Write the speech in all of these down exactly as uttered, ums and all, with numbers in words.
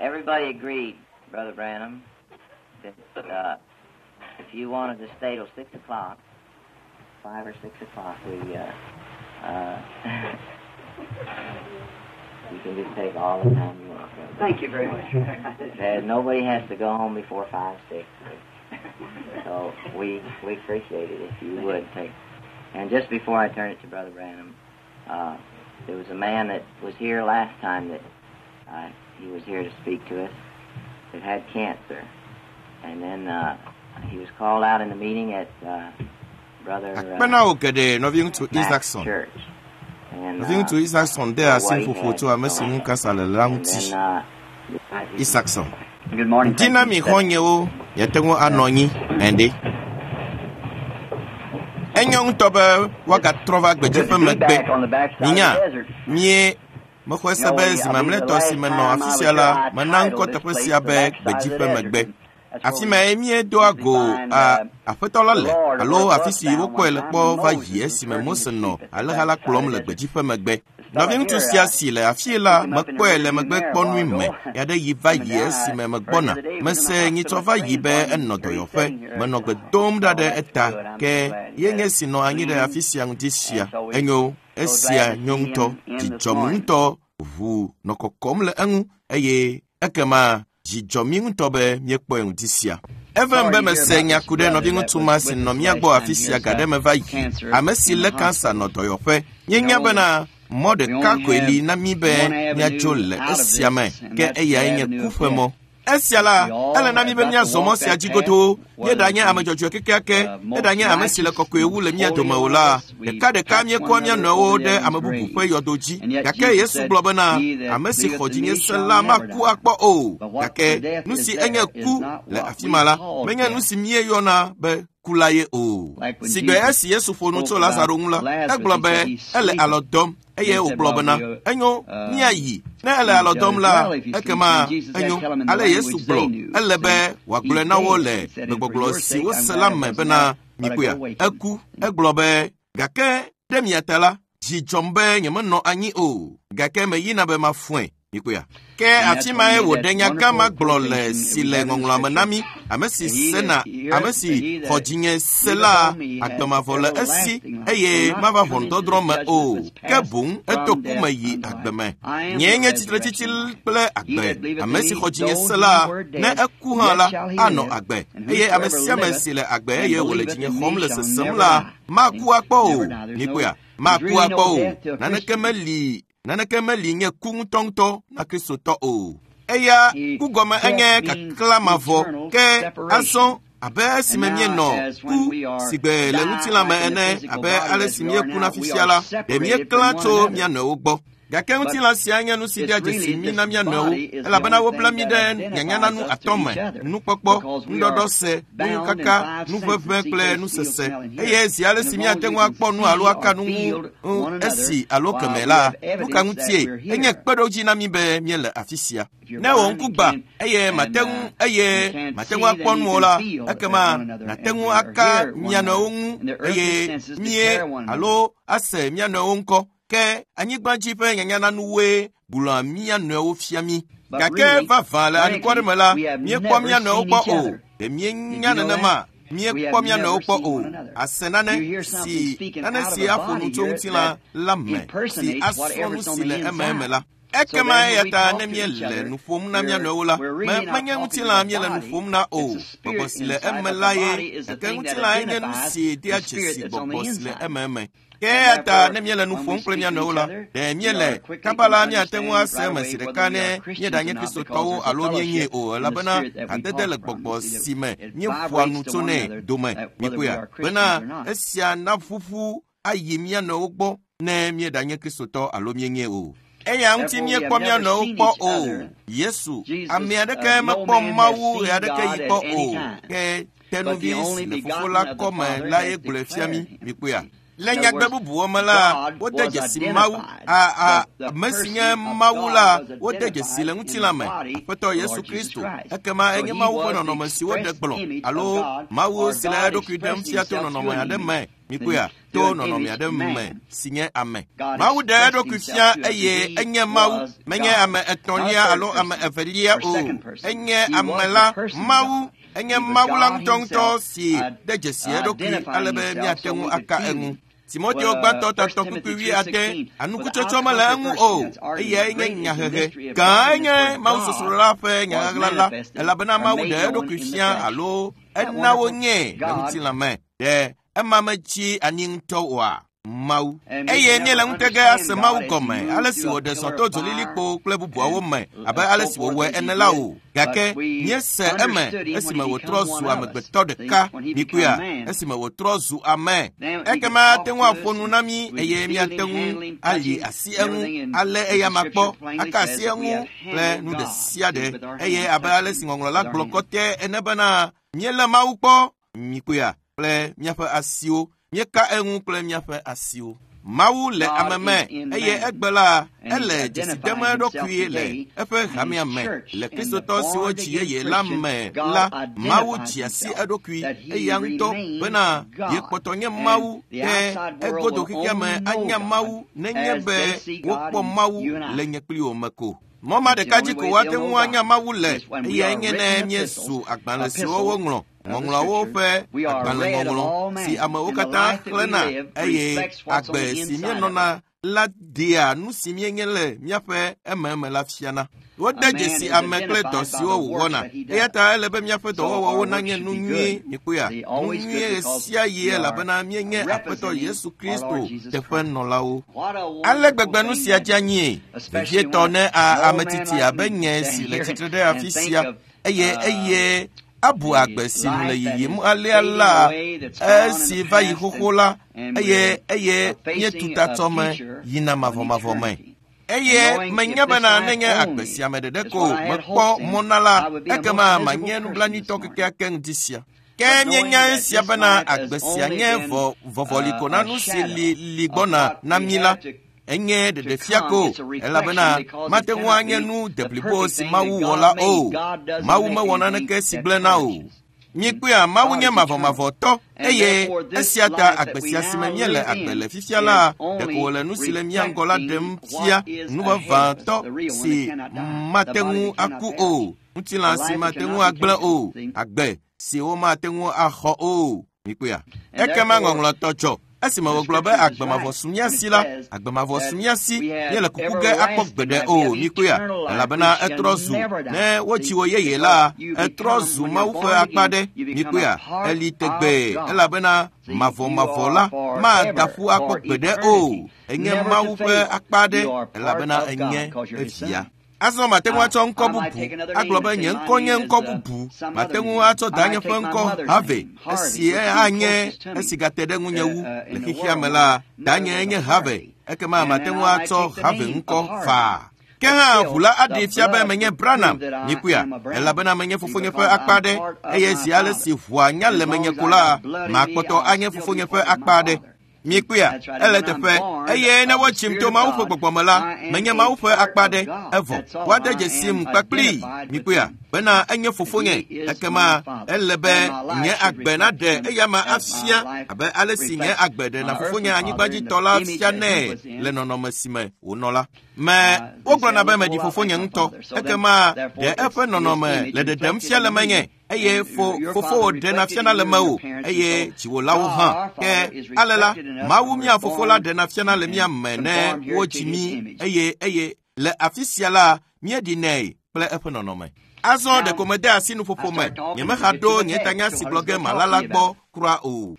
Everybody agreed, Brother Branham, that uh, if you wanted to stay till six o'clock, five or six o'clock, we uh, uh, you can just take all the time you want. Brother. Thank you very much. Uh, nobody has to go home before five, six. So we we appreciate it if you would take. And just before I turn it to Brother Branham, uh, there was a man that was here last time that uh, he was here to speak to us that had cancer, and then uh, he was called out in the meeting at uh, Brother Akpe na uh, wò geɖe nɔviŋutsu Mack's Isaacson. church. And, Nɔviŋutsu uh, Isaacson de asi nuƒoƒo tso ame si ŋu kansa le la and ŋuti. then uh, Isaacson. Good morning. Ŋdi na Thank mi you. xɔ̃nyewo miate ŋu anɔ anyi ende. Enyo ŋutɔ be woagatrɔ va Good gbedzi to ƒe be megbe. back on the backside of Minya, the desert. mie mexɔe se be zi mamlɛtɔ si menɔ afi sia la, mena ŋkɔ teƒe sia be gbedzi ƒe megbe. Afi mae míedoa go a aƒetɔ la le alo afi si wokpɔe le kpɔ va yi esime Mose nɔ alẽha la kplɔm le gbedzi ƒe megbe. Nɔviŋutsu sia si le afii la, mekpɔe le megbekpɔnui me ya ɖe yi va yi esime megbɔna. Mese nyitsɔ va yi be enɔ dɔyɔƒe. Menɔ gbe dom ɖa ɖe eta ke ye nye si nɔ anyi ɖe afi sia ŋdi sia. Enyo, esia nyo ŋutɔ, dzidzɔm ŋutɔ, ʋu nɔ kɔkɔm le eŋu eye ekema dzi dzɔ mí ŋutɔ be míekpɔe ŋdi sia. Evem be mese nya ku ɖe nɔviŋutsu ma si nɔ mía gbɔ afi sia ga ɖe me va yi. Ame si lé kansa nɔ dɔyɔƒe. Míenya bena mɔ ɖeka koe li na mí be míadzo le esia me ke eyae nye ku ƒe mɔ. Esia la, ele na mí be míazɔ mɔ sia dzi godoo. Míeɖanye ame dzɔdzɔe kekeake, eɖanye ame si le kɔkɔe wu le mía dome o la, ɖekaɖeka míekɔa mía nɔewo ɖe ame bubu ƒe yɔdo dzi. Gake Yesu gblɔ bena, ame si xɔ dzinye se la maku akpɔ o. Gake nu si enye ku le afi ma la, menye nu si míeyɔna be ku la ye o. Sigbe esi Yesu ƒo nu tso Lazaro ŋu la, egblɔ be ele alɔ dɔm eye wògblɔ bena, enyo, míayi. Ne ele alɔ dɔm la, ekema enyo. Ale Yesu gblɔ, ele be wòagblɔe na wo le gbegbɔgblɔ si wose la me bena, mikpɔea, eku. Egblɔ be, gake ɖe mia ta la, dzi dzɔm be nyemenɔ anyi o, gake meyina be mafɔe. Mikpɔea. Ke afi mae wòɖe nya gã ma gblɔ le si le ŋɔŋlɔa me na mí, ame si sena, ame si xɔ dzinye se la, agbe mavɔ le esi eye mava ʋɔnudɔdrɔ̃ me o, ke boŋ eto ku me yi agbe me. Nyee nye tsitretsitsi kple agbe. Ame si xɔ dzinye se la, ne eku hã la, anɔ agbe. Eye ame sia ame si le agbe eye wòle dzinye xɔm le sesem la, maku akpɔ o. Mikpɔea, maku akpɔ o. Naneke meli naneke meli nye ku ŋutɔŋutɔ na Kristotɔ o. Eya ku gɔme enye kaklã mavɔ ke azɔ abe esime míenɔ ku sigbe le ŋutilã me ene abe ale si míekuna fifia la, ɖe míeklã tso mía nɔewo gbɔ. Gake ŋutilã sia nye nu si dea dzesi mí na mía nɔewo, elabena wobla mí ɖe nyanyananu atɔ̃ me: nukpɔkpɔ, nuɖɔɖɔse, nukaka, nuʋeʋẽ kple nusese. Eye zi ale si míate ŋu akpɔ nu alo aka nu ŋu esi alo keme la, nu ka ŋutie enye kpeɖodzi na mí be míele afi sia. Ne wò ŋku gbã eye mate ŋu eye mate ŋu akpɔ nu o la, ekema nàte ŋu aka mia nɔewo ŋu eye mie alo ase mia nɔewo ŋkɔ. Ke anyigba dzi ƒe nyanyananuwoe gblɔa mía nɔewo fia mí. Gake vavã le anukware me la, míekpɔ mía nɔewo kpɔ o. Ɖe míenya nenema? Míekpɔ mía nɔewo kpɔ o. Ase nane si nane si aƒo nu tso ŋutilã la me si asrɔ̃ nu si le ememe la. Ekema eya ta ne míele nu ƒom na mía nɔewo la, me menye ŋutilã míele nu ƒom na o. Gbɔgbɔ si le eme la ye, gake ŋutilã nye nu si dea dzesi gbɔgbɔ si le ememe. Ke eya ta ne míele nu ƒom kple mía nɔewo la, ɖe míele kaba la míate ŋu ase eme zi ɖeka ne míeɖanye Kristotɔwo alo míenyee o, elabena hadede le gbɔgbɔ si me míeƒoa nu tsonɛ dome. Mikpɔea, bena esia naƒuƒu ayi mía nɔewo gbɔ ne míeɖanye Kristotɔ alo míenyee o. Eya ŋuti míekpɔ mía nɔewo kpɔ o. Yesu, ame aɖeke mekpɔ Mawu ɣe aɖeke yi kpɔ o. Ke tenuvi si le fofo la kɔme la ye gblɔe fia mí. Mikpɔea. Le nyagbe bubuwo me la, wode dzesi Mawu, a ame si nye Mawu la, wode dzesi le ŋutilã me, Aƒetɔ Yesu Kristo. Ekema enye Mawu ƒe nɔnɔme si woɖe gblɔ alo Mawu si le eɖokui ɖem fia to nɔnɔme aɖe me. Mikpɔea, to nɔnɔme aɖe me si nye ame. Mawu ɖe eɖokui fia eye enye Mawu, menye ame etɔ̃lia alo ame evelia o. Enye ame la, Mawu. Enye Mawu la ŋutɔŋutɔ si de dzesi eɖokui ale be míate ŋu aka eŋu. Timoteo gbãtɔ tatɔ kpukpui wuiade, anukutsɔtsɔ mele eŋu o, eyae nye nyahehe. Gãe nye mawusosrola ƒe nyaɣaɣla la, elabena Mawu ɖe eɖokui fia alo ena wonyee le ŋutilã me. Ɖe ema metsi anyi ŋutɔ oa? Mawu. Eye míele ŋutege ase Mawu gɔme ale si wòɖe zɔ to dzolilikpo kple bubuawo me abe ale si wòwɔe ene la o. Gake míese eme esime wòtrɔ zu amegbetɔ ɖeka. Mikpɔea, esime wòtrɔ zu ame. Ekema ate ŋu aƒo nu na mí eye míate ŋu ali asi eŋu, alé eyama kpɔ, aka asi eŋu kple nu ɖe sia ɖe. Eye abe ale si ŋɔŋlɔ la gblɔ kɔtɛ ene bena míelé Mawu kpɔ. Mikpɔea, kple míaƒe asiwo. Míeka eŋu kple míaƒe asiwo. Mawu le ame me eye egbe la ele dzesi dem eɖokui le eƒe hamea me. Le Kristotɔ siwo dzi yeye la me la, Mawu dzi asi eɖokui eya ŋutɔ bena yekpɔtɔ nye Mawu ke egodo xexea me anya Mawu nenye be wokpɔ Mawu le nye kpli wo me ko. Mɔ ma ɖeka dzi ko woate ŋu anya Mawu le eyae nye ne míezu agbalẽ siwo woŋlɔ. Ŋɔŋlɔawo ƒe agbalẽŋɔŋlɔ si amewo katã xlẽna eye agbe si míenɔna la ɖea nu si míenye le míaƒe ememe la fiana. Wode dzesi ame kple dɔ siwo wòwɔna. Eya ta ele be míaƒe dɔwɔwɔwo nanye nu nyui. Mikpɔea, nu nyui ɣe sia ɣi elabena míenye Aƒetɔ Yesu Kristo teƒenɔlawo. Ale gbegbe nu sia dze anyie, vevietɔ ne ame tsitsi abe nye si le tsitre ɖe afi sia eye eye abu agbe si nu le yiyim alea la esi va yi xoxo la eye eye míetu tatsɔme yina mavɔmavɔ me. Eye menya bena nenye agbe sia me ɖeɖe ko mekpɔ mɔ na la, ekema manye nublanuitɔ kekeake ŋdi sia. Ke míenya esia bena agbe sia nye vɔ vɔvɔli ko na nu si li li gbɔna na mí la. Enye ɖeɖefia ko, elabena mate ŋu anye nu deblibo si Mawu wɔ la o. Mawu mewɔ naneke si gblẽna o. Míekpɔea, Mawu nye mavɔmavɔtɔ eye esia ta agbe sia si me míele agbe le fifia la, ɖeko wòle nu si le mía ŋgɔ la ɖem fia, nu vavãtɔ si mate ŋu aku o, ŋutilã si mate ŋu agblẽ o, agbe si womate ŋu axɔ o. Míekpɔea, ekema ŋɔŋlɔtɔ dzɔ. Esime wògblɔ be agbe mavɔ su mía si la, agbe mavɔ su mía si, míele kuku ge akpɔ gbeɖe o. Míekpɔea, elabena etrɔ zu ne wotsi wo yeye la, etrɔ zu Mawu ƒe akpa ɖe. Míekpɔea, eli tegbee elabena mavɔmavɔ la mada ƒu akpɔ gbeɖe o. Enye Mawu ƒe akpa ɖe elabena enye evia. Azɔ mate ŋu atsɔ ŋkɔ bubu agblɔ be nye ŋkɔ nye ŋkɔ bubu. Mate ŋu atsɔ danye ƒe ŋkɔ Harvey, esi anye esi gate ɖe ŋunye wu le xexea me la, danye nye Harvey, ekema mate ŋu atsɔ Harvey ŋkɔ faa. Ke hã ʋu la aɖee fia be menye Branham. Mikpɔea, elabena menye fofonye ƒe akpa ɖe, eye zi ale si ʋua nya le menye ko la, makpɔtɔ anye fofonye ƒe akpa ɖe. Mikpɔea, ele teƒe eye ne wotsim to Mawu ƒe gbɔgbɔ me la, menye Mawu ƒe akpa ɖe evɔ woade dzesim kpakplii. Mikpɔea, bena enye fofonye, ekema ele be nye agbe naɖe eyama afia abe ale si nye agbe ɖena fofonye anyigbadzitɔ la fia nɛ le nɔnɔme si me wònɔ la. Me wogblɔna be meɖi fofonye ŋutɔ, ekema ɖe eƒe nɔnɔme le ɖeɖem fia le menye. Eye fo fofowò ɖena fiana le mewò eye dziwòlawo hã. Ke ale la, Mawu mía fofo la ɖena fiana le mía me ne wodzi mí eye eye le afi sia la míeɖinɛ kple eƒe nɔnɔme. Azɔ ɖeko mede asi nuƒoƒo me, nyemehaɖo nye tanya si gblɔ ge mala la gbɔ kura o.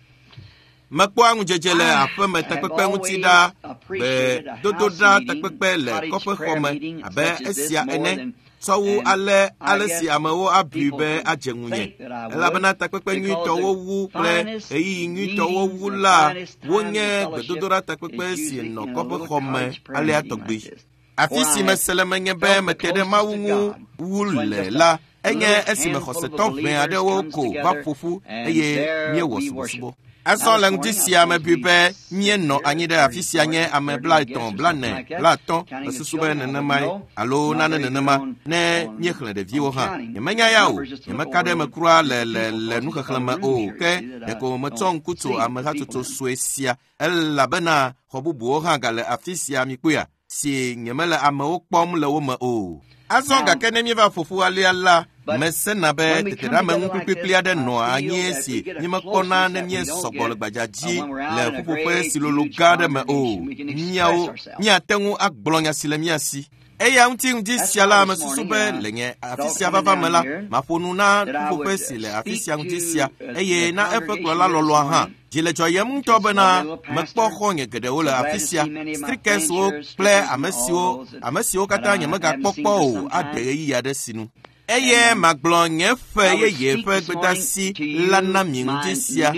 Mekpɔa ŋudzedze le aƒeme takpekpe ŋuti ɖa, gbedodoɖa takpekpe le kɔƒexɔ me abe esia ene. Sɔwu ale ale si amewo abui be adze ŋunye, elabena takpekpe nyuitɔwo wu kple ɣeyiɣi nyuitɔwo wu la wonye gbedodoɖa takpekpe si nɔ kɔƒexɔ me alea tɔgbi. Afi si mese le menye be mete ɖe Mawu ŋu wu le la, enye esime xɔsetɔ ʋɛ aɖewo ko va ƒo ƒu eye míewɔ subɔsubɔ. Azɔ le ŋdi sia mebui be míenɔ anyi ɖe afi sia nye ame blaetɔ̃, blaene, blaatɔ̃, mesusu be nenemae alo nane nenema ne míexlẽ ɖeviwo hã. Nyemenya ya o, nyemeka ɖe eme kura le le le nuxexlẽ me o, ke ɖeko metsɔ ŋku tso amehatsotso sue sia elabena xɔ bubuwo hã gale afi sia mikpɔea si nyemele amewo kpɔm le wo me o. Azɔ gake ne míeva ƒoƒu alea la, mesena be teteɖeameŋu kplikplikpli aɖe nɔa anyi si mímekpɔna ne míesɔgbɔ le gbadza dzi le ƒuƒoƒe si lolo gã aɖe me o. Míawo míate ŋu agblɔ nya si le mía si. Eya ŋuti ŋdi sia la mesusu be le nye afi sia vava me la, maƒo nu na ƒuƒoƒe si le afi sia ŋuti sia eye na eƒe kplɔla lɔlɔa hã. Dzi le dzɔyem ŋutɔ bena mekpɔ xɔ̃nye geɖewo le afi sia, strikeswo kple ame siwo ame siwo katã nyemegakpɔ kpɔ o ade ɣeyiɣi aɖe sinu. Eye magblɔ nye ƒe yeye ƒe gbedasi la na mi ŋdi sia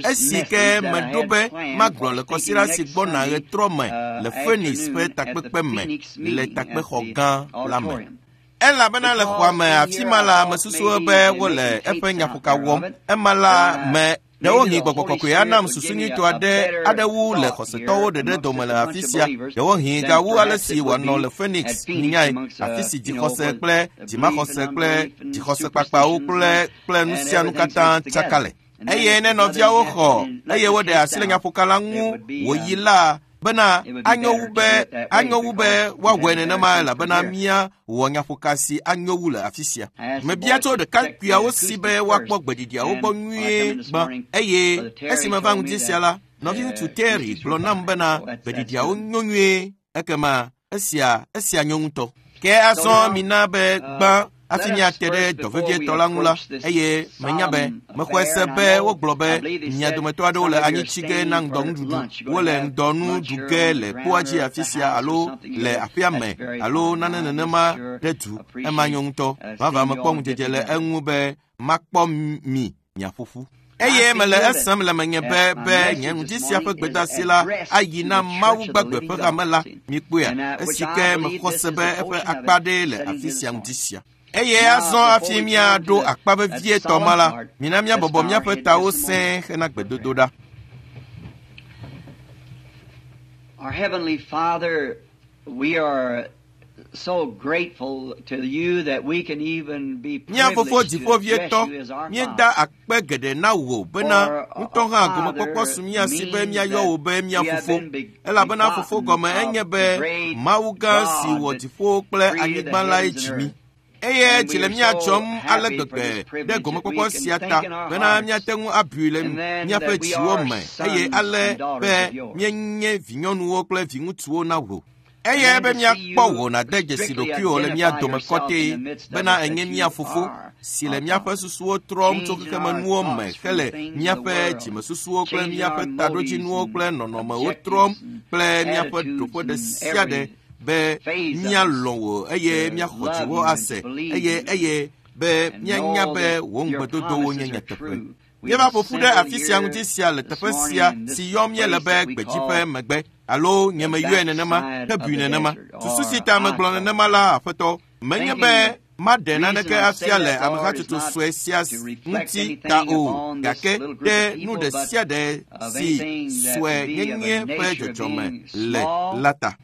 esi ke meɖo be magblɔ le kɔsiɖa si gbɔna ɣetrɔ me le Phoenix ƒe takpekpe me le takpexɔ gã la me. Elabena le xɔa me afi ma la mesusu be wole eƒe nyaƒoka wɔm. Ema la me ɖewohĩ gbɔgbɔ kɔkɔe anam susu nyuitɔ aɖe aɖe wu le xɔsetɔwo ɖeɖe dome le afi sia. Ɖewohĩ gawu ale si wòanɔ le Phoenix nyae, afi si dzixɔse kple dzimaxɔse kple dzixɔse kpakpawo kple kple nu sia nu katã tsaka le. Eye ne nɔviawo xɔ eye woɖe asi le nyaƒoka la ŋu wòyi la bena anyo wu be anyo wu be woawɔe nenema elabena míawɔ nyaƒoka si anyo wu le afi sia. Mebia tso ɖekakpuiawo si be woakpɔ gbeɖiɖiawo gbɔ nyuie gbã eye esi meva ŋdi sia la, nɔviŋutsu Terry gblɔ nam bena gbeɖiɖiawo nyo nyuie ekema esia esia nyo ŋutɔ. Ke azɔ mina be gbã hafi míate ɖe dɔ vevietɔ la ŋu la, eye menya be mexɔe se be wogblɔ be mia dometɔ aɖewo le anyi tsi ge na ŋdɔnuɖuɖu, wole ŋdɔnu ɖu ge le kpoa dzi afi sia alo le aƒea me alo nane nenema ɖe du. Ema nyo ŋutɔ. Vavã mekpɔ ŋudzedze le eŋu be makpɔ mi miaƒo ƒu. Eye mele esem le menye be be nye ŋdi sia ƒe gbedasi la ayi na Mawu gbagbe ƒe hame la mikpɔea esi ke mexɔ se be eƒe akpa ɖee le afi sia ŋdi sia. Eye azɔ hafi míaɖo akpa vevietɔ ma la, mina míabɔbɔ míaƒe tawo sẽe hena gbedodoɖa. Our Heavenly Father, we are so grateful to you that we can even be Mía fofo privileged to address dziƒovietɔ, you as our míeda Father. akpe geɖe na wò bena ŋutɔ hã gomekpɔkpɔ su mía si be míayɔ wò be mía fofo. Elabena fofo gɔme enye be Mawu gã si wɔ dziƒo kple anyigba lae dzi mí. Eye dzi le mía dzɔm ale gbegbe ɖe gomekpɔkpɔ sia ta bena míate ŋu abui le míaƒe dziwo me eye ale be míenye vinyɔnuwo kple viŋutsuwo na wò. Eye be míakpɔ wò nàde dzesi ɖokuiwò le mía dome kɔtɛe bena enye mía fofo si le míaƒe susuwo trɔm tso xexemenuwo me hele míaƒe dzimesusuwo kple míaƒe taɖodzinuwo kple nɔnɔmewo trɔm kple míaƒe ɖoƒe ɖe sia ɖe be míalɔ̃ wò eye míaxɔ dziwò ase eye eye be míanya be wò ŋugbedodowo nye nyateƒe. Míeva ƒo ƒu ɖe afi sia ŋuti sia le teƒe sia si yɔm míele be gbedzi ƒe megbe alo nye meyɔe nenema hebui nenema. Susu si ta megblɔ nenema la, Aƒetɔ, menye be maɖe naneke afia le amehatsotso sue sia ŋuti ta o, gake ɖe nu ɖe sia ɖe si sue nyenye ƒe dzɔdzɔme le la ta.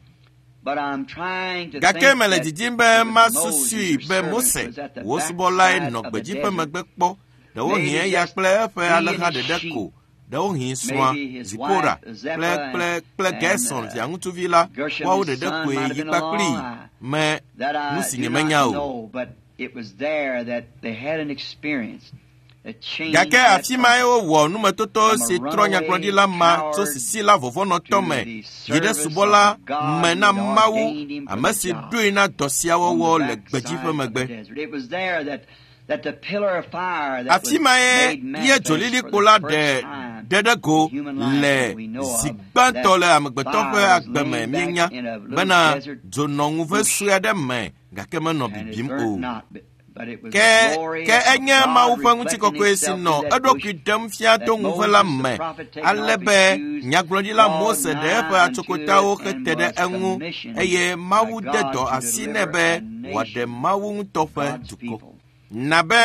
Gake mele didim be masusui be Mose, wò subɔlae nɔ gbedzi ƒe megbe kpɔ, ɖewohĩ eya kple eƒe alẽha ɖeɖe ko, ɖewohĩ srɔ̃a Zipora kple kple kple Gerson viaŋutsuvi la, woawo ɖeɖe koe yi kpakplii me nu si nyemenya o. Gake afi mae wowɔ numetoto si trɔ nyagblɔɖila ma tso sisila vɔvɔ̃nɔtɔ me yi ɖe subɔla me na Mawu, ame si ɖoe na dɔ sia wɔwɔ le gbedzi ƒe megbe. Afi mae ye dzolilikpo la ɖe ɖe ɖe go le zi gbãtɔ le amegbetɔ ƒe agbe me míenya bena dzo nɔ ŋuve sue aɖe me gake menɔ bibim o. Ke ke enye Mawu ƒe ŋutikɔkɔe si nɔ eɖokui ɖem fia to ŋuve la me ale be nyagblɔɖila Mose ɖe eƒe atsokotawo hete ɖe eŋu eye Mawu de dɔ asi nɛ be wòaɖe Mawu ŋutɔ ƒe dukɔ. Na be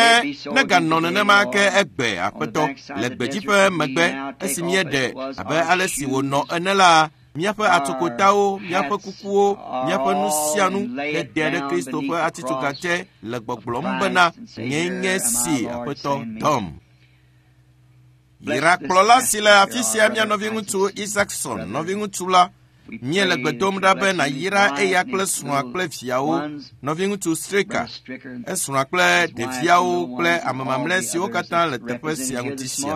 neganɔ nenema ke egbe aƒetɔ le gbedzi ƒe megbe esi míeɖe abe ale si wònɔ ene la míaƒe atsokotawo, míaƒe kukuwo, míaƒe nu sia nu hede ɖe Kristo ƒe atitsoga te le gbɔgblɔm bena nyee nye si aƒetɔ dɔm. Yra kplɔla si le afi sia mía nɔviŋutsu Isaacson, nɔviŋutsu la, míele gbe dom ɖa be nàyra eya kple srɔ̃a kple viawo, nɔviŋutsu Stricker, esrɔ̃a kple ɖeviawo kple ame mamlɛ siwo katã le teƒe sia ŋuti sia.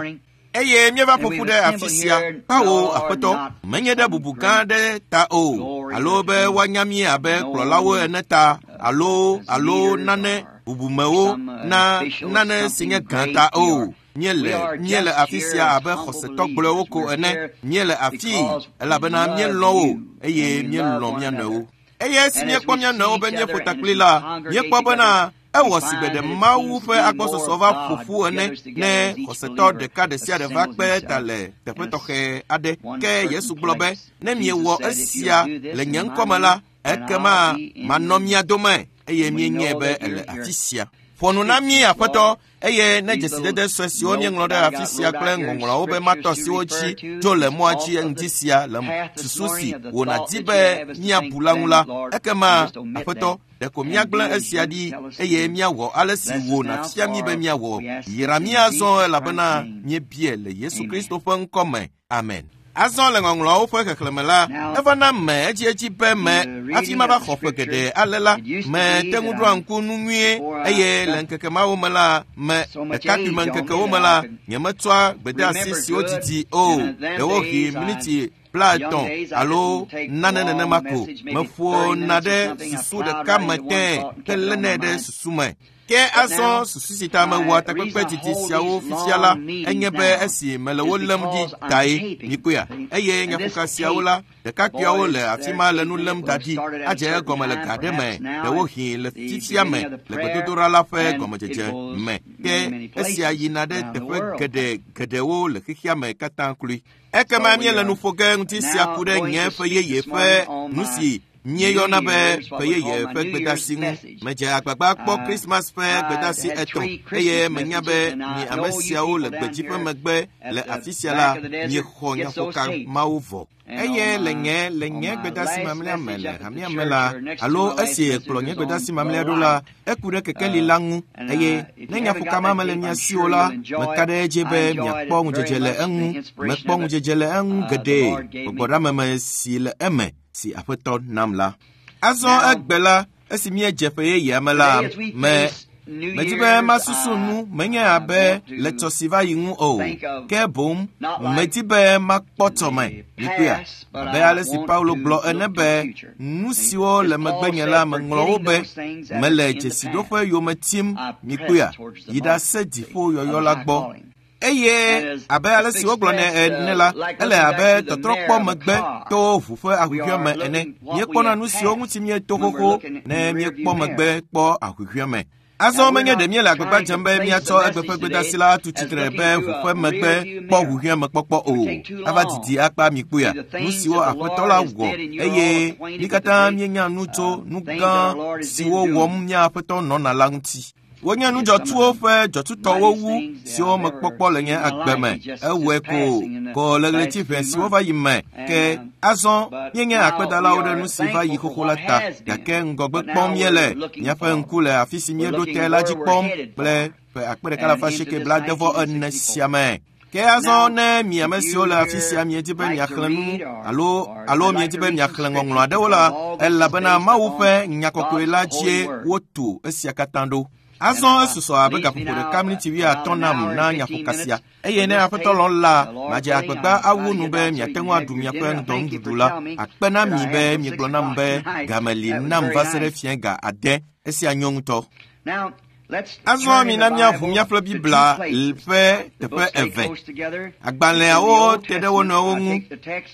Eye míeva ƒoƒu ɖe afi sia, kpawo aƒetɔ, menye ɖe bubu gã aɖe ta o, alo be woanya mí abe kplɔlawo ene ta, alo alo nane bubumewo na nane si nye gã ta o. Míele míele afi sia abe xɔsetɔ gblɔewo ko ene. Míele afii elabena míelɔ̃ wo eye míelɔ̃ mía nɔewo. Eye esi míekpɔ mía nɔewo be míeƒo takpli la, míekpɔ bena ewɔ si gbe ɖe Mawu ƒe agbɔsɔsɔ va ƒo ƒu ene ne xɔsetɔ ɖeka ɖe sia ɖe va kpe ta le teƒe tɔxɛ aɖe. Ke Yesu gblɔ be, ne miewɔ esia le nye ŋkɔme la, ekema manɔ mia dome eye míenyae be ele afi sia. Ƒo nu na mí aƒetɔ eye ne dzesidede sue siwo míeŋlɔ ɖe afi sia kple ŋɔŋlɔawo be matɔ siwo dzi tso le mɔa dzi ŋdi sia le susu si wònadi be míabu la ŋu la, ekema aƒetɔ ɖeko míagblẽ esia ɖi eye míawɔ ale si wò nàfia mí be míawɔ. Yra mí azɔ elabena míebia le Yesu Kristo ƒe ŋkɔ me. Amen. Azɔ le ŋɔŋlɔawo ƒe xexlẽme la, eva na me edziedzi be me hafi mava xɔ ƒe geɖe ale la, me te ŋu ɖoa ŋku nu nyuie eye le ŋkeke mawo me la, me ɖekakpuime ŋkekewo me la, nyemetsɔa gbedeasi siwo didi o, ɖewohĩ miniti blaetɔ̃ alo nane nenema ko meƒona ɖe susu ɖeka me tẽe helénɛ ɖe susu me. Ke azɔ susu si ta mewɔa takpekpe didi siawo fifia la enye be esi mele wo lém ɖi tae mikpɔea eye nyaƒoka siawo la ɖekakpuiawo le afi ma le nu lém da ɖi adze egɔme le ga ɖe me ɖewohĩ le fifia me le gbedodoɖa la ƒe gɔmedzedze me. Ke esia yina ɖe teƒe geɖe geɖewo le xexea me katã kloe. Ekema míele nu ƒo ge ŋuti sia ku ɖe nye ƒe yeye ƒe nu si míeyɔna be ƒe yeye ƒe gbedasi ŋu. Medze agbagba kpɔ Christmas ƒe gbedasi etɔ̃ eye menya be mi ame siawo le gbedzi ƒe megbe le afi sia la miexɔ nyaƒoka mawo vɔ. Eye le nye le nye gbedasi mamlɛa me le hamea me la, alo esi kplɔ nye gbedasi mamlɛa ɖo la, eku ɖe kekeli la ŋu eye ne nyaƒoka ma mele mia si o la, meka ɖe edzi be miakpɔ ŋudzedze le eŋu. Mekpɔ ŋudzedze le eŋu geɖe gbɔgbɔɖameme si le eme si aƒetɔ nam la. Azɔ egbe la, esi míedze ƒe yeyea me la, me medi be masusu nu menye abe le tsɔ si va yi ŋu o, ke boŋ medi be makpɔ tsɔme mikpɔea abe ale si Paulo gblɔ ene be nu siwo le megbenye la meŋlɔ wo be mele dzesiɖoƒe yome tim mikpɔea yi ɖase dziƒo yɔyɔ la gbɔ. Eye abe ale si wogblɔ nɛ ene la, ele abe tɔtrɔkpɔ megbe to ʋu ƒe ahuhɔe me ene. Míekpɔna nu siwo ŋuti míeto xoxo ne míekpɔ megbe kpɔ ahuhɔe me. Azɔ menye ɖe míele agbagba dzem be míatsɔ egbe ƒe gbedasi la atu tsitre be ʋu ƒe megbe kpɔ ʋuhɔe me kpɔkpɔ o. Ava didi akpa mikpɔea nu siwo aƒetɔ la wɔ eye mí katã míenya nu tso nu gã siwo wɔm mía aƒetɔ nɔna la ŋuti. Wonye nudzɔtsuwo ƒe dzɔtsutɔwo wu siwo mekpɔkpɔ le nye agbe me. Ewɔe ko ko le ɣleti ʋɛ siwo va yi me. Ke azɔ míenye akpedalawo ɖe nu si va yi xoxo la ta, gake ŋgɔgbe kpɔm míele. Míaƒe ŋku le afi si míeɖo te la dzi kpɔm kple ƒe akpe ɖeka alafa asieke blaadevɔ ene sia me. Ke azɔ ne mi ame siwo le afi sia miedi be miaxlẽ nu alo alo miedi be miaxlẽ ŋɔŋlɔ aɖewo la, elabena Mawu ƒe nya kɔkɔe la dzie wotu esia katã ɖo. Azɔ esusɔ abe gaƒoƒo ɖeka miniti wuiatɔ̃ nam na nyaƒoka sia eye ne aƒetɔ lɔ̃ la, madze agbagba awu nu be miate ŋu aɖu miaƒe ŋdɔnuɖuɖu la. Akpe na mi be miegblɔ nam be game li nam va se ɖe fiẽ ga ade. Esia nyo ŋutɔ. Azɔ mina míaʋu míaƒe Biblia ƒe teƒe eve. Agbalẽawo te ɖe wo nɔewo ŋu.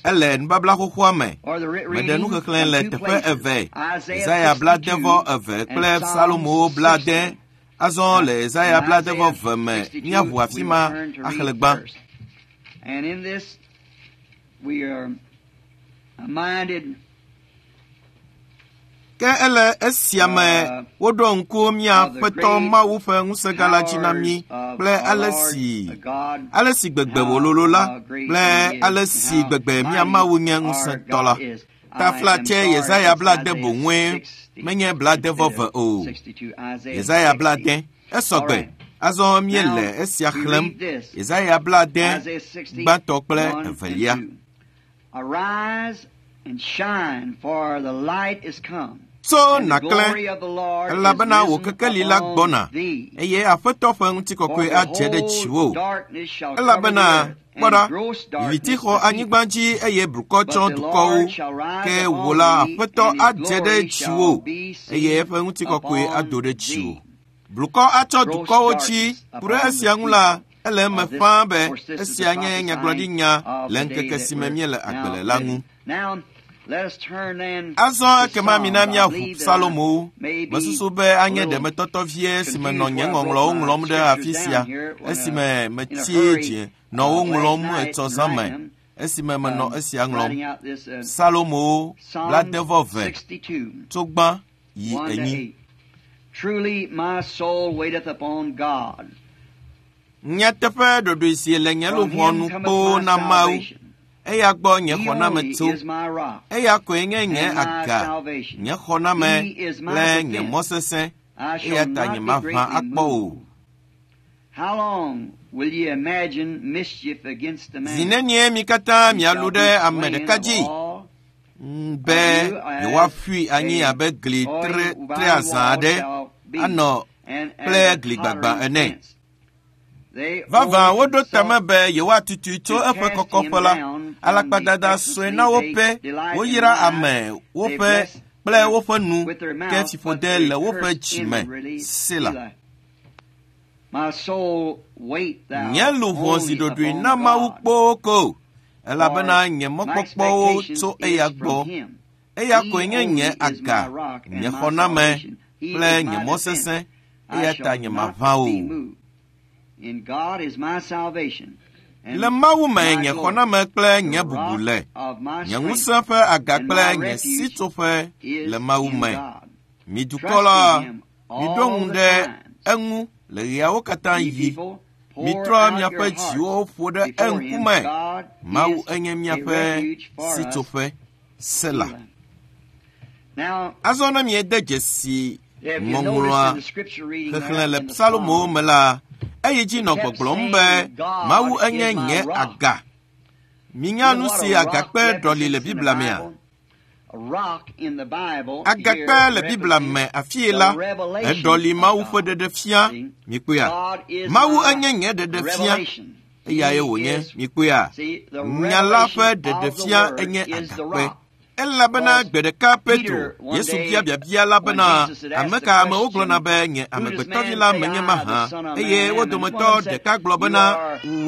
Ele nubabla xoxoa me. Meɖe nuxexlẽ le teƒe eve. Yesaya blaadevɔ eve kple Salomo blaade. Azɔ le Yesaya blaadevɔ ve me míaʋu afi ma axlẽ gbã. And in this we are reminded Ke Ke ele esia me woɖo ŋku mía Aƒetɔ Mawu ƒe ŋusẽgã la dzi na mí kple ale si ale si gbegbe wòlolo la kple ale si gbegbe mía Mawu nye ŋusẽtɔ la. Taflatse Yesaya blaade boŋue menye blaade vɔ ve o. Yesaya blaade esɔgbe. Azɔ míele esia xlẽm. Yesaya blaade gbãtɔ kple evelia. Tso nàklẽ, elabena wò kekeli la gbɔna, eye Aƒetɔ ƒe ŋutikɔkɔe adze ɖe dziwò. Elabena kpɔ ɖa, viviti xɔ anyigba dzi eye blukɔ tsɔ dukɔwo, ke wò la Aƒetɔ adze ɖe dziwò, eye eƒe ŋutikɔkɔe ado ɖe dziwò. Blukɔ atsɔ dukɔwo dzi. Ku ɖe esia ŋu la, ele eme ƒãa be esia nye nyagblɔɖinya le ŋkeke si me míele agbe le la ŋu. Azɔ ekema mina míaʋu Psalomowo. Mesusu be anye ɖemetɔtɔ vie si me nɔ nye ŋɔŋlɔwo ŋlɔm ɖe afi sia esime metsi dzi nɔ wo ŋlɔm etsɔ zã me esime menɔ esia ŋlɔm. Psalomowo blaade vɔ ve tso gbã yi enyi. Truly my soul waiteth upon God. Nyateƒe ɖoɖoe si le nye luʋɔ nu kpoo na Mawu. Eya gbɔ nye xɔname tso. Eya koe nye nye aga, nye xɔname kple nye mɔ sesẽ. Eya ta nye maʋã akpɔ o. Zi nenie mi katã mialũ ɖe ame ɖeka dzi be yewoaƒui anyi abe gli tre tre azã aɖe anɔ kple gli gbagba ene. Vavã woɖo tame be yewoatutui tso eƒe kɔkɔƒe la. Alakpadada sue na woƒe, woyra ame woƒe kple woƒe nu, ke fiƒode le woƒe dzi me. Sela. Nye luʋɔ zi ɖoɖoe na Mawu kpoo ko, elabena nye mɔkpɔkpɔwo tso eya gbɔ. Eya koe nye nye aga, nye xɔname kple nye mɔ sesẽ, eya ta nye maʋã o. Le Mawu me nye xɔname kple nye bubu le, nye ŋusẽ ƒe aga kple nye sitsoƒe le Mawu me. Mi dukɔ la, miɖo ŋu ɖe eŋu le ɣeawo katã yi. Mitrɔ miaƒe dziwo ƒo ɖe eŋkume. Mawu enye miaƒe sitsoƒe. Sela. Azɔ ne miede dzesi ŋɔŋlɔa xexlẽ le Psalomowo me la, eyi dzi nɔ gbɔgblɔm be Mawu enye nye aga. Minya nu si agakpe ɖɔli le Biblia mea? Agakpe le Biblia me afie la, eɖɔli Mawu ƒe ɖeɖefia. Mikpɔea? Mawu enye nye ɖeɖefia. Eyae wònye. Mikpɔea? Nya la ƒe ɖeɖefia enye agakpe. Elabena gbe ɖeka Petro, Yesu bia biabia la bena, ame ka amewo gblɔna be nye amegbetɔvi la menye mahã? Eye wo dometɔ ɖeka gblɔ bena,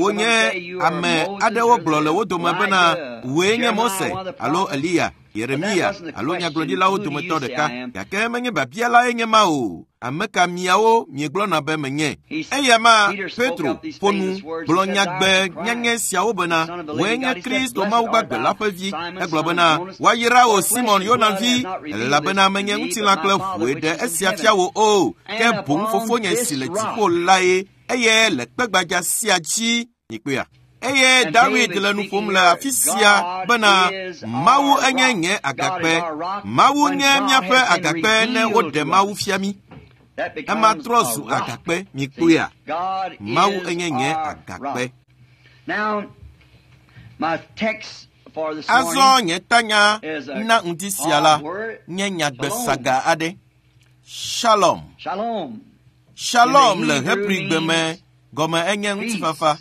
wonye ame aɖewo gblɔ le wo dome bena, wòe nye Mose alo Eliya, Yeremia alo nyagblɔɖilawo dometɔ ɖeka. Gake menye biabia lae nye ma o. Ame ka miawo miegblɔna be menye? Eya ma Petro ƒo nu gblɔ nyagbe nyanye siawo bena, wòe nye Kristo Mawu gbagbe la ƒe vi. Egblɔ bena, woayra wò Simon Yona vi, elabena menye ŋutilã kple ʋue ɖe esia fia wò o, ke boŋ fofonye si le dziƒo lae, eye le kpe gbadza sia dzi. Mikpɔea? Eye David le nu ƒom le afi sia bena Mawu enye nye agakpe. Mawu nye míaƒe agakpe ne woɖe Mawu fia mí. Ema trɔ zu agakpe. Mikpɔea? Mawu enye nye agakpe. Azɔ nye tanya na ŋdi sia la nye nyagbe saga aɖe. Shalom. Shalom le Hebrigbe me gɔme enye ŋutifafa.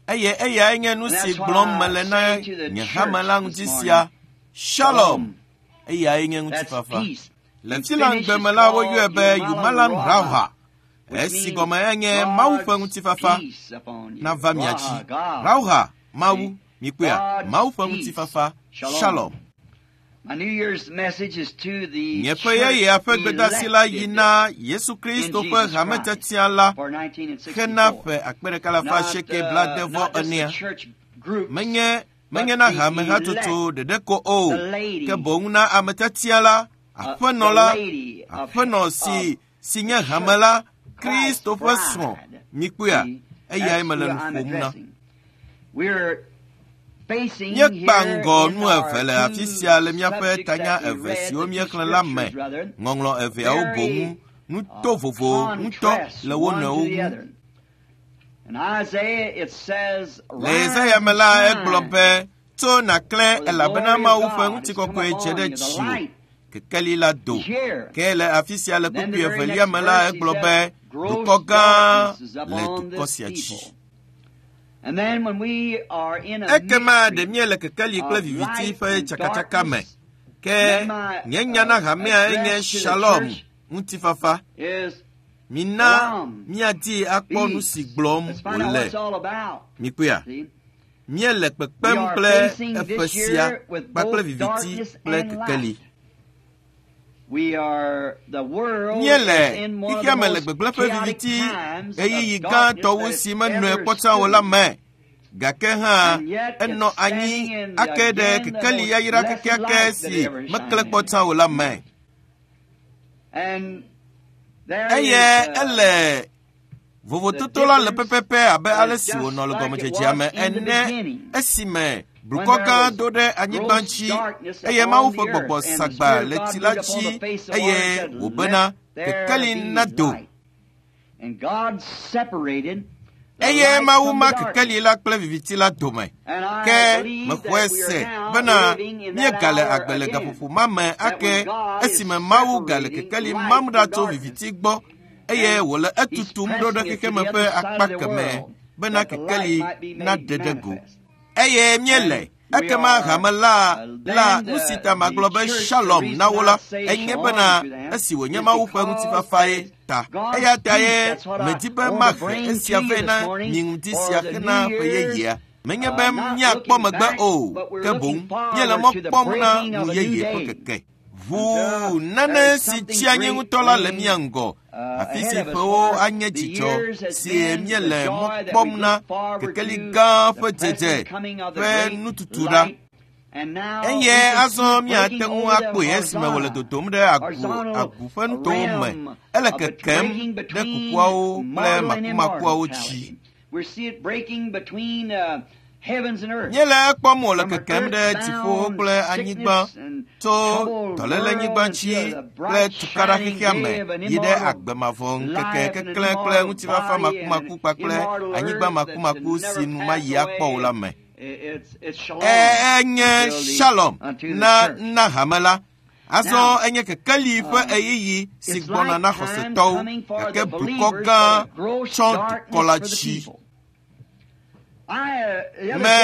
Eye eyae nye nu si gblɔm mele na nye hame la ŋuti sia. Shalom. Eyae nye ŋutifafa. Le Finlandgbe me la woyɔe be Yumalam Rauha, esi gɔme enye Mawu ƒe ŋutifafa nava mia dzi. Rauha, Mawu, mikpɔea, Mawu ƒe ŋutifafa. Shalom. Nye ƒe yeyea ƒe gbedasi la yi na Yesu Kristo ƒe hametetia la hena ƒe akpe ɖeka alafa asieke blaade vɔ enea. Menye menye na hamehatsotso ɖeɖe ko o, ke boŋ na ametetia la, Aƒenɔ la, aƒenɔ si si nye hame la, Kristo ƒe srɔ̃. Mikpɔea, eyae mele nu ƒom na. Míekpa ŋgɔ nu eve le afi sia le míaƒe tanya eve siwo míexlẽ la me. Ŋɔŋlɔ eveawo boŋ nu to vovo ŋutɔ le wo nɔewo ŋu. Le Yesaya me la, egblɔ be, tso nàklẽ elabena Mawu ƒe ŋutikɔkɔe dze ɖe dziwò. Kekeli la do. Ke le afi sia le kpukpui evelia me la, egblɔ be, dukɔ gã le dukɔ sia dzi. Ekema ɖe míele kekeli kple viviti ƒe tsakatsaka me. Ke nye nya na hamea enye Shalom, ŋutifafa. Mina míadi akpɔ nu si gblɔm wòle. Mikpɔea? Míele kpekpem kple eƒe sia kpakple viviti kple kekeli. Míele xexea me le gbegblẽ ƒe viviti ɣeyiɣi gãtɔ wu si menɔe kpɔ tsã o la me. Gake hã enɔ anyi ake ɖe kekeli yayra kekeake si meklẽ kpɔ tsã o la me. Eye ele vovototo la le pɛpɛpɛ abe ale si wònɔ le gɔmedzedzea me ene esime blukɔ gã do ɖe anyigba dzi eye Mawu ƒe gbɔgbɔ sagba le tsi la dzi eye wòbena kekeli nado. Eye Mawu ma kekeli la kple viviti la dome. Ke mexɔe se bena míegale agbe le gaƒoƒo ma me ake esime Mawu gale kekeli mam ɖa tso viviti gbɔ eye wòle etutum ɖo ɖe xexeme ƒe akpa keme bena kekeli naɖe ɖe go. Eye míele ekema hame la la nu si ta magblɔ be Shalom na wo la enye bena esi wònye Mawu ƒe ŋutifafae ta. Eya ta ye medi be mahe esia vɛ na mi ŋdi sia hena ƒe yeyea. Menye be míakpɔ megbe o, ke boŋ míele mɔ kpɔm na nu yeye ƒe keke. Ʋuu nane si tsi anyi ŋutɔ la le mía ŋgɔ. Afi si ƒewo anye dzidzɔ si míele mɔ kpɔm na kekeli gã ƒe dzedze ƒe nututu ɖa. Eye azɔ míate ŋu akpɔe esime wòle dodom ɖe agu agu ƒe nutowo me. Ele kekem ɖe kukuawo kple makumakuawo dzi. Míele ekpɔm wòle kekem ɖe dziƒo kple anyigba tso dɔlélenyigba dzi kple tukaɖa xexea me yi ɖe agbe mavɔ ŋkeke keklẽ kple ŋutifafa makumaku kpakple anyigba makumaku si nu mayi akpɔ o la me. Enye Shalom na na hame la. Azɔ enye kekeli ƒe ɣeyiɣi si gbɔna na xɔsetɔwo gake blukɔ gã tsɔ dukɔ la dzi. Me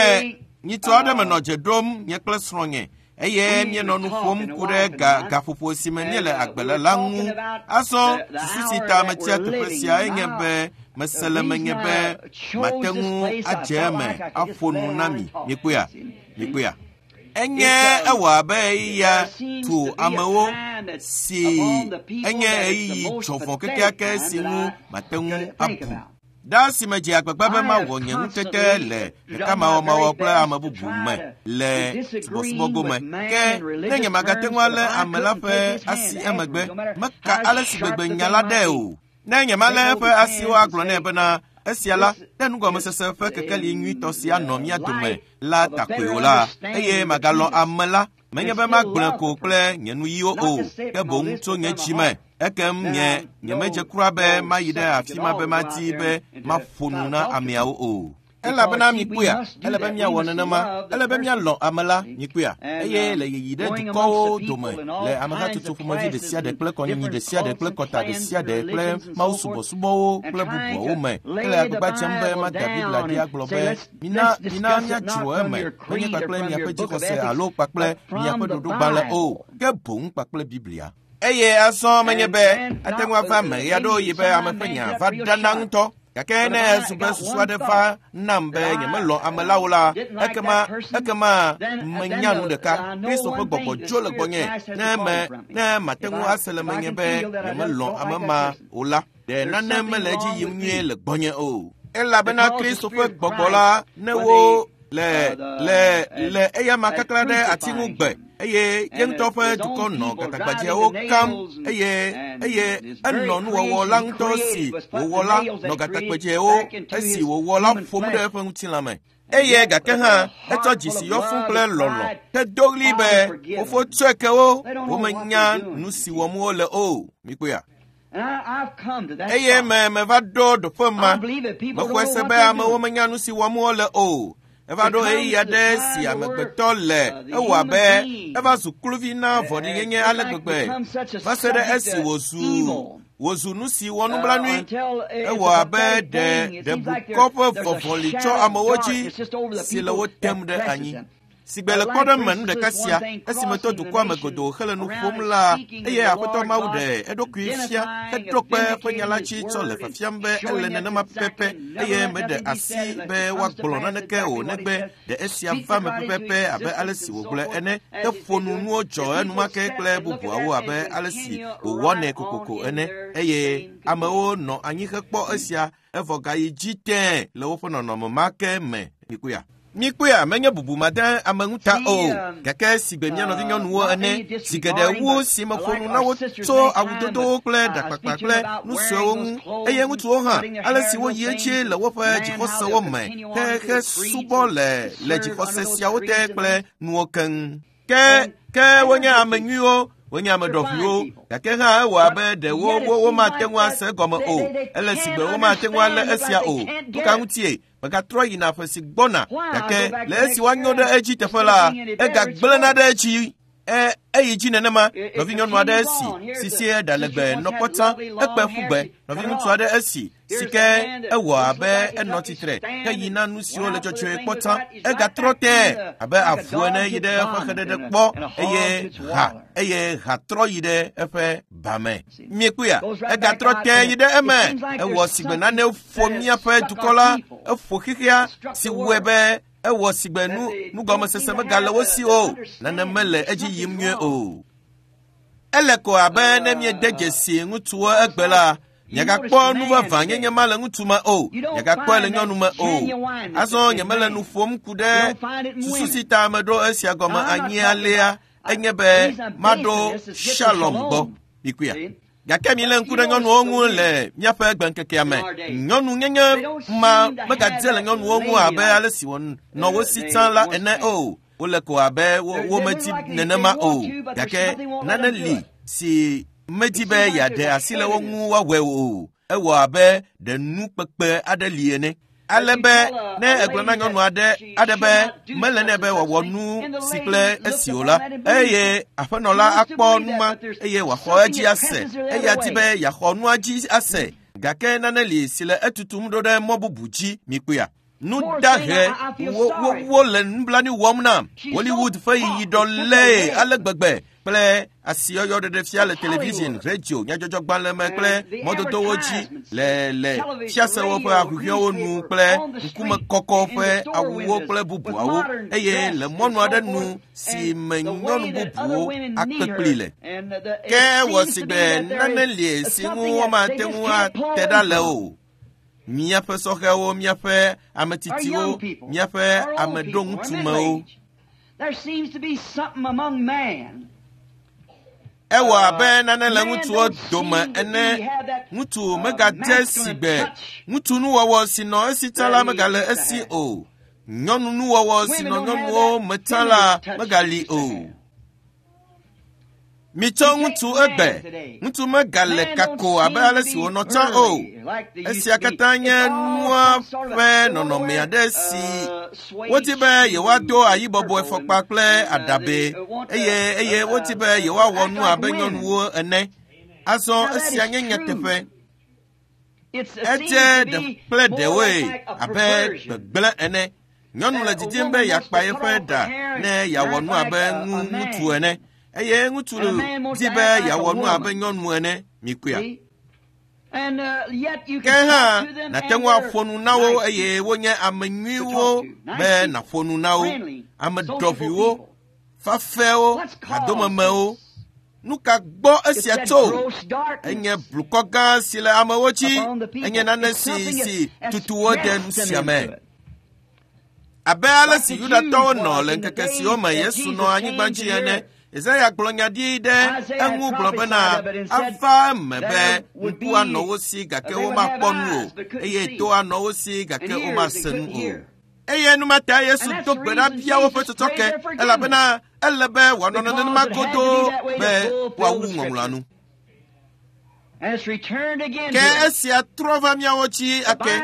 nyitɔ aɖe menɔ dze ɖom nye kple srɔ̃nye eye míenɔ nu ƒom ku ɖe ga gaƒoƒo si me míele agbe le la ŋu. Azɔ susu si ta metia teƒe sia enye be mese le menye be mate ŋu adze eme aƒo nu na mi. Mikpɔea? Mikpɔea? Enye ewɔ abe ɣeyiɣia tu amewo si enye ɣeyiɣi dzɔvɔ̃ kekeake si ŋu mate ŋu abu. Ɖa si me dze agbagba be mawɔ nye ŋutete le ɖekamawɔmawɔ kple ame bubu me le subɔsubɔ gome. Ke ne nye magate ŋu alé ame la ƒe asi emegbe, meka ale si gbegbe nya la ɖe o. Ne nye malé eƒe asiwo agblɔ nɛ bena esia la, ne nugɔmesese ƒe kekeli nyuitɔ sia nɔ mía dome la takoe o la, eye magalɔ̃ ame la, menye be magblɔe ko kple nye nuyiwo o, ke boŋ tso nye dzi me. Ekem nye nyemedze kura be mayi ɖe afi ma be madi be maƒo nu na ameawo o. Elabena mikpɔea, ele be míawɔ nenema, ele be míalɔ̃ ame la, mikpɔea. Eye le yiyi ɖe dukɔwo dome, le amehatsotso ƒomevi ɖe sia ɖe kple kɔnyinyi ɖe sia ɖe kple kɔta ɖe sia ɖe kple mawusubɔsubɔwo kple bubuawo me, ele agbagba dzem be mada Biblia ɖi agblɔ be mina mina míadzro eme, menye kpakple miaƒe dzixɔse alo kpakple miaƒe ɖoɖogbalẽ o, ke boŋ kpakple Biblia. Eye azɔ menye be ate ŋu ava eme ɣeaɖewoɣi be ame ƒe nya va ɖana ŋutɔ. Gake ne ezu be susu aɖe va nam be nyemelɔ̃ ame la o la, ekema ekema menya nu ɖeka. Kristo ƒe gbɔgbɔ dzo le gbɔnye ne me ne mate ŋu ase le menye be nyemelɔ̃ ame ma o la, ɖe nane mele edzi yim nyuie le gbɔnye o. Elabena Kristo ƒe gbɔgbɔ la, ne wo Le le le eyama kakla ɖe ati ŋu gbe eye ye ŋutɔ ƒe dukɔ nɔ gatagbadzɛwo kam eye eye enɔ nuwɔwɔ la ŋutɔ si wòwɔ la nɔ gatagbadzɛwo esi wòwɔ la ƒom ɖe eƒe ŋutilã me. Eye gake hã etsɔ dzisi yɔ fũ kple lɔlɔ̃ hedo ɣli be fofo tsɔe ke wo, womenya nu si wɔm wole o. Mikpɔea? Eye me meva ɖo ɖoƒe ma. Mexɔe se be amewo menya nu si wɔm wole o. Eva ɖo ɣeyiɣi aɖe si amegbetɔ le ewɔ abe eva zu kluvi na vɔ̃ɖinyenye ale gbegbe va se ɖe esi wòzu wòzu nu si wɔ nublanui. Ewɔ abe ɖe ɖe blukɔ ƒe vɔvɔli tsɔ amewo dzi si le wo tem ɖe anyi. Sigbe le kpɔɖeŋu nu ɖeka sia esime to dukɔa me godoo hele nu ƒom la, eye Aƒetɔ Mawu ɖe eɖokui fia heɖo kpe eƒe nya la dzi tsɔ le fiafiam be ele nenema pɛpɛpɛ eye meɖe asi be woagblɔ naneke o negbe ɖe esia va me pɛpɛpɛ abe ale si wògblɔe ene. Eƒo nu nuwo dzɔ enumake kple bubuawo abe ale si wòwɔnɛ kokoko ene eye amewo nɔ anyi hekpɔ esia evɔ gayi dzi tẽe le woƒe nɔnɔme ma ke me. Mikpɔea? Mikpɔea, menye bubu made ame ŋuta o, gake sigbe mía nɔvinyɔnuwo ene, zi geɖe wu si meƒo nu na wo tso awudodowo kple ɖakpakpa kple nu suewo ŋu, eye ŋutsuwo hã, ale si woyi edzi le woƒe dzixɔsewo me hehe subɔ le le dzixɔse siawo te kple nuwo keŋ. Ke ke wonye ame nyuiwo, wonye ame ɖɔʋuiwo, gake hã ewɔ abe ɖe wo wo womate ŋu ase egɔme o. Ele sigbe womate ŋu alé esia o. Nu ka ŋutie? Megatrɔ yina ƒe si gbɔna, gake le esi woanyo ɖe edzi teƒe la, egagblẽna ɖe edzi. E eyi dzi nenema. Nɔvinyɔnu aɖe esi si si ɖa legbe nɔ kpɔta ekpe ƒu gbe. Nɔviŋutsu aɖe esi si ke ewɔ abe enɔ tsitre heyina nu siwo le dzɔdzɔe kpɔta. Egatrɔ tẽ abe avu ene yi ɖe eƒe xeɖeɖe kpɔ eye ha eye ha trɔ yi ɖe eƒe ba me. Miekpɔea? Egatrɔ tẽ yi ɖe eme. Ewɔ sigbe nane ƒo míaƒe dukɔ la, eƒo xexea si wɔe be ewɔ sigbe nu nugɔmesese megale wo si o. Nane mele edzi yim nyuie o. Ele ko abe ne míede dzesi ŋutsuwo egbe la, miagakpɔ nu vavãnyenye ma le ŋutsu me o, miagakpɔe le nyɔnu me o. Azɔ nyemele nu ƒom ku ɖe susu si ta meɖo esia gɔme anyi alea enye be maɖo Shalom gbɔ. Mikpɔea? Gake milé ŋku ɖe nyɔnuwo ŋu le míaƒe gbeŋkekea me. Nyɔnunyenye ma megadze le nyɔnuwo ŋu abe ale si wònɔ wo si tsã la ene o. Wole ko abe womedi nenema o. Gake nane li si medi be yeaɖe asi le wo ŋu woawɔe o. Ewɔ abe ɖe nu kpekpe aɖe li ene. Ale be ne egblɔ na nyɔnu aɖe aɖe be mele nɛ be wòawɔ nu si kple esi o la, eye aƒenɔ la akpɔ nu ma eye wòaxɔ edzi ase. Eya di be yeaxɔ nua dzi ase. Gake nane li si le etutum ɖo ɖe mɔ bubu dzi. Mikpɔea? Nu dahe wo wo wo le nublanui wɔm nam. Hollywood ƒe yiyiɖɔ lée ale gbegbe kple asiyɔyɔ ɖeɖefia le television, radio, nyadzɔdzɔgbalẽ me kple mɔdodowo dzi le le fiasewo ƒe ahuhɔ̃ewo nu kple ŋkumekɔkɔ ƒe awuwo kple bubuawo eye le mɔnu aɖe nu si me nyɔnu bubuwo akpe kpli le. Ke wɔ sigbe nane li si ŋu womate ŋu ate ɖa le o. Míaƒe sɔhɛwo, míaƒe ame tsitsiwo, míaƒe ame ɖoŋutsumewo. Ewɔ abe nane le ŋutsuwo dome ene. Ŋutsu megadze sigbe ŋutsu nuwɔwɔ si nɔ esi tsã la megale esi o. Nyɔnu nuwɔwɔ si nɔ nyɔnuwo me tsã la megali o. Mitsɔ ŋutsu egbe. Ŋutsu megale kako abe ale si wònɔ tsã o. Esia katã nye nua ƒe nɔnɔme aɖe si wodi be yewoado ayibɔbɔe fɔkpa kple aɖabɛ eye eye wodi be yewoawɔ nu abe nyɔnuwo ene. Azɔ esia nye nyateƒe. Edze ɖe kple ɖewoe abe gbegblẽ ene. Nyɔnu le didim be yeakpa yeƒe ɖa ne yeawɔ nu abe ŋutsu ene. Eye ŋutsu di be yeawɔ nu abe nyɔnu ene. Mikpɔea? Ke hã nàte ŋu aƒo nu na wo eye wonye ame nyuiwo be nàƒo nu na wo. Ame ɖɔʋuiwo, fafɛwo, hadomemewo. Nu ka gbɔ esia tso? Enye blukɔ gã si le amewo dzi. Enye nane si si tutu wo de nu sia me. Abe ale si Yudatɔwo nɔ le ŋkeke siwo me Yesu nɔ anyigba dzi ene, Yesaya gblɔ nya ɖi ɖe eŋu gblɔ bena ava eme be ŋku anɔ wo si gake womakpɔ nu o, eye to anɔ wo si gake womase nu o. Eye numata Yesu do gbe ɖa bia woƒe tsɔtsɔke elabena ele be wòanɔ nenema godoo be woawu ŋɔŋlɔa nu. Ke esia trɔ va míawo dzi ake.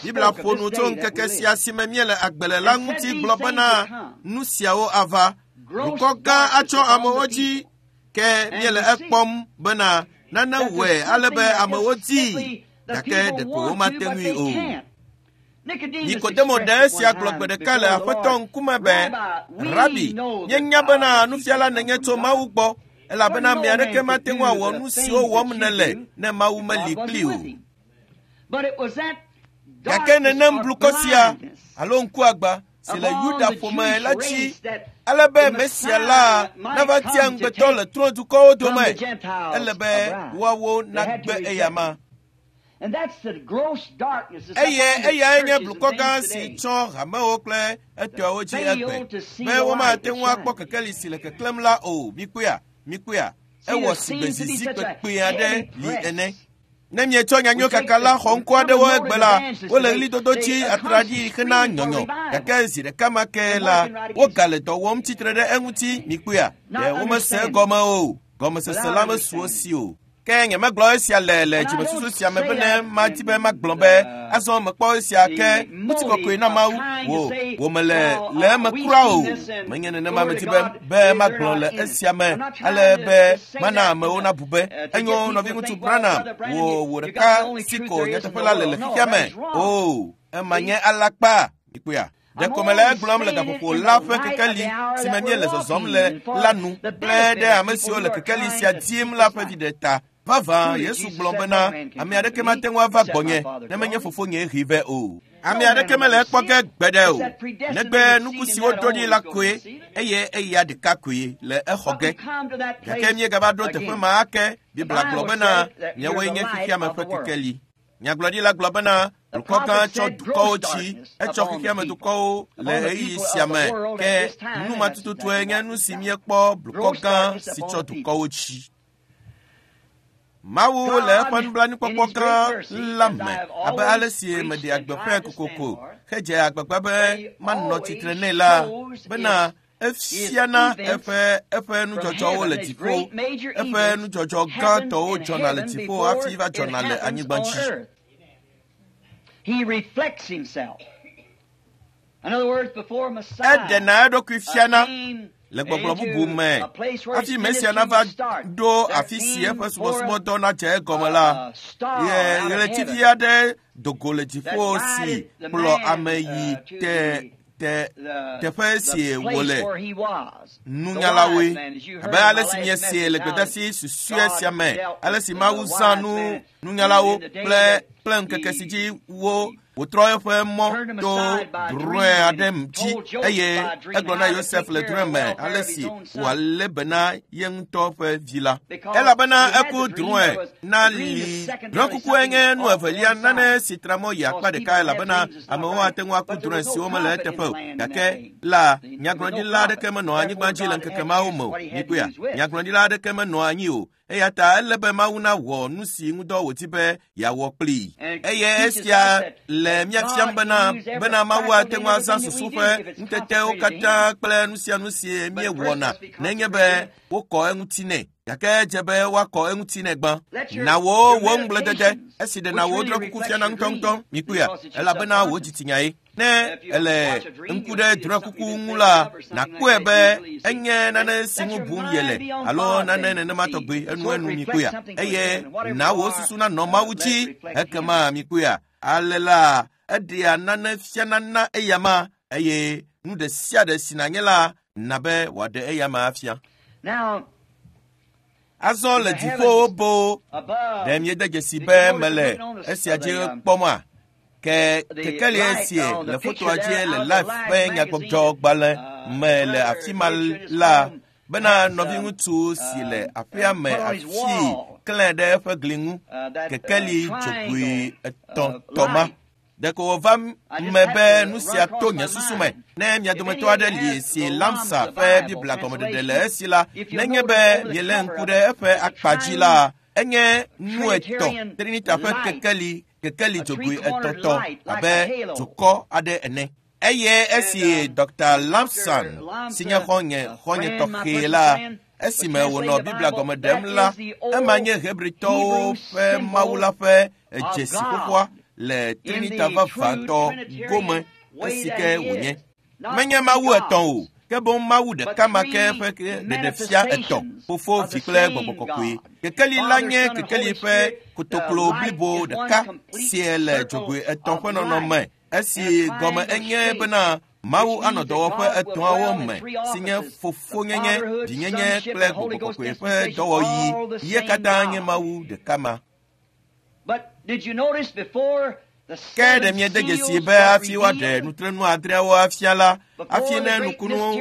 Biblia ƒo nu tso ŋkeke sia si me míele agbe le la ŋuti gblɔ bena nu siawo ava. Dukɔ gã atsɔ amewo dzi ke míele ekpɔm bena nane wɔe ale be amewo dii gake ɖeko womate ŋui o. Nikodemo ɖe esia gblɔ gbe ɖeka le Aƒetɔ ŋkume be, Rabi, míenya bena nufiala nènye tso Mawu gbɔ elabena ame aɖeke mate ŋu awɔ nu siwo wɔm nèle ne Mawu meli kpli o. Gake nenem blukɔ sia alo ŋkuagba si le Yuda ƒome la dzi ale be Mesia la nava tia ŋugbetɔ le trɔ̃dukɔwo dome, ele be woawo nagbe eyama. Eye eyae nye blukɔ gã si tsɔ hamewo kple etɔawo dzi egbe be womate ŋu akpɔ kekeli si le keklẽm la o. Mikpɔea, mikpɔea, ewɔ sigbe zizi kpekpe aɖe li ene. Ne mietsɔ nyanyuie kaka la xɔ ŋkɔ aɖewo egbe la, wole ɣlidodo dzi atraɖii hena nyɔnyɔ gake zi ɖeka ma ke la, wogale dɔ wɔm tsitre ɖe eŋuti. Mikpɔea, ɖe womese egɔme o, gɔmesese la mesu wo si o. Ke nyemegblɔ esia le le dzimesusu sia me bene madi be magblɔ be azɔ mekpɔ esia ke ŋutikɔkɔe na Mawu wò wò mele le eme kura o. Menye nenema medi be be magblɔ le esia me ale be mana amewo nabu be enyo nɔviŋutsu Branham wò wò ɖeka si ko nyateƒe la le le xexea me o. Ema nye alakpa. Mikpɔea? Ɖeko mele egblɔm le gaƒoƒo la ƒe kekeli si me míele zɔzɔm le la nu kple ɖe ame siwo le kekeli sia dim la ƒe viɖe ta. Vavã Yesu gblɔ bena ame aɖeke mate ŋu ava gbɔnye ne menye fofonye hee vɛ o. Ame aɖeke mele ekpɔ ge gbeɖe o, negbe nuku si woɖo ɖi la koe eye eya ɖeka koe le exɔ ge. Gake míegava ɖo teƒe ma ake. Biblia gblɔ bena miawoe nye xexeame ƒe kekeli. Nyagblɔɖila gblɔ bena dukɔ gã tsɔ dukɔwo dzi, etsɔ xexeame dukɔwo le ɣeyiɣi sia me ke nu ma tututue nye nu si míekpɔ blukɔ gã si tsɔ dukɔwo dzi. Mawu le eƒe nublanuikpɔkpɔ gã la me abe ale si meɖea gbeƒãe kokoko hedze agbagba be manɔ tsitre nɛ la bena efiana eƒe eƒe nudzɔdzɔwo le dziƒo, eƒe nudzɔdzɔ gãtɔwo dzɔna le dziƒo hafi va dzɔna le anyigba dzi. Eɖena eɖokui fiana le gbɔgblɔ bubu me hafi Mesia nava ɖo afi si eƒe subɔsubɔdɔ nadze egɔme la, ye ɣletivi aɖe do go le dziƒo si kplɔ ame yi te te teƒe si wòle nunyalawoe. Abe ale si míesee le gbedeasi susɔe sia me, ale si Mawu zã nu nunyalawo kple kple ŋkeke si dzi wo wòtrɔ eƒe mɔ to drɔ̃e aɖe dzi eye egblɔ na Yosef le drɔ̃e me ale si wòalé be na ye ŋutɔ ƒe vi la. Elabena eku drɔ̃e na li. Drɔ̃ekukue nye nu evelia nane si tra mɔ yi akpa ɖeka elabena amewo ate ŋu aku drɔ̃e siwo mele eteƒe o. Gake la nyagblɔɖila aɖeke menɔ anyigba dzi le ŋkeke mawo me o. Mikpɔea, nyagblɔɖila aɖeke menɔ anyi o. Eya ta ele be Mawu nawɔ nu si ŋudɔ wòdi be yeawɔ kplii. Eye esia le mía fiam bena bena Mawu ate ŋu azã susu ƒe ŋutetewo katã kple nu sia nu si míewɔna nenye be wokɔ eŋuti nɛ. Gake edze be woakɔ eŋuti nɛ gbã. Na wò wò ŋugbledede esi ɖena wò drɔ̃kuku fiana ŋutɔŋutɔ. Mikpɔea, elabena wò dzitinyae. Ne ele ŋku ɖe drɔ̃ekuku ŋu la, nàkpɔe be enye nane si ŋu bum yele alo nane nenema tɔgbi enuenu mikpɔea. Eye na wò susu nanɔ Mawu dzi ekema mikpɔea. Ale la eɖea nane fiana na eyama eye nu ɖe sia ɖe si nànye la na be wòaɖe eyama afia. Azɔ le dziƒowo boo, ɖe miede dzesi be mele esia dzi kpɔma? Ke kekeli esie le fotoa dzi le Life ƒe nyagbɔdzɔgbalẽ me le afi ma la bena nɔviŋutsu si le aƒea me afi klẽ ɖe eƒe gli ŋu kekeli dzogoe etɔ̃ tɔ ma. Ɖeko wòva me be nu sia to nye susu me. Ne mia dometɔ aɖe li si Lamsa ƒe Biblia gɔmeɖeɖe le esi la, nenye be mielé ŋku ɖe eƒe akpa dzi la, enye nu etɔ̃, Trinita ƒe kekeli, kekeli dzogoe etɔ̃tɔ abe dukɔ aɖe ene. Eye esi Dɔkta Lamson si nye xɔ̃nye xɔ̃nye tɔxɛ la, esime wònɔ Biblia gɔme ɖem la, ema nye Hebritɔwo ƒe Mawu la ƒe dzesi xoxoa le Trinita vavãtɔ gome esi ke wònye. Menye Mawu etɔ̃ o, ke boŋ Mawu ɖeka ma ke ƒe ɖeɖefia etɔ̃, Fofo, Vi kple Gbɔgbɔ Kɔkɔe. Kekeli la nye kekeli ƒe kotoklo blibo ɖeka si le dzogoe etɔ̃ ƒe nɔnɔme, esi gɔme enye bena Mawu anɔ dɔwɔƒe etɔ̃awo me, si nye fofonyenye, vinyenye kple Gbɔgbɔ Kɔkɔe ƒe dɔwɔɣi. Ye katã nye Mawu ɖeka ma. Ke ɖe miede dzesi be hafi woaɖe nutrenu adreawo afia la, hafi ne nukunu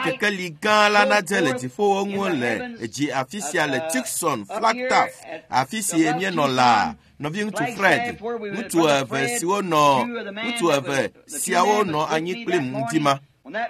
kekeli gã la nadze le dziƒowo ŋu le dzi afi sia le Tucson, Flagstaff, afi si míenɔ la, nɔviŋutsu Fred, ŋutsu eve siwo nɔ ŋutsu eve siawo nɔ anyi kplim ŋdi ma.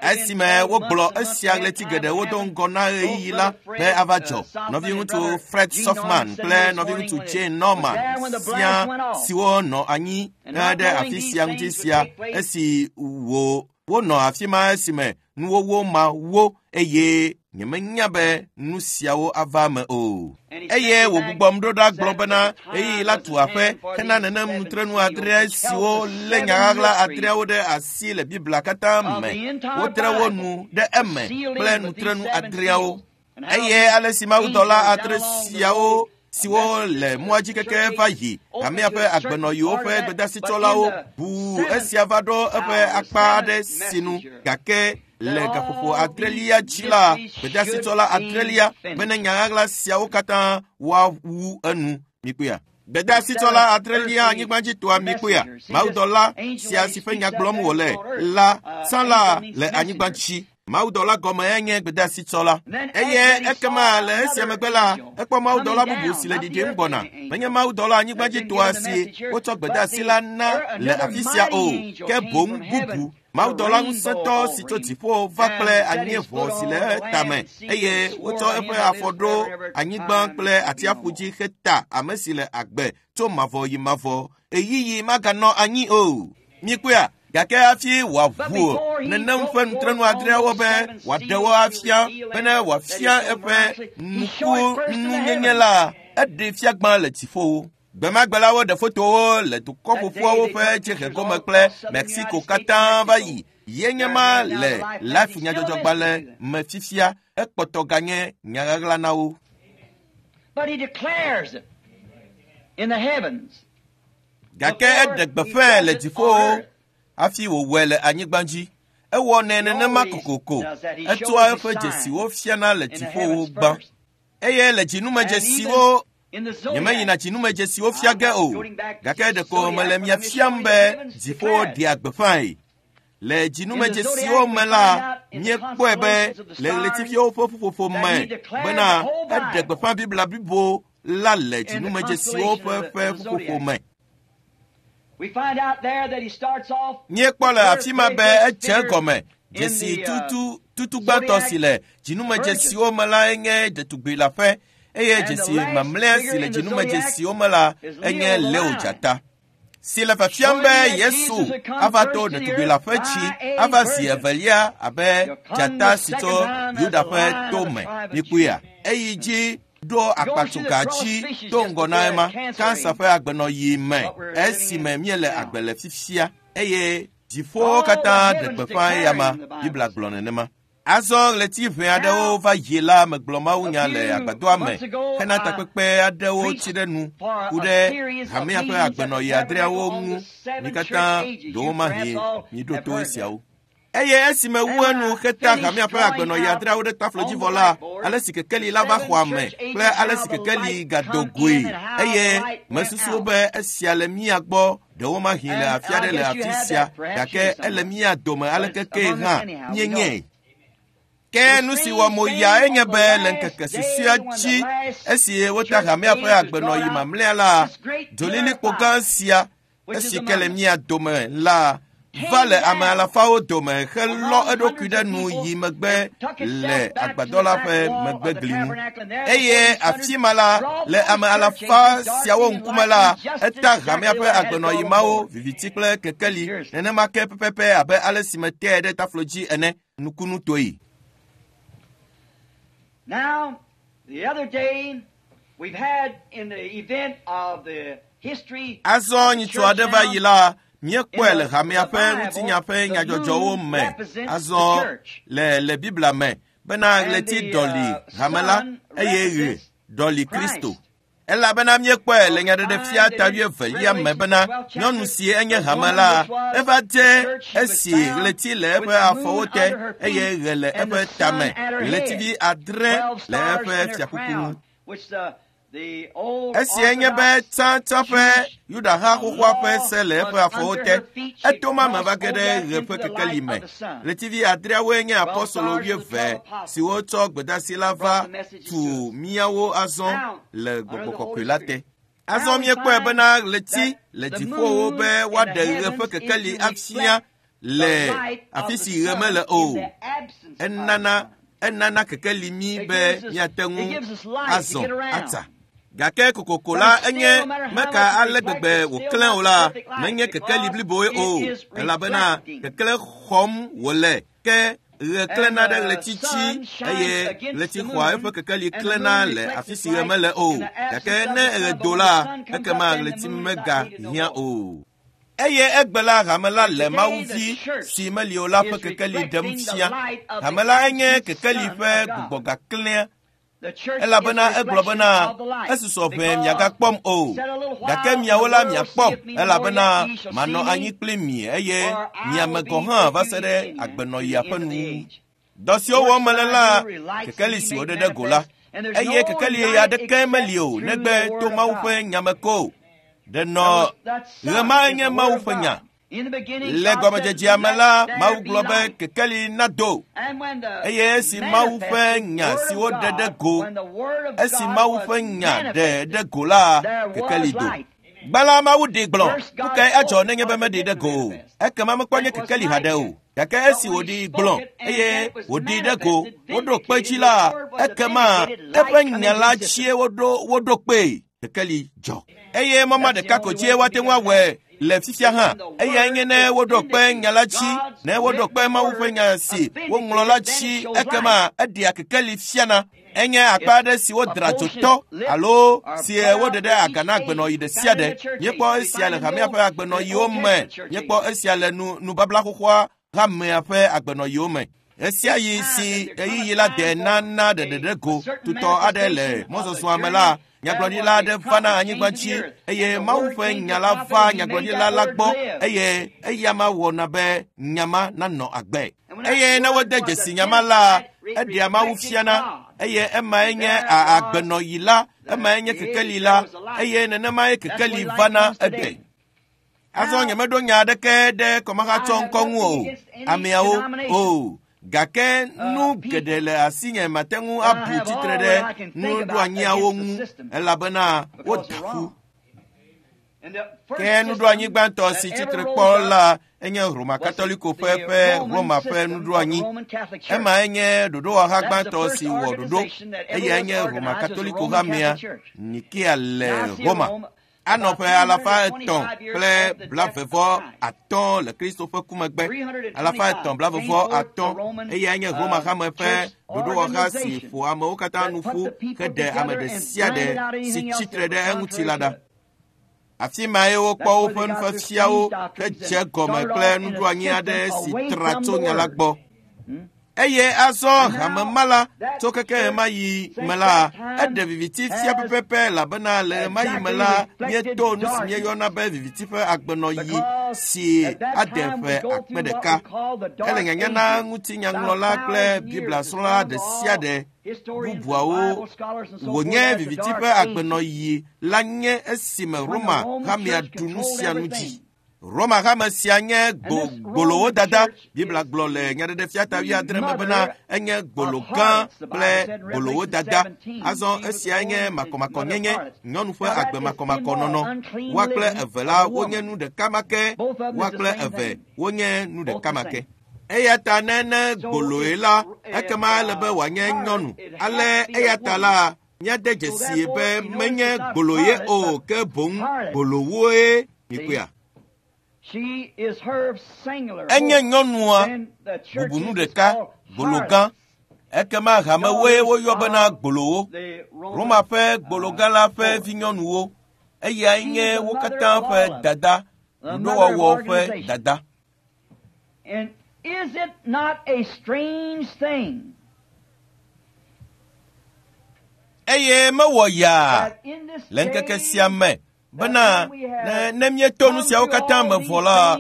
Esime wogblɔ esia ɣleti geɖewo do ŋgɔ na ɣeyiɣi la be ava dzɔ. Nɔviŋutsu Fred Softman kple nɔviŋutsu Jane Norman sia siwo nɔ anyi ɖe afi sia ŋuti sia esi wo wonɔ afi ma esime nuwɔwɔ ma wo eye nyemenya be nu siawo ava me o. Eye wògbugbɔm ɖo ɖa gblɔ bena ɣeyiɣi la tu aƒe hena nenem nutrenu adre siwo lé nya ɣaɣla adreawo ɖe asi le Biblia katã me. Wotre wo nu ɖe eme kple nutrenu adreawo. Eye ale si mawudɔla adre siawo siwo le mɔa dzi keke va yi hamea ƒe agbenɔyiwo ƒe gbedasitsɔlawo ʋuu esia va ɖo eƒe akpa aɖe sinu gake le gaƒoƒo adrelia dzi la, gbedasitsɔla adrelia bene nya ɣaɣla siawo katã woawu enu. Mikpɔea? Gbedasitsɔla adrelia anyigbadzitoa mikpɔea? Mawudɔla sia si ƒe nya gblɔm wòle la tsã la le anyigba dzi. Mawudɔla gɔme enye gbedasitsɔla. Eye ekema le esia megbe la, ekpɔ mawudɔla bubu si le ɖiɖim gbɔna. Menye mawudɔla anyigbadzitoa si wotsɔ gbedasi la na le afi sia o, ke boŋ bubu. Mawudɔla ŋusẽtɔ si tso dziƒo va kple anyieʋɔ si le etame eye wotsɔ eƒe afɔ ɖo anyigba kple atsiaƒu dzi heta ame si le agbe tso mavɔ yi mavɔ. Ɣeyiɣi maganɔ anyi o. Mikpɔea? Gake hafi wòaʋu nenem ƒe nutrenu adreawo be wòaɖe wo afia bene wòafia eƒe nukununyenye la, eɖee fia gbã le dziƒowo. Gbemagbe la woɖe fotowo le dukɔ ƒoƒuawo ƒe dziehe gome kple Mexico katã va yi. Ye nye ma le Life nyadzɔdzɔgbalẽ me fifia, ekpɔtɔ ganye nya ɣaɣla na wo. Gake eɖe gbeƒãe le dziƒowo hafi wòwɔe le anyigba dzi. Ewɔnɛ nenema kokoko. Etsɔa eƒe dzesiwo fiana le dziƒowo gbã. Eye le dzinumedzesiwo nyemeyina dzinumedzesiwo fia ge o, gake ɖeko mele mia fiam be dziƒo ɖea gbeƒãe. Le dzinumedzesiwo me la, míekpɔe be le ɣletiviwo ƒe ƒuƒoƒo me bena eɖe gbeƒã Biblia blibo la le dzinumedzesiwo ƒe ƒe ƒuƒoƒo me. Míekpɔ le afi ma be edze egɔme. Dzesi tutu tutugbãtɔ si le dzinumedzesiwo me la enye ɖetugbi la ƒe eye dzesi mamlɛa si le dzinumedzesiwo me la enye Leo dzata. Si le fiafiam be Yesu ava to ɖetugbi la ƒe tsi ava zi evelia abe dzata si tso Yuda ƒe to me. Mikpɔea? Eyi dzi ɖo akpatsoga dzi to ŋgɔ na ema kansa ƒe agbenɔɣi me esime míele agbe le fifia eye dziƒowo katã ɖe gbeƒã eyama. Biblia gblɔ nenema. Azɔ ɣleti ʋɛ aɖewo va yi la megblɔ mawunya le agbadɔa me hena takpekpe aɖewo tsi ɖe nu ku ɖe hamea ƒe agbenɔɣi adreawo ŋu. Mi katã ɖewomahi miɖo to esiawo. Eye esime wu enu heta hamea ƒe agbenɔɣi adreawo ɖe taflodzivɔ la, ale si kekeli la va xɔa me kple ale si kekeli gado goe eye mesusu be esia le mía gbɔ ɖewomahi le afi aɖe le afi sia gake ele mía dome aleke ke hã míenyae. Ke nu si wɔ mo ya enye be le ŋkeke susɔea dzi esi wota hamea ƒe agbenɔɣi mamlɛa la, dzolilikpo gã sia esi ke le mía dome la va le ame alafawo dome helɔ eɖokui ɖe nu yi megbe le agbadɔ la ƒe megbegli ŋu. Eye afi ma la, le ame alafa siawo ŋkume la, eta hamea ƒe agbenɔyi mawo, viviti kple kekeli, nenema ke pɛpɛpɛ abe ale si metee ɖe taflo dzi ene nukunutoe. Now, the other day, we've had in the event of the history Azɔ nyitsu aɖe va yi la, míekpɔe le hamea ƒe ŋutinya ƒe nyadzɔdzɔwo me. Azɔ le le Biblia me bena ɣleti ɖɔli hame la eye ɣe ɖɔli Kristo. Elabena míekpɔe le nyaɖeɖefia ta wuievelia me bena nyɔnu si enye hame la eva dze esi ɣleti le eƒe afɔwo te eye ɣe le eƒe tame, ɣletivi adre le eƒe fiakuku ŋu. Esia nye be tsãtsã ƒe Yudaha xoxoa ƒe se le eƒe afɔwo te. Eto ma me va ge ɖe ɣe ƒe kekeli me. Ɣletivi adreawoe nye apɔstolo wuieve siwo tsɔ gbedeasi la va tu míawo azɔ le Gbɔgbɔ Kɔkɔe la te. Azɔ míekpɔe bena ɣleti le dziƒowo be woaɖe ɣe ƒe kekeli afia le afi si ɣe mele o. Enana enana kekeli mí be míate ŋu azɔ atsa. Gake kokoko la enye meka ale gbegbe wòklẽ o la, menye kekeli bliboe o, elabena kekele xɔm wòle ke ɣe klẽna ɖe ɣleti dzi eye ɣleti xɔa eƒe kekeli klẽna le afi si ɣe mele o. Gake ne ɣe do la, ekema ɣleti megahiã o. Eye egbe la hame la le Mawuvi si meli o la ƒe kekeli ɖem fia. Hame la enye kekeli ƒe gbugbɔgaklẽa. Elabena egblɔ bena esusɔ ʋɛ miagakpɔm o, gake miawo la miakpɔm, elabena manɔ anyi kpli mi eye miame gɔ̃ hã va se ɖe agbenɔɣia ƒe nuwuwu. Dɔ siwo wɔm mele la, kekeli si woɖe ɖe go la, eye kekeli aɖeke meli o negbe to Mawu ƒe nya me ko. Ɖe nɔ ɣe ma nye Mawu ƒe nya. Le gɔmedzedzea me la, Mawu gblɔ be kekeli nado. Eye esi Mawu ƒe nya si woɖe ɖe go, esi Mawu ƒe nya ɖe ɖe go la, kekeli do. Gbã la, Mawu ɖee gblɔ, nu kae adzɔ nenye be meɖee ɖe go o? Ekema mekpɔ nye kekeli haɖe o. Gake esi wòɖee gblɔ eye wòɖee ɖe go, woɖo kpe dzi la, ekema eƒe nya la dzie woɖo woɖo kpee. Kekeli dzɔ. Eye mɔma ɖeka ko dzie woate ŋu awɔe le fifia hã. Eyae nye ne woɖo kpe nya la dzi, ne woɖo kpe Mawu ƒe nya si woŋlɔ la dzi, ekema eɖea kekeli fiana. Enye akpa aɖe si wodra dzotɔ alo si woɖe ɖe aga na agbenɔɣi ɖe sia ɖe. Míekpɔ esia le hamea ƒe agbenɔɣiwo me. Míekpɔ esia le nu nubabla xoxoa hamea ƒe agbenɔɣiwo me. Ɣesiaɣi si ɣeyiɣi la de nana ɖeɖeɖe go tutɔ aɖe le mɔzɔzɔa me la, nyagblɔɖila aɖe vana anyigba dzi eye Mawu ƒe nya la va nyagblɔɖila la gbɔ eye eya ma wɔna be nya ma nanɔ agbe. Eye ne wode dzesi nya ma la, eɖea Mawu fiana eye emae nye agbenɔɣi la, emae nye kekeli la eye nenemae kekeli vana egbe. Azɔ nyemeɖo nya aɖeke ɖe kɔmahatsɔ ŋkɔ ŋu o, ameawo o. Gake nu geɖe le asinye mate ŋu abu tsitre ɖe nuɖoanyiawo ŋu elabena woda ƒu. Ke nuɖoanyi gbãtɔ si tsitre kpɔ la enye Roma Katoliko ƒe ƒe Roma ƒe nuɖoanyi. Ema enye ɖoɖowɔha gbãtɔ si wɔ ɖoɖo eye enye Roma Katoliko hamea Nikea le Roma. Anɔ ƒe alafa etɔ̃ kple blavevɔ atɔ̃ le Kristo ƒe ku megbe. Alafa etɔ̃ blavevɔ atɔ̃ eyae nye Roma hame ƒe ɖoɖowɔha si ƒo amewo katã nu ƒu heɖe ame ɖe sia ɖe si tsitre ɖe eŋuti la ɖa. Afi mae wokpɔ woƒe nufiafiawo hedze gɔme kple nuɖoanyi aɖe si tra tso nya la gbɔ. Eye azɔ hame ma la tso keke ɣemaɣi me la, eɖe viviti fia pɛpɛpɛ elabena le ɣemaɣi me la, míeto nu si míeyɔna be viviti ƒe agbenɔɣi si ade ƒe akpe ɖeka. Ele nyanya na ŋutinyaŋlɔla kple Biblia-srɔ̃la ɖe sia ɖe bubuawo wònye viviti ƒe agbenɔɣi la nye esime Roma hamea ɖu nu sia nu dzi. Roma hame sia nye gbolowo dada. Biblia gblɔ le Nyaɖeɖefia ta wuiadre me bena enye gbolo gã kple gbolowo dada. Azɔ esia nye makɔmakɔnyenye, nyɔnu ƒe agbe makɔmakɔnɔnɔ. Woa kple eve la wonye nu ɖeka ma ke, woa kple eve wonye nu ɖeka ma ke. Eya ta ne ne gboloe la, ekema ele be wòanye nyɔnu. Ale eya ta la, míade dzesi be menye gboloye o, ke boŋ gbolowoe mikpɔea. Enye nyɔnua bubu nu ɖeka, gbolo gã. Ekema hamewoe woyɔ bena gbolowo. Roma ƒe gbologã la ƒe vinyɔnuwo. Eyae nye wo katã ƒe dada, ɖoɖowɔwɔ ƒe dada. Is it not a strange thing? Eye mewɔ yaa le ŋkeke sia me bena ne, ne míeto nu siawo katã me vɔ la,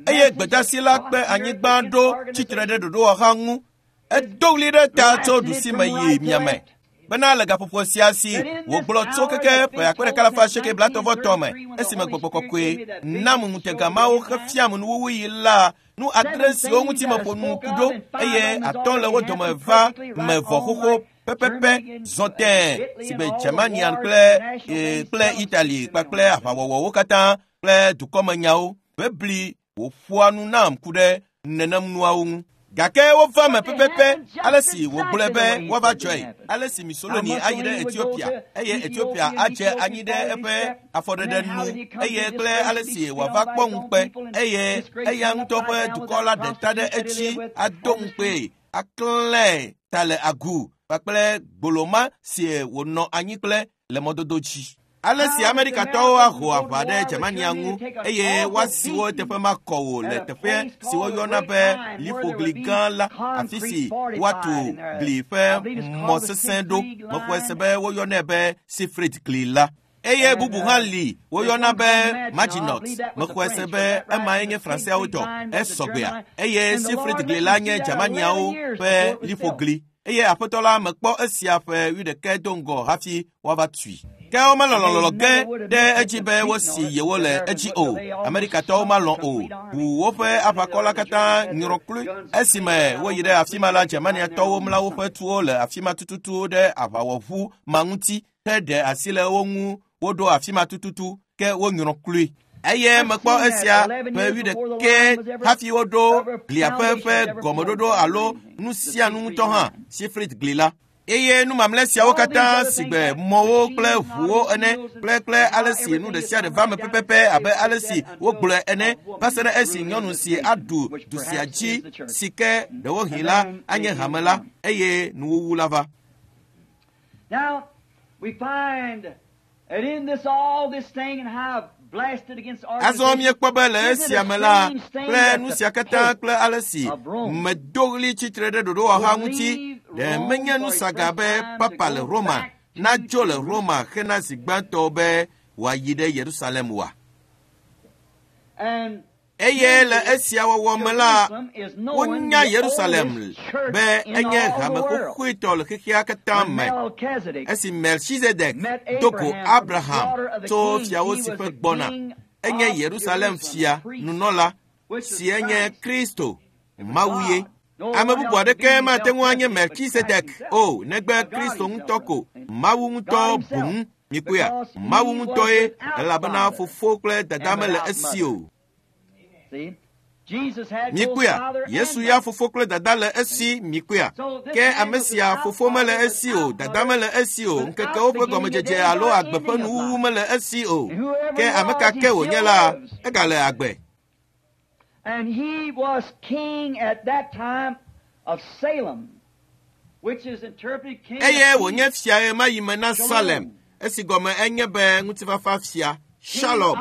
eye gbedasi la kpe anyigba ɖo tsitre ɖe ɖoɖowɔha ŋu. Edo ɣli ɖe ta tso ɖusime yi miame bena le gaƒoƒo sia si wògblɔ tso keke ƒe akpe ɖeka alafa asieke blaetɔ̃ vɔ etɔ̃ me esime gbɔgbɔ kɔkɔe nam ŋutega mawo hefiam nuwuwuyi la, nu adre siwo ŋuti meƒo nu ku ɖo eye atɔ̃ le wo dome va me vɔ xoxo pɛpɛpɛ zɔ tẽe si be Germania kple e, kple Italy kpakple aʋawɔwɔwo katã kple dukɔmenyawo. Bebli wòƒoa nu nam ku ɖe nenem nuawo ŋu. Gake wova me pɛpɛpɛ ale si wògblɔe be woava dzɔe, ale si Mussolini ayi ɖe Ethiopia eye Ethiopia adze anyi ɖe eƒe afɔɖeɖe nu eye kple ale si wòava kpɔ ŋukpe eye eya ŋutɔ ƒe dukɔ la ɖe ta ɖe edzi ado ŋukpee aklẽ ta le agu kpakple gboloma si wònɔ anyi kple le mɔdodo dzi. Ale si Amerikatɔwo aho aʋa ɖe Germania ŋu eye woasi wo teƒe makɔ o le teƒe si woyɔna be liƒogli gã la, afi si woatu gli ƒe mɔ sesẽ ɖo. Mexɔe se be woyɔnɛ be Siegfried gli la. Eye bubu hã li woyɔna be Maginot. Mexɔe se be emae nye Franseawo tɔ, esɔgbea. Eye Siegfried gli la nye Germaniawo ƒe liƒogli. Eye aƒetɔ la mekpɔ esia ƒe wuiɖekɛ do ŋgɔ hafi woava tui. Ke womelɔlɔlɔ ge ɖe edzi be wosi yewo le edzi o. Amerikatɔwo malɔ̃ o. Bu woƒe aʋakɔ la katã nyrɔ kloe. Esime woyi ɖe afi ma la, Germaniatɔwo mla woƒe tuwo le afi ma tututu ɖe aʋawɔʋu ma ŋuti heɖe asi le wo ŋu woɖo afi ma tututu ke wonyrɔ kloe. Eye mekpɔ esia ƒe wuiɖekɛ hafi woɖo gliaƒe ƒe gɔmeɖoɖo alo nu sia nu ŋutɔ hã, Siegfried gli la. Eye nu mamlɛ siawo katã sigbe mɔwo kple ʋuwo ene kple kple ale si nu ɖe sia ɖe va me pɛpɛpɛ abe ale si wogblɔe ene va se ɖe esi nyɔnu si aɖu du sia dzi si ke ɖewohĩ la anye hame la eye nuwuwu la va. Now we find that in this all this thing and how blasted against Azɔ míekpɔ be le esia me la kple nu sia katã kple ale si medo ɣli tsitre ɖe ɖoɖowɔha ŋuti, ɖe menye nu saga be papa le Roma nadzo le Roma hena zi gbãtɔ be wòayi ɖe Yerusalem oa? Eye le esia wɔwɔ me la, wonya Yerusalem be enye hame xoxoetɔ le xexea katã me. Esi Melchizedek do go Abraham tso fiawo si ƒe gbɔna, enye Yerusalem fia nunɔla si enye Kristo, Mawu ye. Ame bubu aɖeke mate ŋu anye Melchizedek o negbe Kristo ŋutɔ ko, Mawu ŋutɔ boŋ. Mikpɔea, Mawu ŋutɔe, elabena fofo kple dada mele esi o. Mikpɔea, Yesu ya fofo kple dada le esi. Mikpɔea, ke ame sia fofo mele esi o, dada mele esi o, ŋkekewo ƒe gɔmedzedze alo agbe ƒe nuwuwu mele esi o. Ke ame ka ke wònye la, egale agbe. And he was king at that time of Salem, which is interpreted king. Eye wònye fia ɣemaɣi me na Salem, esi gɔme enye be ŋutifafa fia, Shalom,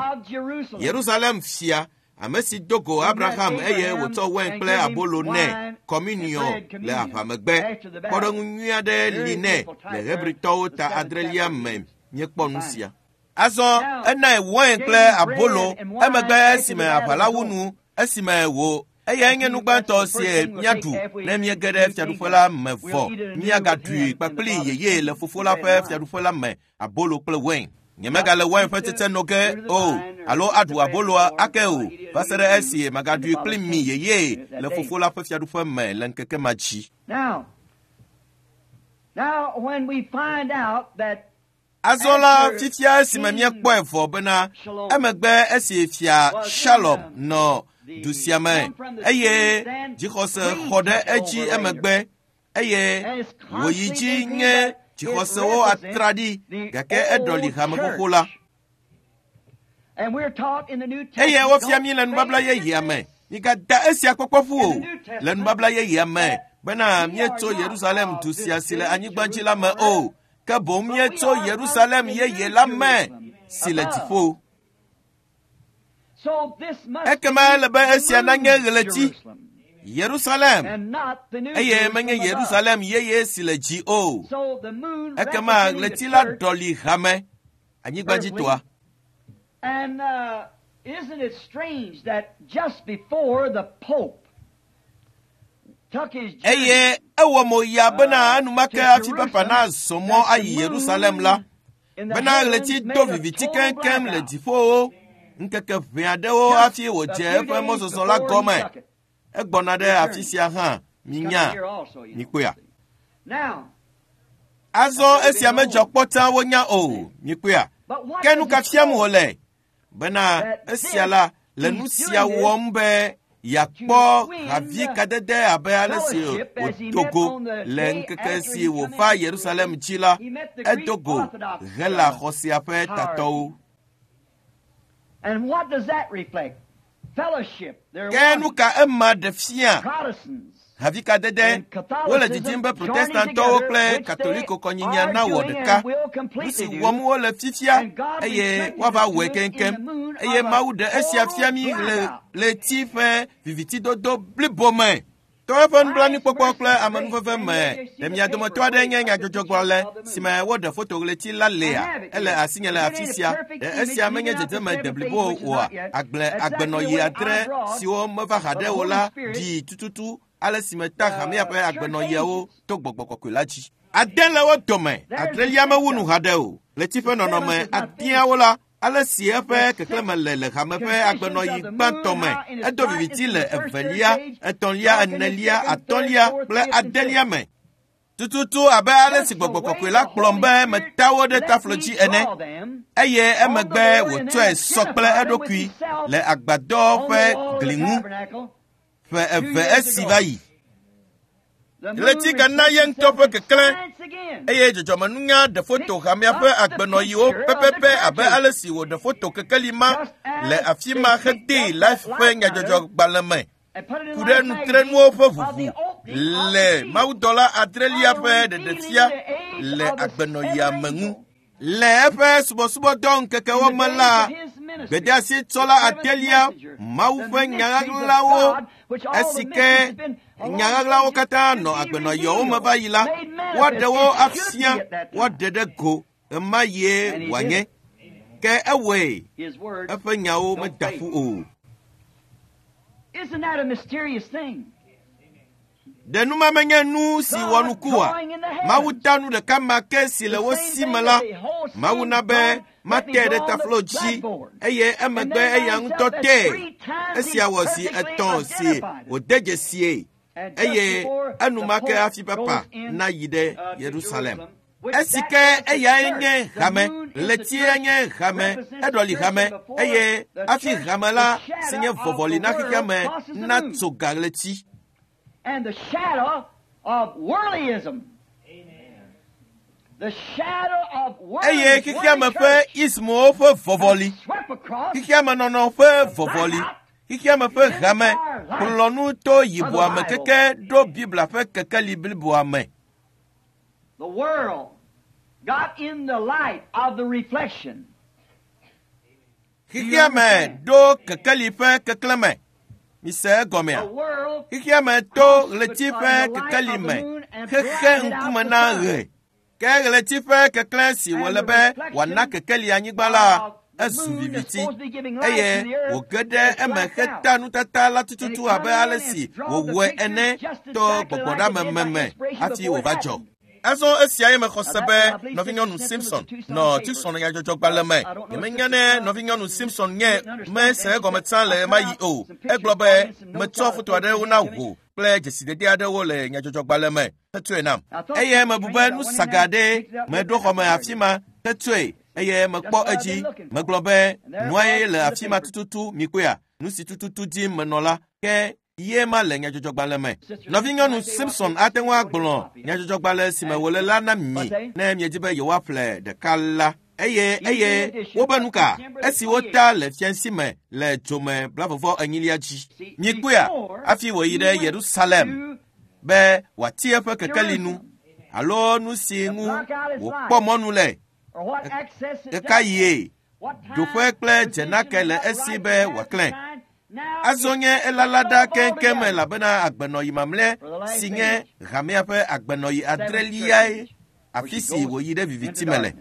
Yerusalem fia, ame si do go Abraham eye wòtsɔ wain kple abolo nɛ, communion le aʋamegbe. Kpɔɖeŋu nyui aɖe li nɛ le Hebritɔwo ta adrelia me míekpɔ nu sia. Azɔ enae wain kple abolo emegbe esime aʋa la wu nu, esime wò eyae nye nu gbãtɔ si míaɖu ne míege ɖe fiaɖuƒe la me vɔ. Míagaɖui kpakpli yeye le fofo la ƒe fiaɖuƒe la me, abolo kple wain. Nyemegale wain ƒe tsetse no ge o alo aɖu aboloa ake o va se ɖe esi magaɖui kpli mi yeye le fofo la ƒe fiaɖuƒe me le ŋkeke ma dzi. Azɔ la fifia esime míekpɔe vɔ bena emegbe esi fia Shalom nɔ du sia me eye dzixɔse xɔ ɖe edzi emegbe eye wòyi dzi nye dzixɔsewo atraɖi gake eɖɔli hame xoxo la. Eye wofia mí le nubabla yeyea me. Migada esia kpɔkpɔ ƒu o le nubabla yeyea me bena míetso Yerusalem du sia si le anyigba dzi la me o. Ke boŋ míetso Yerusalem yeye la me si le dziƒo. Ekema ele be esia nanye ɣleti Yerusalem eye menye Yerusalem yeye si le dzi o. Ekema ɣleti la ɖɔli hame anyigbadzitɔa. And uh, isn't it strange that just before the Pope took his journey, Eye ewɔ mo ya bena enumake hafi papa nazɔ mɔ ayi Yerusalem la, bena ɣleti do viviti keŋkeŋ le dziƒowo ŋkeke ʋɛ aɖewo hafi wòdze eƒe mɔzɔzɔ la gɔme. Egbɔna ɖe afi sia hã, minya, mikpɔea. Azɔ esia medzɔ kpɔ tsã wonya o, mikpɔea. Ke nu ka fiam wòle? Bena esia la le nu sia wɔm be yeakpɔ havi kadede abe ale si wòdo go le ŋkeke si wòva Yerusalem dzi la, edo go Hela xɔsea ƒe tatɔwo. And what does that reflect? Fellowship. They're Ke nu one. ka ema ɖe fia? Protestants. Havi kadede, wole didim be protestantɔwo kple katoliko kɔnyinyia nawɔ ɖeka. Nu si wɔm wole fifia eye woava wɔe keŋkeŋ. Eye Mawu ɖe esia fia mí le ɣleti ƒe vivitidodo blibo me. To eƒe nublanuikpɔkpɔ kple amenuveve me, ɖe mia dometɔ aɖe nye nyadzɔdzɔgblɔla si me woɖe foto ɣleti la lea? Ele asinye le afi sia. Ɖe esia menye dzedzeme deblibo oa? Agble agbenɔɣi adre siwo meva haɖe o la ɖi tututu ale si meta hamea ƒe agbenɔɣiawo to gbɔgbɔ kɔkɔe la dzi. Ade le wo dome, adrelia mewu nu haɖe o. Ɣleti ƒe nɔnɔme adeawo la, ale si eƒe keklẽme le le hame ƒe agbenɔɣi gbãtɔ me, edo viviti le evelia, etɔ̃lia, enelia, atɔ̃lia kple adelia me. Tututu abe ale si gbɔgbɔ kɔkɔe la kplɔm be meta wo ɖe taflo dzi ene, eye emegbe wòtsɔe sɔ kple eɖokui le agbadɔ ƒe gli ŋu ƒe eve esi va yi. Ɣleti gana ye ŋutɔ ƒe keklẽ eye dzɔdzɔmenunya ɖe foto hamea ƒe agbenɔɣiwo pɛpɛpɛ abe ale si wòɖe foto kekeli ma le afi ma hedee Life ƒe nyadzɔdzɔgbalẽ me ku ɖe nutrenuwo ƒe ʋuʋu le mawudɔla adrelia ƒe ɖeɖefia le agbenɔɣia me ŋu. Le eƒe subɔsubɔdɔ ŋkekewo me la, gbedeasitsɔla adelia Mawu ƒe nyaɣaɣlawo esi ke nyaɣaɣlawo katã nɔ agbenɔɣiawo me va yi la, woaɖe wo afia, woaɖe ɖe go ɣemaɣie wòanye. Ke ewɔe, eƒe nyawo meda ƒu o. Isn't that a mysterious thing? Ɖe nu ma menye nu si wɔ nuku oa? Mawu ta nu ɖeka ma ke si le wo si me la, Mawu na be mate ɖe taflo dzi eye emegbe eya ŋutɔ tee. Esia wɔ zi etɔ̃ si wòde dzesie eye enumake hafi papa nayi ɖe Yerusalem. Esi ke eyae nye hame, ɣletie nye hame, eɖɔli hame eye hafi hame la si nye vɔvɔli na xexea me natso ga ɣleti. And the shadow of worldlyism. The shadow of Eye worldly xexeame ƒe ismowo ƒe vɔvɔli, swept across xexeame nɔnɔ ƒe vɔvɔli, xexeame ƒe hame kplɔ nu to yibɔa me keke ɖo Biblia ƒe kekeli bliboa me. the world got in the light of the reflection. Xexeame ɖo kekeli ƒe keklẽme. Mise egɔmea? The world Xexeame to ɣleti ƒe kekeli me xexe ŋkume na ɣe. Ke ɣleti ƒe keklẽ si wòle be wòana kekeli anyigba la, ezu viviti eye wòge ɖe eme heta nutata la tututu abe ale si wòwɔe ene to gbɔgbɔɖameme me hafi wòva dzɔ. Azɔ esia ye mexɔ se be nɔvinyɔnu Simpson nɔ Tucson nyadzɔdzɔgbalẽ me. Nyemenya ne nɔvinyɔnu Simpson nye mese egɔme tsã le ɣemaɣi o. Egblɔ be metsɔ foto aɖewo na wò kple dzesidede aɖewo le nyadzɔdzɔgbalẽ me hetsɔe nam. Eye mebu be nu saga aɖee meɖo xɔme afi ma hetsɔe eye mekpɔ edzi. Megblɔ be nua ye le afi ma tututu mikpɔea nu si tututu dim menɔ la ke ye ma le nyadzɔdzɔgbalẽ me. Nɔvinyɔnu Simpson ate ŋu agblɔ nyadzɔdzɔgbalẽ si me wòle la na mi ne miedi be yewoaƒle ɖeka la. Eye eye wobe nu ka esi wota le fiasi me le dzome blavɔvɔ enyilia dzi. Mikpɔea hafi wòyi ɖe Yerusalem be wòati eƒe kekeli nu alo nu si ŋu wòkpɔ mɔnu le ɣekaɣie ɖoƒe kple dzenake le esi be wòaklẽ. Azɔ nye elala ɖa keŋkeŋ elabena agbenɔyi mamlɛ si nye hamea ƒe agbenɔyi adreliae afi si wòyi ɖe viviti me le.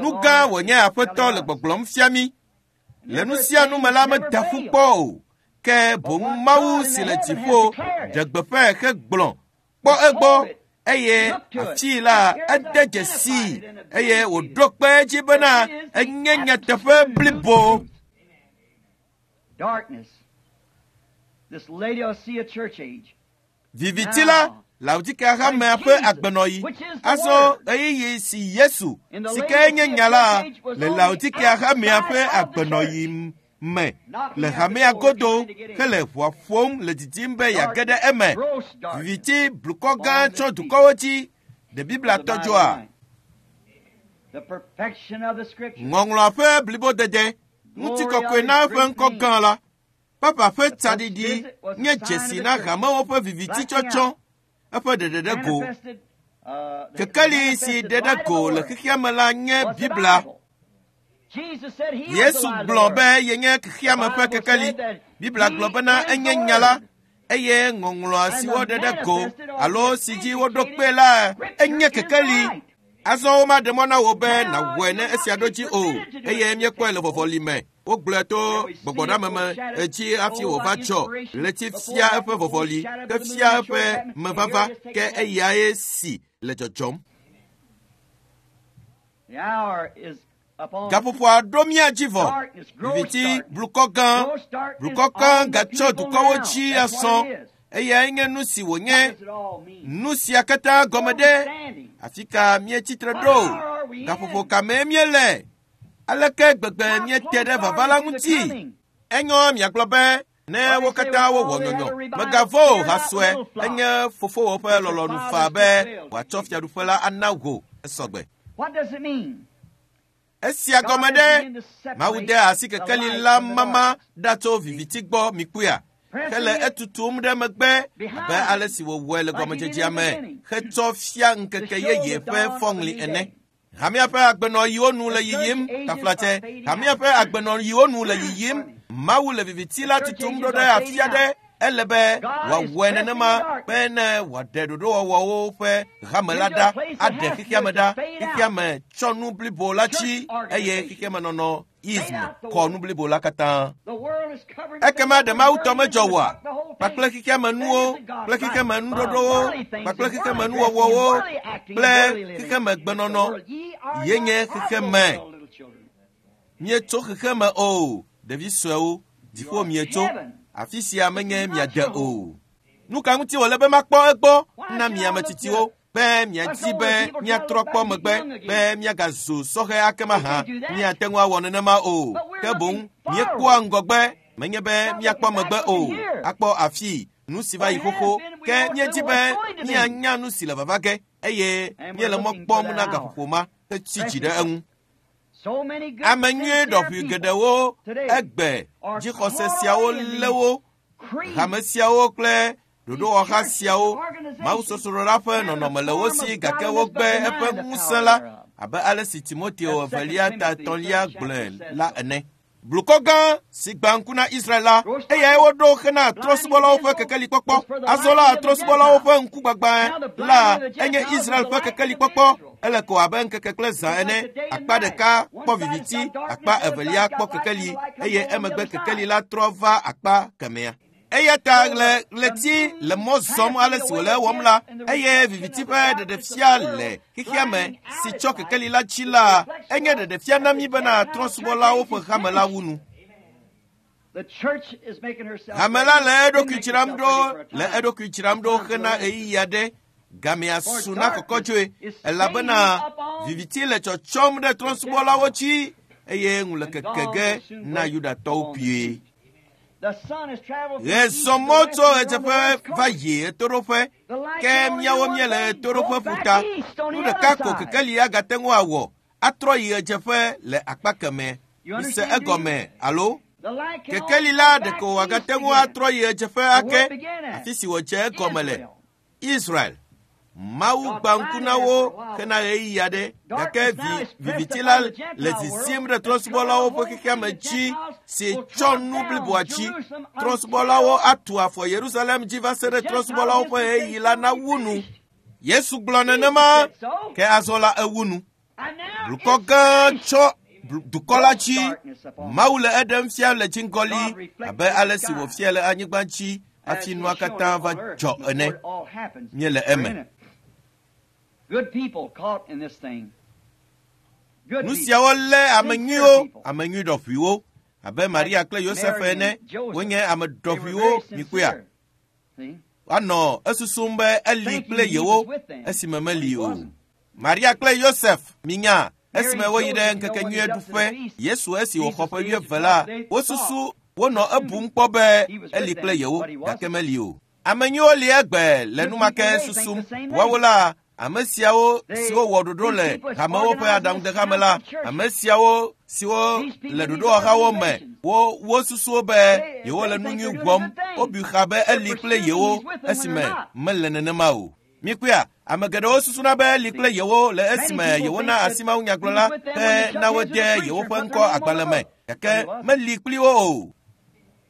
Nu gã wònye Aƒetɔ le gbɔgblɔm fia mí. Le nu sia nu me la meda ƒu kpɔ o, ke boŋ Mawu si le dziƒo ɖe gbeƒãe hegblɔ kpɔ egbɔ eye afii la ede dzesii eye wòɖo kpe edzi bena enye nyateƒe blibo. Viviti la Laodikea hamea ƒe agbenɔɣi. Azɔ ɣeyiɣi si Yesu si ke nye nya la le Laodikea hamea ƒe agbenɔɣi me le hamea godo hele ʋua ƒom le didim be yeage ɖe eme. Viviti blukɔ gã tsɔ dukɔwo dzi. Ɖe Biblia tɔ dzɔa? Ŋɔŋlɔa ƒe blibodede, ŋutikɔkɔe na eƒe ŋkɔ gã la. Papa ƒe tsaɖiɖi nye dzesi na hamewo ƒe viviti tsɔtsɔ eƒe ɖeɖe ɖe go. Kekeli si ɖe ɖe go le xexea me la nye Biblia. Yesu gblɔ be yenye xexea me ƒe kekeli. Biblia gblɔ bena enye nya la eye ŋɔŋlɔa si woɖe ɖe go alo si dzi woɖo kpe la enye kekeli. Azɔ womaɖe mɔ na wò be nàwɔe ne esia ɖo dzi o eye míekpɔe le vɔvɔli me. Wogblɔe to gbɔgbɔɖame me edzi hafi wòva tsɔ ɣleti fia eƒe vɔvɔli ke fia eƒe mevava ke eyae si le dzɔdzɔm. Gaƒoƒoa ɖo mía dzi vɔ. Viviti blukɔ gã, blukɔ gã gatsɔ dukɔwo dzi asɔ. Eyae nye nu si wònye. Nu sia katã gɔme ɖe afi ka míetsitre ɖo? Gaƒoƒo ka mee míele? Aleke gbegbe míete ɖe vava la ŋuti? Enyo miagblɔ be ne wo katã wowɔ nyɔnyɔ, megavɔ o hasɔe, enye fofowò ƒe lɔlɔ̃nu faa be wòatsɔ fiaɖuƒe la ana wò esɔgbe. Esia gɔme ɖe Mawu de asi kekeli la mama ɖa tso viviti gbɔ mikpɔea hele etutum ɖe megbe abe ale si wòwɔe le gɔmedzedzea me hetsɔ fia ŋkeke yeye ƒe fɔŋli ene. Hamea ƒe agbenɔɣiwo nu le yiyim taflatse. Hamea ƒe agbenɔɣiwo nu le yiyim. Mawu le viviti la tutum ɖo ɖe afi aɖe. Ele be wòawɔe nenema be ne wòaɖe ɖoɖowɔwɔwo ƒe hame la ɖa, aɖe xexea me ɖa. Xexea me tsɔ nu blibo la dzi eye xexea me nɔnɔ ism xɔ nu blibo la katã. Ekema ɖe Mawu tɔ medzɔ oa? Kpakple xexea me nuwo, kple xexea me nuɖoɖowo, kpakple xexea me nuwɔwɔwo, kple xexea me gbenɔnɔ ye nye xexea me. Mietso xexea me o, ɖevi suewo, dziƒo mietso. Afi sia menye miade o. Nu ka ŋuti wòle be makpɔ egbɔ na mi ame tsitsiwo be miadi be miatrɔ kpɔ megbe be miagazu sɔhɛ ake mahã? Miate ŋu awɔ nenema o. Ke boŋ míekpɔa ŋgɔgbe, menye be míakpɔ megbe o. Akpɔ afi nu si va yi xoxo ke míedi be míanya nu si le vava ge eye míele mɔ kpɔm na gaƒoƒo ma hetsi dzi ɖe eŋu. Ame nyui ɖɔʋui geɖewo egbe dzixɔse siawo lé wo, hame siawo kple ɖoɖowɔha siawo. Mawusosroɖa ƒe nɔnɔme le wo si gake wogbe eƒe ŋusẽ la abe ale si Timoteo evelia ta etɔ̃lia gblɔe la ene. Blukɔ gã si gbã ŋku na Israel la, eyae woɖo hena trɔ̃subɔlawo ƒe kekelikpɔkpɔ. Azɔ la trɔ̃subɔlawo ƒe ŋkugbagba la enye Israel ƒe kekelikpɔkpɔ. Ele ko abe ŋkeke kple zã ene. Akpa ɖeka kpɔ viviti, akpa evelia kpɔ kekeli eye emegbe kekeli la trɔ va akpa kemɛa. Eya ta le ɣleti le mɔ zɔm ale si wòle ewɔm la, eye viviti ƒe ɖeɖefia le xexea me si tsɔ kekeli la dzi la, enye ɖeɖefia na mí bena trɔ̃subɔlawo ƒe hame la wu nu. Hame la le eɖokui dzram ɖo le eɖokui dzram ɖo hena ɣeyiɣi aɖe. Gamea su na kɔkɔtsoe elabena viviti le tsɔtsɔm ɖe trɔ̃subɔlawo dzi eye ŋu le keke ge na Yudatɔwo kpuie. Ɣe zɔ mɔ tso ɣedzeƒe va yi ɣetoɖoƒe, ke míawo míele ɣetoɖoƒe ƒuta. Nu ɖeka ko kekeli agate ŋu awɔ, atrɔ yi ɣedzeƒe le akpa kemɛ. Mise egɔme alo? Kekeli la ɖeko wòagate ŋu atrɔ yi ɣedzeƒe ake, afi si wòdze egɔme le. Israel. Mawu gbã ŋku na wo hena ɣeyiɣi aɖe, gake vi viviti la le zisim ɖe trɔ̃subɔlawo ƒe xexeame dzi si tsɔ nu bliboa dzi. Trɔ̃subɔlawo atu afɔ Yerusalem dzi va se ɖe trɔ̃subɔlawo ƒe ɣeyiɣi la nawu nu. Yesu gblɔ nenema, ke azɔ la ewu nu. Blukɔ gã tsɔ dukɔ la dzi. Mawu le eɖem fia le dziŋgɔli abe ale si wòfia le anyigba dzi hafi nua katã va dzɔ ene. Míele eme. Nu siawo lé ame nyuiwo, ame nyui ɖɔƒuiwo, abe Maria kple Yosef ene, wonye ame ɖɔƒuiwo mikpɔea. Woanɔ esusum be eli kple yewo esime meli o. Maria kple Yosef minya esime woyi ɖe ŋkekenyuie ɖuƒe Yesu esi wòxɔ ƒe wuieve la, wosusu wonɔ ebum kpɔ be eli kple yewo gake meli o. Ame nyuiwo li egbe le numake susum. Woawo la, ame siawo siwo wɔ ɖoɖo le hamewo ƒe aɖaŋudehame la, ame siawo siwo le ɖoɖowɔhawo me, wo wosusuwo be yewo le nu nyui wɔm, wobui xa be eli kple yewo esime mele nenema o. Mikpɔea, ame geɖewo susuna be eli kple yewo le esime yewona asi mawunyagblɔla be na wode yewoƒe ŋkɔ agbalẽ me, gake meli kpli wo o.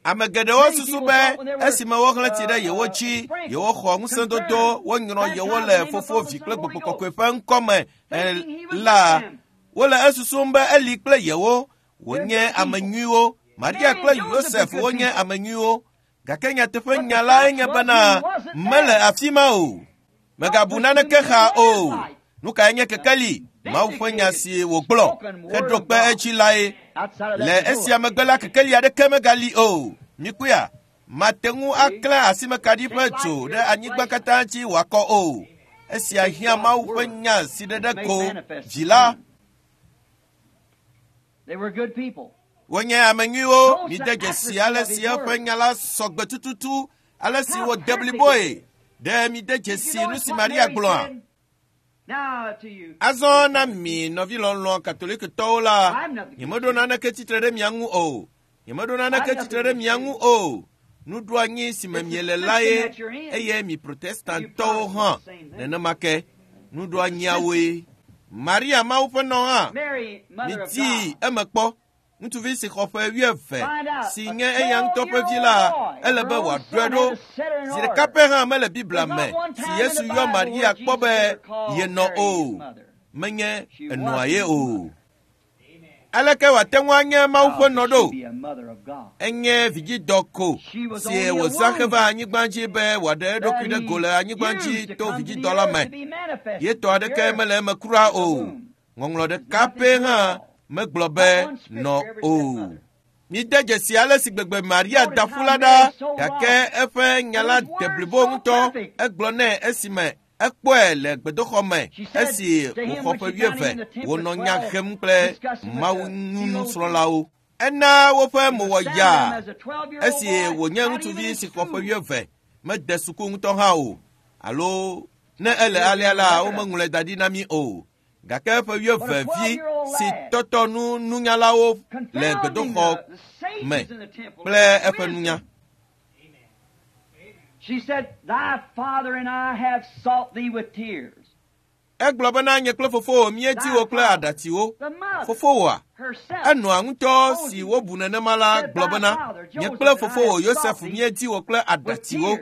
Ame geɖewo susu be esime woxlẽ tsi ɖe yewo dzi, yewoxɔ ŋusẽdodo, wonyrɔ yewo le Fofo, Vi kple Gbɔgbɔ Kɔkɔe ƒe ŋkɔ me la, wole esusum be eli kple yewo wonye ame nyuiwo. Maria kple Yosef wonye ame nyuiwo, gake nyateƒe nya lae nye bena mele afi ma o. Megabu naneke xa o. Nu kae nye kekeli? Mawu ƒe nya si wògblɔ heɖo kpe edzi lae. Le esia megbe la, kekeli aɖeke megali o. Mikpɔea, mate ŋu aklẽ asimekaɖi ƒe dzo ɖe anyigba katã dzi wòakɔ o. Esia hiã Mawu ƒe nya si ɖeɖe ko dzi la. Wonye ame nyuiwo. Mide dzesi ale si eƒe nya la sɔgbe tututu, ale si wòde bliboe. Ɖe mide dzesi nu si Maria gblɔa? Azɔ na mi nɔvi lɔlɔ̃ katolikitɔwo la, nyemeɖo naneke tsitre ɖe mia ŋu o. Nyemeɖo naneke tsitre ɖe mia ŋu o. Nuɖoanyi si me miele lae, eye mi protestantɔwo hã nenema ke. Nuɖoanyiawoe. Maria Mawu ƒe nɔ hã, miti eme kpɔ. Ŋutsuvi si xɔ ƒe wuieve si nye eya ŋutɔ ƒe vi la, ele be wòaɖɔe ɖo. Zi ɖeka pɛ hã mele Biblia me si Yesu yɔ Maria kpɔ be yenɔ o. Menye enɔa ye o. Aleke wòate ŋu anye Mawu ƒe nɔ ɖo? Enye vidzidɔ ko si wòzã heva anyigba dzi be wòaɖe eɖokui ɖe go le anyigba dzi to vidzidɔ la me. Yetɔ aɖeke mele eme kura o. Ŋɔŋlɔ ɖeka pɛ hã megblɔ be nɔ o. Mide dzesi ale si gbegbe Maria da ƒu la ɖa, gake eƒe nya la de blibo ŋutɔ. Egblɔ nɛ esime ekpɔe le gbedoxɔ me esi wòxɔ ƒe wuieve wònɔ nya hem kple Mawu nusrɔ̃lawo. Ena woƒe mo wɔ yaa esi wònye ŋutsuvi si xɔ ƒe wuieve mede suku ŋutɔ hã o, alo ne ele alea la womeŋlɔe da ɖi na mí o. Gake eƒe wuieve vi si tɔtɔ nu nunyalawo le gbedoxɔ me kple eƒe nunya. Egblɔ bena nye kple fofowò míedi wò kple aɖatsiwo. Fofowòa, enɔa ŋutɔ si wobu nenema la gblɔ bena nye kple fofowò Yosef míedi wò kple aɖatsiwo.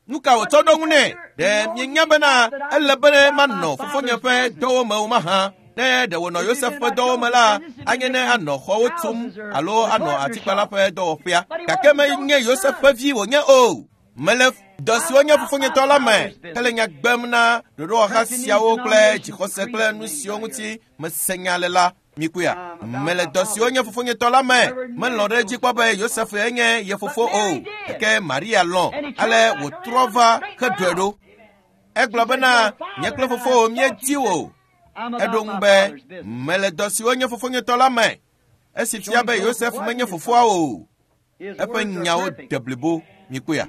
Nu ka wòtsɔ ɖo ŋu nɛ? Ɖe mienya bena ele be manɔ fofonye ƒe dɔwo me o mahã? Ne ɖe wònɔ Yosef ƒe dɔwo me la, anye ne anɔ xɔwo tum alo anɔ atikpala ƒe dɔwɔƒea. Gake menye Yosef ƒe vi wònye o. Mele dɔ siwo nye fofonyetɔ la me hele nya gbem na ɖoɖowɔha siawo kple dzixɔse kple nu siwo ŋuti mese nya le la. Mikuya. Mele dɔ siwo nye fofonyetɔ la me. Melɔ̃ ɖe edzi kpɔ be Yosef enye ye fofo o. Gake Maria lɔ̃ ale wòtrɔ va heɖɔe ɖo. Egblɔ bena nye kple fofowò míedi wò. Eɖo ŋu be mele dɔ siwo nye fofonyetɔ la me. Esi fia be Yosef menye fofoa o. Eƒe nyawo de blibo. Mikuya.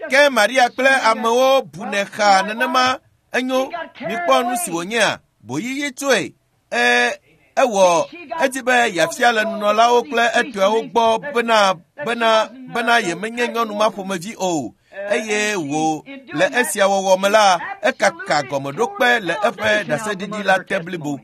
Ke Maria kple amewo bunɛ xa nenema enyo mikpɔ nu si wònyea boyiyi tsoe. E ewɔ edi be yeafia le nunɔlawo kple etɔawo gbɔ bena bena bena yemenye nyɔnu ma ƒomevi o. Eye wò le esia wɔwɔ me la ekaka gɔmeɖokpe le eƒe ɖaseɖiɖi la te blibo.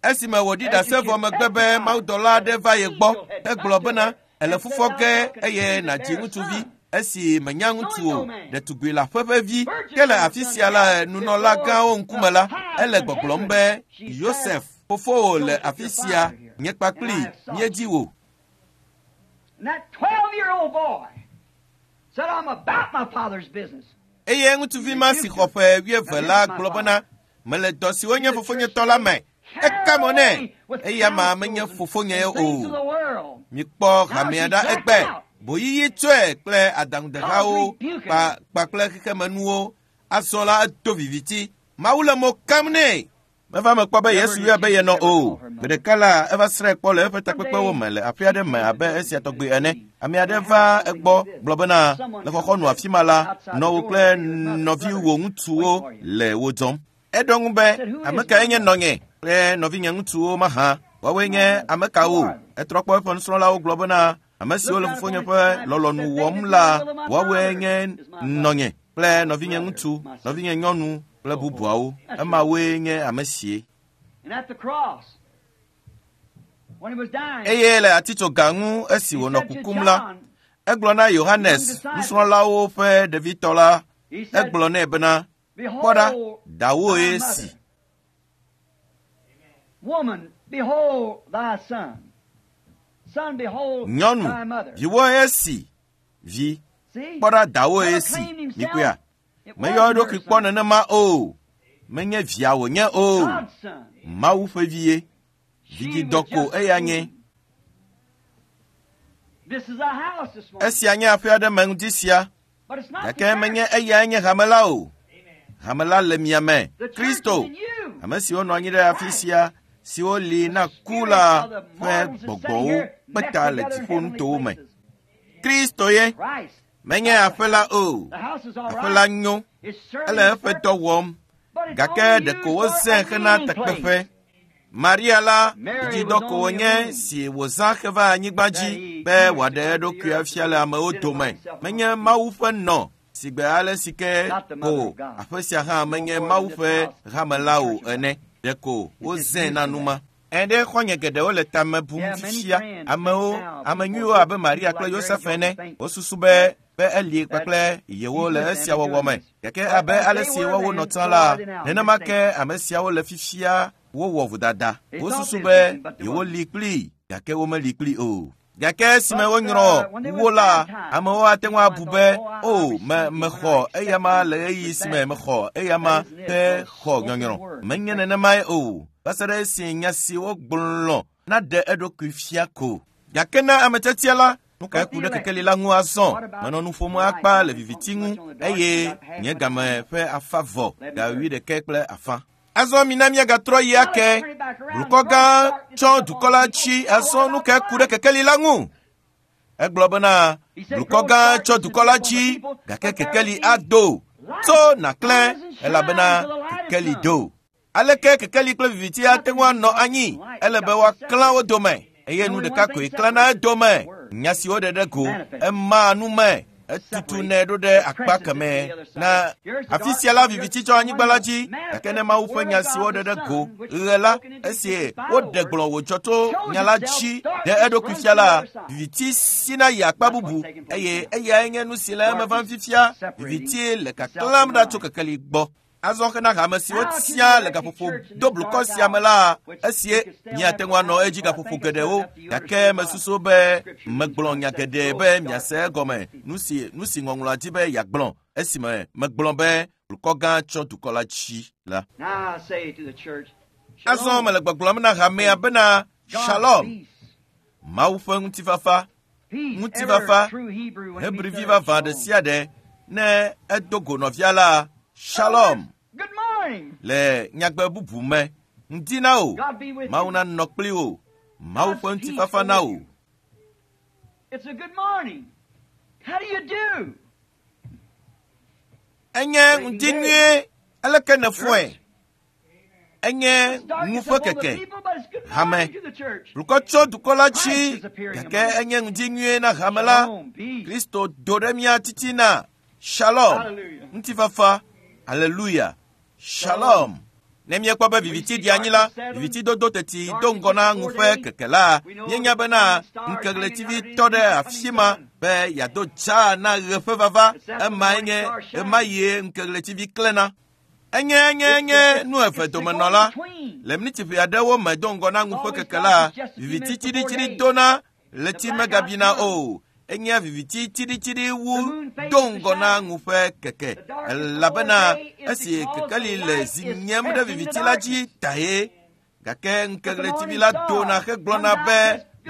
Esime wòɖi ɖase vɔ megbe be mawudɔla aɖe va ye gbɔ egblɔ bena ele fufɔ ge eye nàdzi ŋutsuvi. Esi menya ŋutsu o, ɖetugbui le aƒe ƒe vi. Ke le afi sia la nunɔla gãwo ŋkume la, ele gbɔgblɔm be Yosef fofowò le afi sia, nye kpakpli míedzi wò. Eye ŋutsuvi ma si xɔ ƒe wuieve la gblɔ bena mele dɔ siwo nye fofonyetɔ la me. Eka mo nɛ eya ma menye fofonye o. Mikpɔ hamea ɖa egbe. Boyiyi tsɔe kple adaŋudehawo kpa kpakple xexemenuwo. Azɔ la edo viviti. Mawu le mo kam nɛ. Meva me kpɔ be Yesu yɔe be yenɔ o. Gbe ɖeka la eva srãe kpɔ le eƒe takpekpewo me le aƒe aɖe me abe esia tɔgbi ene. Ame aɖe va egbɔ gblɔ bena le xɔxɔnu afi ma la, nɔwò kple nɔviwò ŋutsuwo le wo dzɔm. Eɖo ŋu be ame kae nye nɔnye kple nɔvinye ŋutsuwo mahã? Woawoe nye ame kawo? Etrɔ kpɔ eƒe nusrɔ̃lawo gblɔ bena ame siwo le fofonye ƒe lɔlɔ̃nu wɔm la, woawoe nye nɔnye kple nɔvinye ŋutsu, nɔvinye nyɔnu kple bubuawo. Emawoe nye ame sie. Eye le atitsoga ŋu esi wònɔ kukum la, egblɔ na Yohanes nusrɔ̃lawo ƒe ɖevitɔ la, egblɔ nɛ bena kpɔ ɖa, dawoe si. Nyɔnu, viwoe esi. Vi, kpɔ ɖa, dawoe si. Mikuya. Meyɔ eɖokui kpɔ nenema o. Menye via wònye o. Mawu ƒe vie. Vidzidɔ ko eya nye. Esia nye aƒe aɖe me ŋdi sia. Gake menye eyae nye hame la o. Hame la le mia me. Kristo, ame siwo nɔ anyi ɖe afi sia, siwo li na ku la ƒe gbɔgbɔwo kpe ta le dziƒonutowo me. Kristo ye. Menye aƒe la o. Aƒe la nyo. Ele eƒe dɔ wɔm. Gake ɖeko wozãe hena takpeƒe. Maria la vidzidɔ ko wònye si wòzã heva anyigba dzi be wòaɖe eɖokui afia le amewo dome. Menye Mawu ƒe nɔ si gbe ale si ke ko aƒe sia hã menye Mawu ƒe hame la o ene. Ɖeko wozãe na nu ma. Ɛɖe xɔ̃nye geɖewo le tame bum fifia. Amewo, ame nyuiwo abe Maria kple Yosef ene, wosusu be be eli kpakple yewo le esia wɔwɔ me. Gake abe ale si woawo nɔ tsã la, nenema ke ame siawo le fifia wowɔ vodada. Wosusu be yewo li kpli, gake womeli kpli o. Gake esime wonyrɔ wo la, amewo ate ŋu abu be o me mexɔ eyama le ɣeyiɣi si me mexɔ eyama ke xɔ nyɔnyrɔ. Menye nenemae o. Va se ɖe esi nya si wogblɔ naɖe eɖokui fia ko. Gake na ame tiatia la, nu kae ku ɖe kekeli la ŋu azɔ? Menɔ nu ƒom akpa le viviti ŋu eye nye game ƒe afa vɔ ga wuiɖekɛ kple afã. Azɔ mina míagatrɔ yi ake. Blukɔ gã tsɔ dukɔ la tsi azɔ nu kae ku ɖe kekeli la ŋu? Egblɔ bena blukɔ gã tsɔ dukɔ la tsi gake kekeli ado. Tso nàklẽ elabena kekeli do. Aleke kekeli kple viviti ate ŋu anɔ anyi? Ele be woaklã wo dome. Eye nu ɖeka koe klãna edome. Nya si woɖe ɖe go, ema nu me, etutunɛ ɖo ɖe akpa kemɛ na afi sia la viviti tsɔ anyigba la dzi. Gake ne Mawu ƒe nya si woɖe ɖe go ɣe la, esi woɖe gblɔ wòdzɔ tso nya la dzi ɖe eɖokui fia la, viviti sina yi akpa bubu eye eyae nye nu si le eme vam fifia. Viviti le kaklãm ɖa tso kekeli gbɔ. Azɔ hena hame siwo tia le gaƒoƒo do blukɔ sia me la, esie miate ŋu anɔ edzi gaƒoƒo geɖewo, gake mesusu be megblɔ nya geɖe be miase egɔme nu si nu si ŋɔŋlɔa dzi be yeagblɔ esime megblɔ be blukɔ gã tsɔ dukɔ la dzi la. Azɔ mele gbɔgblɔm na hamea bena Shalom, Mawu ƒe ŋutifafa, ŋutifafa, Hebrivi vavã ɖe sia ɖe ne edo go nɔvia la, Shalom. Le nyagbe bubu me, ŋdi na wò, Mawu nanɔ kpli wò, Mawu ƒe ŋutifafa na wò. Enye ŋdi nyuie, aleke nèfɔe? Enye ŋu ƒe keke, hame, blukɔ tso dukɔ la dzi, gake enye ŋdi nyuie na hame la. Kristo do ɖe mía titina. Shalom, ŋutifafa, aleluya, Shalom. Ne míekpɔ be viviti ɖi anyi la, viviti dodo teti do ŋgɔ na ŋu ƒe keke la, míenya bena ŋkeɣletivi tɔ ɖe afi ma be yeado dzaa na ɣe ƒe vava. Emae nye ema yie ŋkeɣletivi klẽna. Enye enye enye nu eve domenɔla. Le miniti ʋe aɖewo me do ŋgɔ na ŋu ƒe keke la, viviti tsiɖitsiɖi dona, ɣleti megabina o. Enye viviti tsiɖitsiɖi wu do ŋgɔ na ŋu ƒe keke, elabena esi kekeli le zi nyem ɖe viviti la dzi tae. Gake ŋkeɣletivi la dona hegblɔna be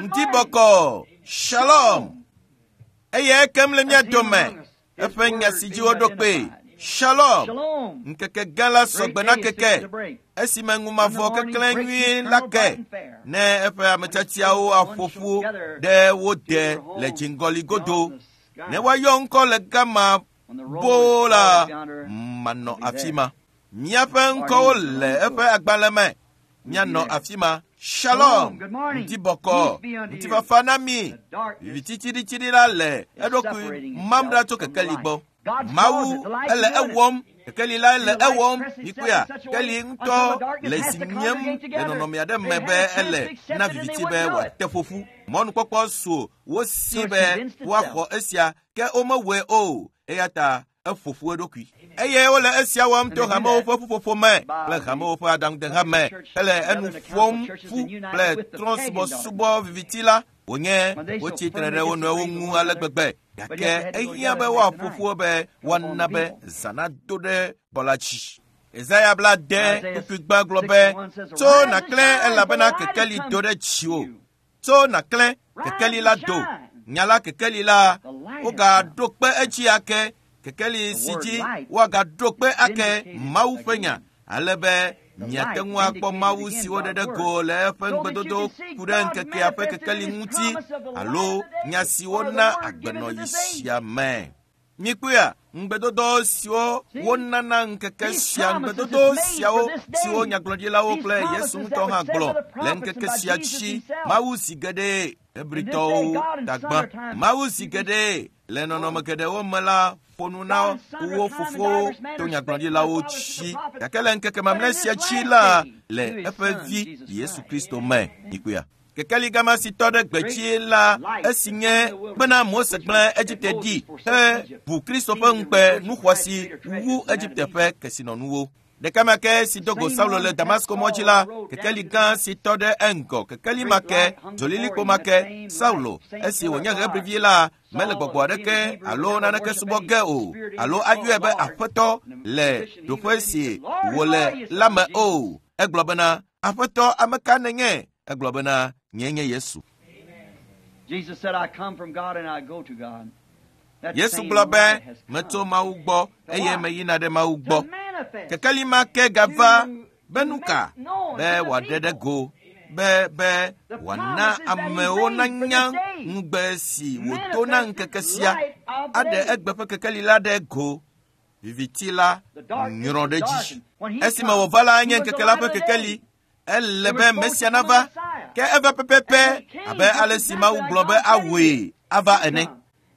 ŋdi bɔkɔ, Shalom. Eye ekem le mía dome, eƒe nya si dzi woɖo kpee, Shalom. Ŋkeke gã la sɔgbe na keke, esime ŋumavɔ keklẽ nyuie la ke, ne eƒe ametiatiawo aƒo ƒu ɖe wo de le dziŋgɔli godo. Ne woayɔ ŋkɔ le gama boo la, manɔ afi ma. Míaƒe ŋkɔwo le eƒe agbalẽ me. Míanɔ afi ma. Shalom, ŋdi bɔkɔ, ŋutifafa na mi. Viviti tsiɖitsiɖi la le eɖokui mam ɖa tso kekeli gbɔ. Mawu ele ewɔm, kekeli la le ewɔm, mikpɔea, kekeli ŋutɔ le zi nyem le nɔnɔme aɖe me be ele na viviti be wòate ƒoƒu. Mɔnukpɔkpɔ su wo si be woaxɔ esia, ke womewɔe o, eya ta eƒo ƒu eɖokui. Eye wole esia wɔm to hamewo ƒe ƒuƒoƒo me kple hamewo ƒe aɖaŋudeha me hele enu ƒom ƒu kple trɔ̃subɔsubɔ viviti la. Wònye wotsi tre ɖe wo nɔewo ŋu ale gbegbe, gake ehiã be woaƒo ƒu be woana be zã nado ɖe bɔ la dzi. Yesaya bla ade kpukpui gbã gblɔ be, tso nàklẽ elabena kekeli do ɖe dziwò. Tso nàklẽ, kekeli la do. Nya la kekeli la, wogaɖo kpe edzi ake. Kekeli si dzi woagaɖo kpe ake Mawu ƒe nya, ale be miate ŋu akpɔ Mawu si woɖe ɖe go le eƒe ŋugbedodo ku ɖe ŋkekea ƒe kekeli ŋuti alo nya si wona agbenɔɣi sia me. Mikpɔea, ŋugbedodo siwo wonana ŋkeke sia, ŋugbedodo siawo siwo nyagblɔɖilawo kple Yesu ŋutɔ hã gblɔ le ŋkeke sia dzi. Mawu zi geɖe Hebritɔwo tagbã. Mawu zi geɖe le nɔnɔme geɖewo me la ƒo nu na wo fofowo to nyagblɔɖilawo dzi, gake le ŋkeke mamlɛ sia dzi la le eƒe vi Yesu Kristo me. Mikpɔea, kekeli gama si tɔ ɖe gbedzi la, esi nye bena Mose gblẽ Egipte ɖi he ʋu Kristo ƒe ŋukpe nu xɔasi wu Egipte ƒe kesinɔnuwo. Ɖeka ma ke si do go Saulo le Damasko mɔ dzi la, kekeli gã si tɔ ɖe eŋgɔ, kekeli ma ke, dzolilikpo ma ke, Saulo, esi wònye Hebrivi la, mele gbɔgbɔ aɖeke alo naneke subɔ ge o, alo ayɔe be Aƒetɔ le ɖoƒe si wòle la me o. Egblɔ bena, Aƒetɔ, ame ka nènye? Egblɔ bena, nye nye Yesu. Yesu gblɔ be, metso Mawu gbɔ eye meyina ɖe Mawu gbɔ. Kekeli ma ke gava be nu ka? Be wòaɖe ɖe go, be be wòana amewo nanya ŋugbe si wòdo na ŋkeke sia, aɖe egbe ƒe kekeli la ɖe go. Viviti la nyrɔ ɖe dzi. Esime wòva la, enye ŋkeke la ƒe kekeli. Ele be Mesia nava, ke eva pɛpɛpɛ abe ale si Mawu gblɔ be awɔe ava ene.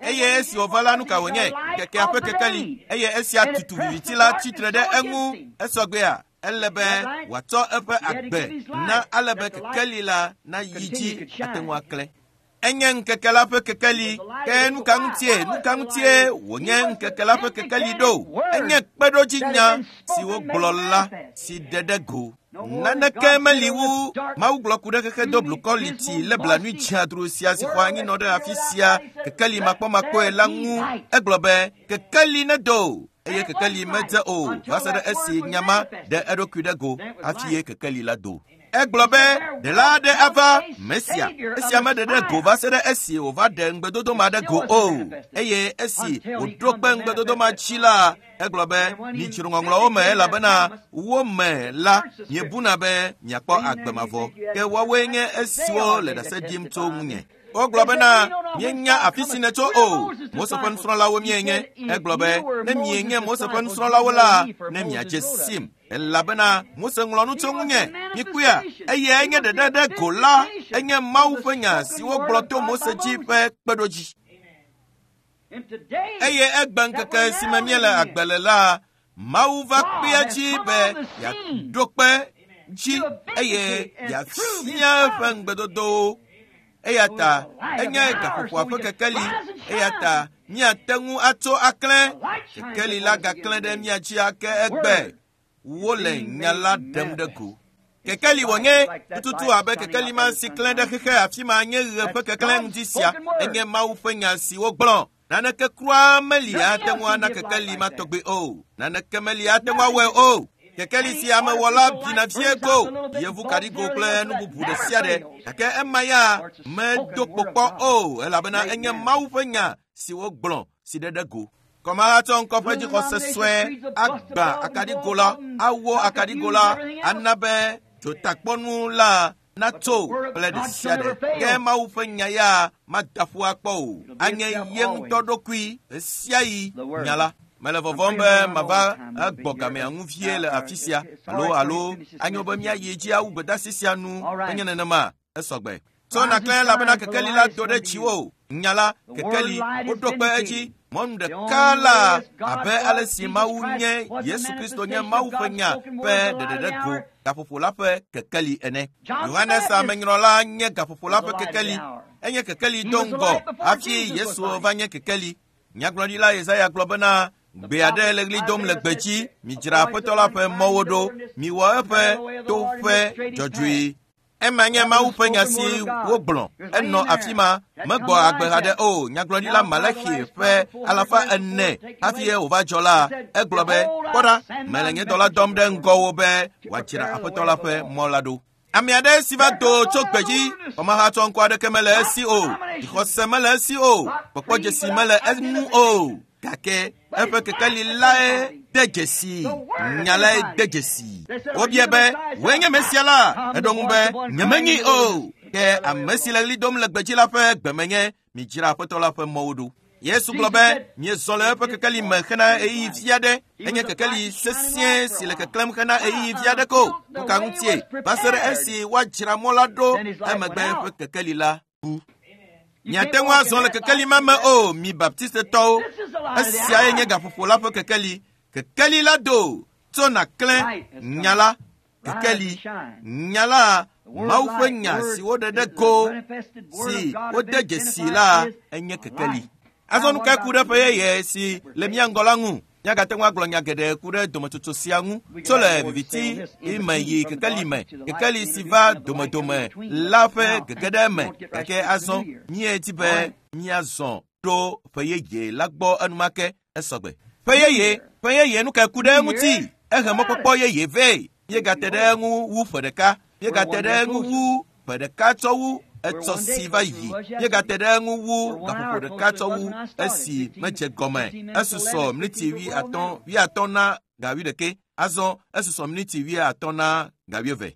Eye esi wòva la, nu ka wònye? Ŋkekea ƒe kekeli. Eye esia tutu viviti la tsitre ɖe eŋu. Esɔgbea, ele be wòatsɔ eƒe agbe na ale be kekeli la nayi dzi ate ŋu aklẽ. Enye ŋkeke la ƒe kekeli. Ke nu ka ŋutie, nu ka ŋutie wònye ŋkeke la ƒe kekeli ɖo? Enye kpeɖodzinya si wogblɔ la si ɖe ɖe go. Naneke meli wu Mawu gblɔ ku ɖe xexe do blukɔ liti le blanui dziadru sia si xɔ anyinɔ ɖe afi sia kekeli makpɔmakpɔe la ŋu. Egblɔ be kekeli nedo eye kekeli medze o va se ɖe esi nyama ɖe eɖokui ɖe go hafi ye kekeli la do. Egblɔ be ɖela aɖe ava Mesia. Esia meɖe ɖe go va se ɖe esi wòva ɖe ŋugbedodo ma ɖe go o. Eye esi wòɖo kpe ŋugbedodo ma dzi la, egblɔ be midzro ŋɔŋlɔwo me elabena wo me la miebuna be miakpɔ agbe mavɔ. Ke woawoe nye esiwo le ɖase ɖim tso ŋunye. Wogblɔ bena míenya afi si nètso o. Mose ƒe nusrɔ̃lawo míenye. Egblɔ be ne mienye Mose ƒe nusrɔ̃lawo la, ne miadze sim. Elabena Mose ŋlɔ nu tso ŋunye. Mikpɔea, eyae nye ɖeɖe ɖe go la, enye Mawu ƒe nya si wogblɔ to Mose dzi ƒe kpeɖodzi. Eye egbe ŋkeke si me míele agbe le la, Mawu va kpea dzi be yeaɖo kpe dzi eye yeafia eƒe ŋugbedodowo. Eya ta enye gaƒoƒoa ƒe kekeli. Eya ta míate ŋu atso aklẽ. Kekeli la gaklẽ ɖe mía dzi ake egbe. Wole nya la ɖem ɖe go. Kekeli wònye tututu abe kekeli ma si klẽ ɖe xexe afi ma nye ɣe ƒe keklẽ ŋdi sia. Enye Mawu ƒe nya si wogblɔ. Naneke kura meli ate ŋu ana kekeli ma tɔgbe o. Naneke meli ate ŋu awɔe o. Kekeli si amewɔla bina vie go, yevu kaɖigo kple nu bubu ɖe sia ɖe. Gake ema ya medo kpokpɔ o, elabena enye Mawu ƒe nya si wogblɔ si ɖe ɖe go. Kɔmahatsɔ ŋkɔ ƒe dzixɔse sue agba akaɖigo la, awɔ akaɖigo la, ana be dzotakpɔnu la natso kple ɖe sia ɖe. Ke Mawu ƒe nya ya mada ƒu akpɔ o. Anye ye ŋutɔ ɖokui ɣesiaɣi nya la. Mele vɔvɔm be mava egbɔ gamea ŋu vie le afi sia alo alo anyo be míayi dzi awu gbedeasi sia nu menye nenema esɔgbe. Tso nàklẽ elabena kekeli la do ɖe dziwò. Nya la, kekeli, woɖo kpe edzi. Mɔnu ɖeka la abe ale si Mawu nye Yesu Kristo nye Mawu ƒe nya ƒe ɖeɖeɖe go gaƒoƒo la ƒe kekeli ene. Yohanes Amenyrɔla nye gaƒoƒo la ƒe kekeli. Enye kekeli do ŋgɔ hafi Yesu va nye kekeli. Nyagblɔɖila Yesaya gblɔ bena gbe aɖe le ɣli dom le gbedzi, midzra Aƒetɔ la ƒe mɔwo ɖo, miwɔ eƒe toƒe dzɔdzɔe. Ema nye Mawu ƒe nya si wogblɔ. Enɔ afi ma, megbɔ agbe haɖe o. Nyagblɔɖila Malachi ƒe alafa ene hafi wòva dzɔ la, egblɔ be, kpɔ ɖa, mele nye dɔla dɔm ɖe ŋgɔwò be wòadzra Aƒetɔ la ƒe mɔ la ɖo. Ame aɖe si va do tso gbedzi, kɔmahatsɔ ŋkɔ aɖeke mele esi o, dzixɔse mele esi o, kpɔkpɔdzesi mele eŋu o. Gake eƒe kekeli lae de dzesi, nya lae de dzesi. Wobia be, wòe nye Mesia la? Eɖo ŋu be, nyemenyi o. Ke ame si le ɣli dom le gbedzi la ƒe gbemenye, midzra Aƒetɔ la ƒe mɔwo ɖo. Yesu gblɔ be, miezɔ le eƒe kekeli me hena ɣeyiɣi vi aɖe. Enye kekeli sesĩe si le keklẽm hena ɣeyiɣi vi aɖe ko. Nu ka ŋutie? Va se ɖe esi woadzra mɔ la ɖo, emegbe eƒe kekeli la bu. Miate ŋu azɔ le kekeli ma me o, mi Baptistetɔwo. Esiae nye gaƒoƒo la ƒe kekeli. Kekeli la do tso nàklẽ nya la. Kekeli, nya la, Mawu ƒe nya si woɖe ɖe go, si wode dzesi la, enye kekeli. Azɔ nu kae ku ɖe ƒe yeye si le mía ŋgɔ la ŋu? Míagate ŋu agblɔ nya geɖe ku ɖe dometsotso sia ŋu. Tso le viviti me yi kekeli me, kekeli si va domedome la ƒe gege ɖe eme. Gake azɔ míedi be míazɔ ɖo ƒe yeye la gbɔ enumake esɔgbe. Ƒe yeye, ƒe yeye nu kae ku ɖe eŋuti? Ehe mɔkpɔkpɔ yeye vɛ. Míegate ɖe eŋu wu ƒe ɖeka. Míegate ɖe eŋu wu ƒe ɖeka tsɔ wu etsɔ si va yi. Míegate ɖe eŋu wu gaƒoƒo ɖeka tsɔ wu esi medze gɔme. Esusɔ miniti wuiatɔ̃ wuiatɔ̃ na ga wuiɖekɛ. Azɔ esusɔ miniti wuiatɔ̃ na ga wuieve.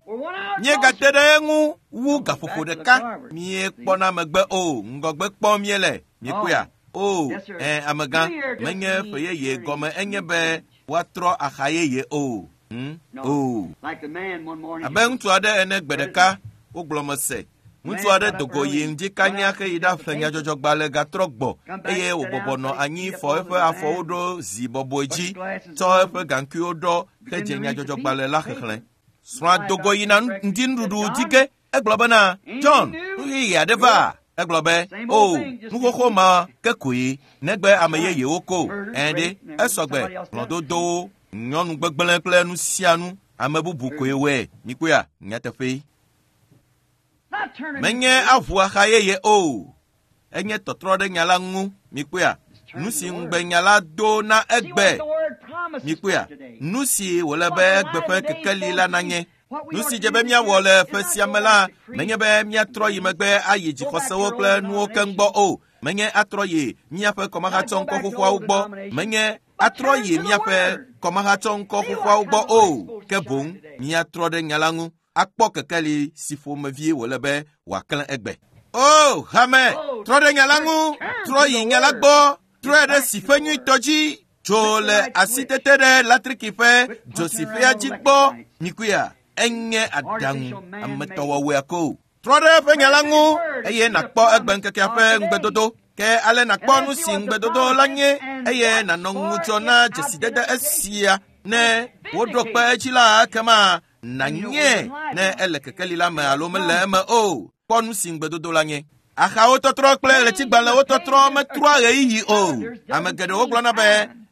Míegate ɖe eŋu wu gaƒoƒo ɖeka. Míekpɔna megbe o, ŋgɔgbe kpɔm míele. Míekpɔea? O, ɛ amegã, menye ƒe yeye gɔme enye be woatrɔ axa yeye o. Hmm? O. Abe ŋutsu aɖe ene gbe ɖeka, wogblɔ mese. Ŋutsu aɖe do go yi ŋdi kanya heyi ɖaƒle nyadzɔdzɔgbalẽ gatrɔ gbɔ eye wòbɔbɔ nɔ anyi fɔ eƒe afɔwo ɖo zi bɔbɔe dzi, tsɔ eƒe gaŋkuiwo ɖɔ hedze nyadzɔdzɔgbalẽ la xexlẽ. Srɔ̃a do go yina ŋdinuɖuɖu dzi ge. Egblɔ bena, John, nu yeye aɖe va. Egblɔ be, o, nu xoxo ma ke koe, negbe ame yeyewo ko. Ẽ ɖe, esɔgbe, hlɔ̃dodowo, nyɔnu gbegblẽ kple nu sia nu, ame bubu koe wɔe. Mikpɔea, nyateƒee. Menye aʋu axa yeye o. Enye tɔtrɔ ɖe nya la ŋu. Mikpɔea, nu si ŋugbe nya la do na egbe. Mikpɔea, nu si wòle be egbe ƒe kekeli la nanye. Nu si dze be míawɔ le ƒe sia me la, menye be míatrɔ yi megbe ayi dzixɔsewo kple nuwo keŋ gbɔ o. Menye atrɔ yi míaƒe kɔmahatsɔŋkɔ xoxoawo gbɔ. Menye atrɔ yi míaƒe kɔmahatsɔŋkɔ xoxoawo gbɔ o. Ke boŋ míatrɔ ɖe nya la ŋu akpɔ kekeli si ƒomevie wòle be wòaklẽ egbe. O, hame, trɔ ɖe nya la ŋu, trɔ yi nya la gbɔ, trɔe ɖe si ƒe nyuitɔ dzi. Tso le asitete ɖe latriki ƒe dzosiƒea dzi gbɔ. Mikuya, enye aɖaŋu ametɔwɔwɔea ko. Trɔ ɖe eƒe nya la ŋu eye nàkpɔ egbe ŋkekea ƒe ŋugbedodo. Ke ale nàkpɔ nu si ŋugbedodo la nye eye nànɔ ŋudzɔ na dzesidede esia. Ne woɖo kpe edzi la, ekema nànye ne ele kekeli la me alo mele eme o. Kpɔ nu si ŋugbedodo la nye. Axawo tɔtrɔ kple ɣletigbalẽwo tɔtrɔ metrɔa ɣeyiɣi o. Ame geɖewo gblɔna be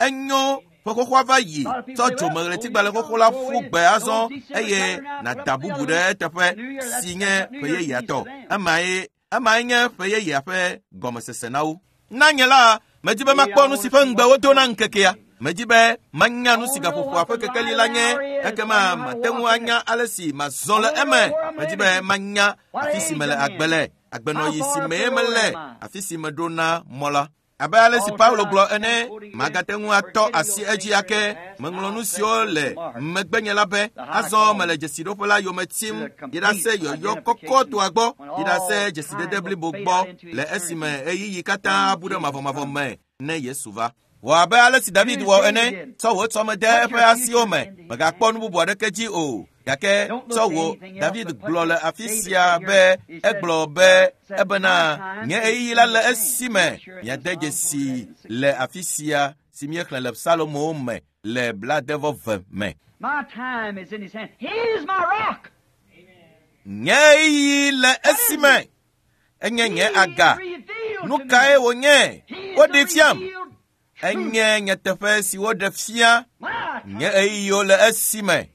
enyo ƒe xoxoa va yi, tsɔ dzome ɣletigbalẽ xoxo la ƒu gbe azɔ eye nàda bubu ɖe eteƒe si nye ƒe yeyea tɔ. Emae emae nye ƒe yeyea ƒe gɔmesese na wo. Na nye la, medi be makpɔ nu si ƒe ŋugbe wodo na ŋkekea. Medi be manya nu si gaƒoƒoa ƒe kekeli la nye, ekema mate ŋu anya ale si mazɔ le eme. Medi be manya afi si mele agbe le, agbenɔyi si mee mele, afi si meɖo na mɔ la. Abe ale si Paulo gblɔ ene, magate ŋu atɔ asi edzi ake. Meŋlɔ nu siwo le megbenye la be, azɔ mele dzesiɖoƒe la yome tim, yi ɖase yɔyɔ kɔkɔtɔa gbɔ, yi ɖase dzesidede blibo gbɔ, le esime ɣeyiɣi katã abu ɖe mavɔmavɔ me ne Yesu va. Wɔ abe ale si David wɔ ene, tsɔ wò tsɔme de eƒe asiwo me, mègakpɔ nu bubu aɖeke dzi o. Gake tsɔ wò, David gblɔ le afi sia be, egblɔ be ebena nye ɣeyiɣi la le esime miade dzesi le afi sia si míexlẽ le Psalomowo me le blaadevɔ me. My time is in his hand. He is my rock. Nye ɣeyiɣi le esime enye nye aga. Nu kae wònye? Woɖee fiam. Enye nyateƒe si woɖe fia. Nye ɣeyiɣiwo le esime.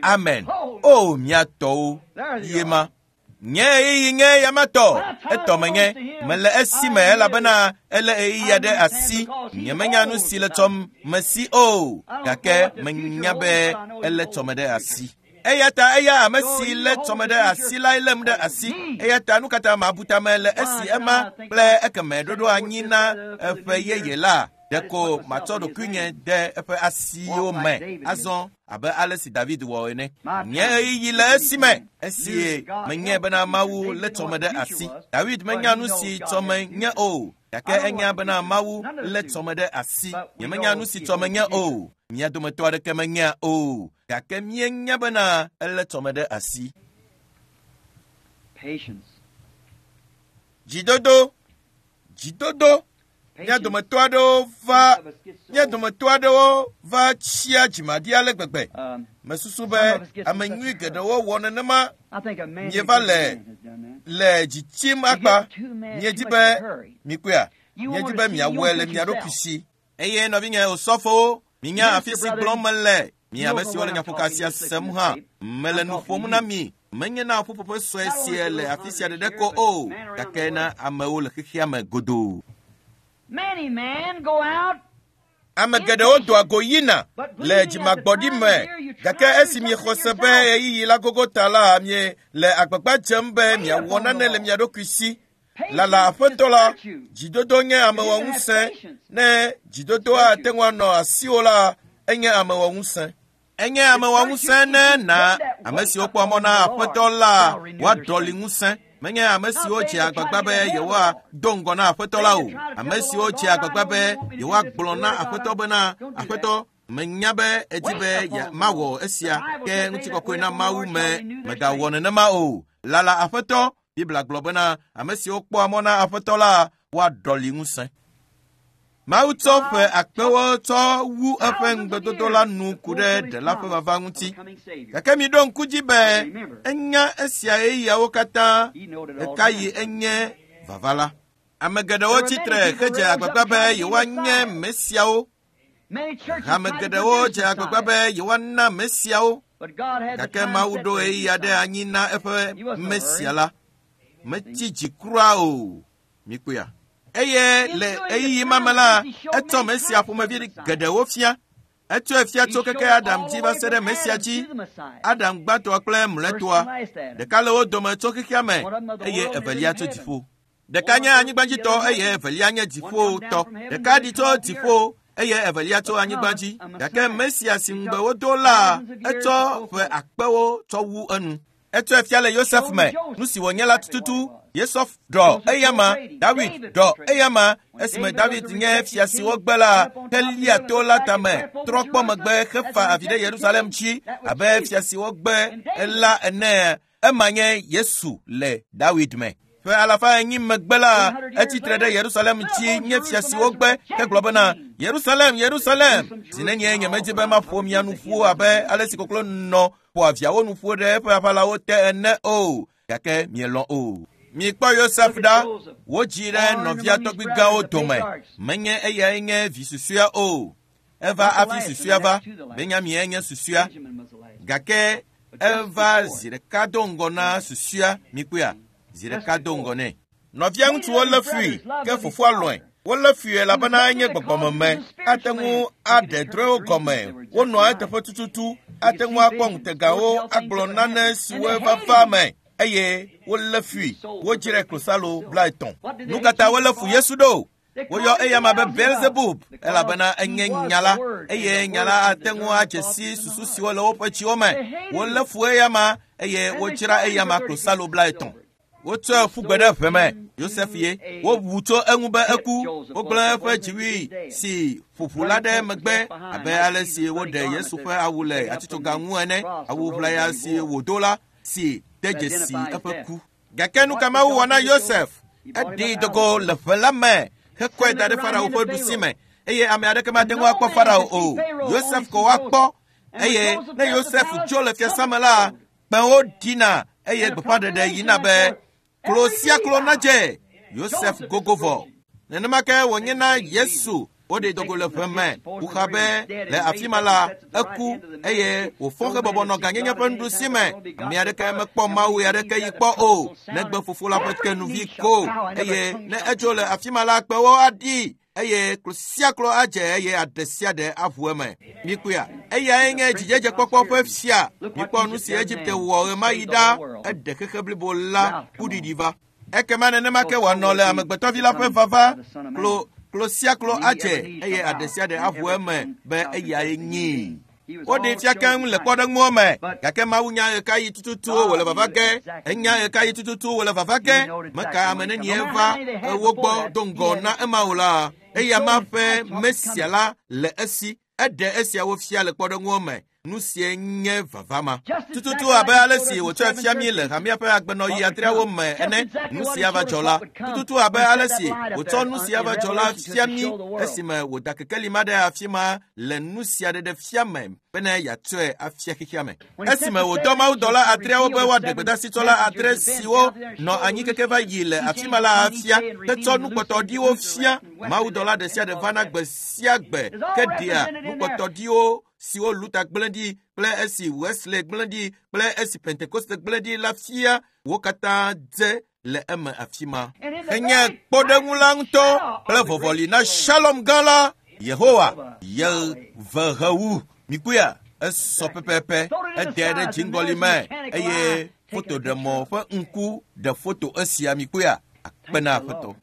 Amen. O, mía tɔwo, ye ma. Nye ɣeyiɣi nye yamatɔ. Etɔ menye. Mele esime elabena ele ɣeyiɣia ɖe asi. Nyemenya nu si le tsɔm mesi o, gake menya be ele tsɔme ɖe asi. Eya ta eya ame si lé tsɔme ɖe asi lae lém ɖe asi. Eya ta nu katã mabu tame le esi ema kple ekeme ɖoɖo anyi na eƒe yeye la. Ɖeko matsɔ ɖokuinye de eƒe asiwo me azɔ abe ale si David wɔ ene. Nye ɣeyiɣi le esime esi menye bena Mawu lé tsɔme ɖe asi. David menya nu si tsɔme nye o, gake enya bena Mawu lé tsɔme ɖe asi. Nyemenya nu si tsɔme nye o. Mía dometɔ aɖeke menya o, gake míenya bena elé tsɔme ɖe asi. Patience. Dzidodo, dzidodo. Mía dometɔ aɖewo va, mía dometɔ aɖewo va tsia dzimaɖi ale gbegbe. Um, Mesusu be ame nyui geɖewo wɔ nenema I think a man Mieva who le has done that. le dzi tsim akpa. Miedi be mikpɔea, miedi be miawɔe le mia ɖokui si. Eye nɔvinye osɔfowo, minya afi si gblɔm mele. Mi ame siwo le nyaƒoka sia sem hã, mele nu ƒom na mi. Menye na ƒuƒoƒe sue sia le afi sia ɖeɖe ko o, gake na amewo le xexea me godoo. Many men go out Ame geɖewo doa go yina le dzimagbɔɖi me, gake esi miexɔ se be ɣeyiɣi la gogo ta la, mie le agbagba dzem be miawɔ nane le mia ɖokui si. Lala aƒetɔ la, dzidodo nye amewɔŋusẽ. Ne dzidodo ate ŋu anɔ asiwò la, enye amewɔŋusẽ. Enye amewɔŋusẽ ne na ame siwo kpɔ mɔ na aƒetɔ la woaɖɔli ŋusẽ. Menye ame siwo dze agbagba be yewoado ŋgɔ na aƒetɔ la o. Ame siwo dze agbagba be yewoagblɔ na aƒetɔ bena, aƒetɔ, menya be edi be ye- mawɔ esia, ke ŋutikɔkɔe na Mawu me megawɔ nenema o. Lala aƒetɔ, Biblia gblɔ bena ame siwo kpɔa mɔ na aƒetɔ la woaɖɔli ŋusẽ. Mawu tsɔ ƒe akpewo tsɔ wu eƒe ŋugbedodo la nu ku ɖe ɖela ƒe vava ŋuti. coming Savior. Gake miɖo ŋku dzi be enya esia ɣeyiɣiawo katã He knowed it all. ɣekaɣi enye vava la. Ame geɖewo tsitre hedze agbagba be yewoanye Mesiawo. Hame geɖewo dze agbagba be yewoana Mesiawo. Gake Mawu ɖo ɣeyiɣi aɖe anyi na eƒe Mesia la. Metsi dzi kura o. Mikpɔea. Eye le ɣeyiɣi ma me la, etsɔ Mesia ƒomevi geɖewo fia. Etsɔe fia tso keke Adam dzi va se ɖe Mesia dzi. Adam gbãtɔa kple mlɔetɔa. Ɖeka le wo dome tso xexea me eye evelia tso dziƒo. Ɖeka nye anyigbadzitɔ eye evelia nye dziƒotɔ. Ɖeka ɖi tso dziƒo eye evelia tso anyigba dzi. Gake Mesia si ŋugbe wodo la, etsɔ ƒe akpewo tsɔ wu enu. Etsɔe fia le Yosef me, nu si wònye la tututu. Yosef ɖɔ eyama, David ɖɔ eyama. Esime David nye fia si wogbe la, helia to la tame, trɔ kpɔ megbe hefa avi ɖe Yerusalem dzi abe fia si wogbe la ene. Ema nye Yesu le David me. Ƒe alafa enyi megbe la, etsitre ɖe Yerusalem dzi nye fia si wogbe hegblɔ bena, Yerusalem, Yerusalem, zi nenye nyemedi be maƒo mia nu ƒu abe ale si koklo nɔ ƒoa viawo nu ƒu ɖe eƒe aʋalawo te ene o, gake mielɔ̃ o. Mikpɔ Yosef ɖa, wodzi ɖe nɔvia tɔgbuigãwo dome. Menye eyae nye vi susɔea o. Eva hafi susɔea va. Benyamin nye susɔea. Gake eva zi ɖeka do ŋgɔ na susɔea. Mikpɔea, zi ɖeka do ŋgɔ nɛ. Nɔvia ŋutsuwo lé fui, ke fofoa lɔ̃e. Wolé fui elabena enye gbɔgbɔmeme. Ate ŋu aɖe drɔ̃ewo gɔme. Wonɔa eteƒe tututu. Ate ŋu akpɔ ŋutegawo agblɔ nane siwo va va me. Eye wolé fui. Wodzrae klosalo blaetɔ̃. Nu ka ta wolé fu Yesu ɖo? Woyɔ eyama be Beelzebub elabena enye nya la, eye nya la ate ŋu adze si susu siwo le woƒe dziwo me. Wolé fu eyama eye wodzra eyama klosalo blaetɔ̃. Wotsɔe ƒu gbe ɖe ʋe me. Yosef ye. Wobu tso eŋu be eku. Wogblẽ eƒe dziwui si ƒoƒu la ɖe megbe abe ale si woɖe Yesu ƒe awu le atitsoga ŋu ene. Awu ʋlaya si wòdo la si de dzesi eƒe ku. Gake nu ka Mawu wɔ na Yosef? Eɖee dogo le ʋe la me hekɔe da ɖe Farao ƒe ɖusi me eye ame aɖeke mate ŋu akpɔ Farao o. Yosef ko woakpɔ. Eye ne Yosef tso le fiasã me la, kpẽwo ɖina eye gbeƒãɖeɖe yina be klo sia klo nadze. Yosef gogo vɔ. Nenema ke wònye na Yesu. Woɖee dogo le ʋe me. Woxa be le afi ma la, eku eye wòfɔ hebɔbɔ nɔ gãnyenye ƒe nuɖusi me. Ame aɖeke mekpɔ Mawu aɖeke yi kpɔ o, negbe fofo la ƒe tenuvi ko. Eye ne etso le afi ma la, kpewo aɖi eye klo sia klo adze eye aɖe sia ɖe aʋu eme. Mikpɔea, eyae nye dzidzedzekpɔkpɔ ƒe fia. Mikpɔ nu si Egipte wɔ ɣemaɣi ɖa, eɖe xexe blibo la kuɖiɖi va. Ekema nenema ke wòanɔ le amegbetɔvi la ƒe vava. Klo klo sia klo adze eye aɖe sia ɖe aʋu eme be eyae nyii. Woɖee fia keŋ le kpɔɖeŋuwo me, gake Mawu nya ɣekaɣi tututu wòle vava ge. Enya ɣekaɣi tututu wòle vava ge. Meka ame nenie va wo gbɔ do ŋgɔ na ema o la, eya ma ƒe Mesia la le esi. Eɖe esiawo fia le kpɔɖeŋuwo me. Nu sie nye vava ma. Tututu abe ale si wòtsɔe fia mí le hamea ƒe agbenɔɣi adreawo me ene, nu sia va dzɔ la. Tututu abe ale si wòtsɔ nu sia va dzɔ la fia mí esime wòda kekeli ma ɖe afi ma le nu sia ɖeɖe fia me bene yeatsɔe afia xexea me. Esime wòdɔ mawudɔla adreawo be woaɖe gbedasitsɔla adre siwo nɔ anyi keke va yi le afi ma la afia hetsɔ nukpɔtɔɖiwo fia. Mawudɔla ɖe sia ɖe vana gbe sia gbe ke ɖea nukpɔtɔɖiwo siwo Luther gblẽ ɖi kple esi Wesley gblẽ ɖi kple esi Pentekoste gblẽ ɖi la fia. Wo katã dze le eme afi ma. Enye kpɔɖeŋu la ŋutɔ kple vɔvɔli na Shalom gã la, Yehowa Yevehewu. Mikpɔea, esɔ pɛpɛpɛ. Ede ɖe dziŋgɔli me eye fotoɖemɔ ƒe ŋku ɖe foto esia. Mikpɔea, akpe na Aƒetɔ.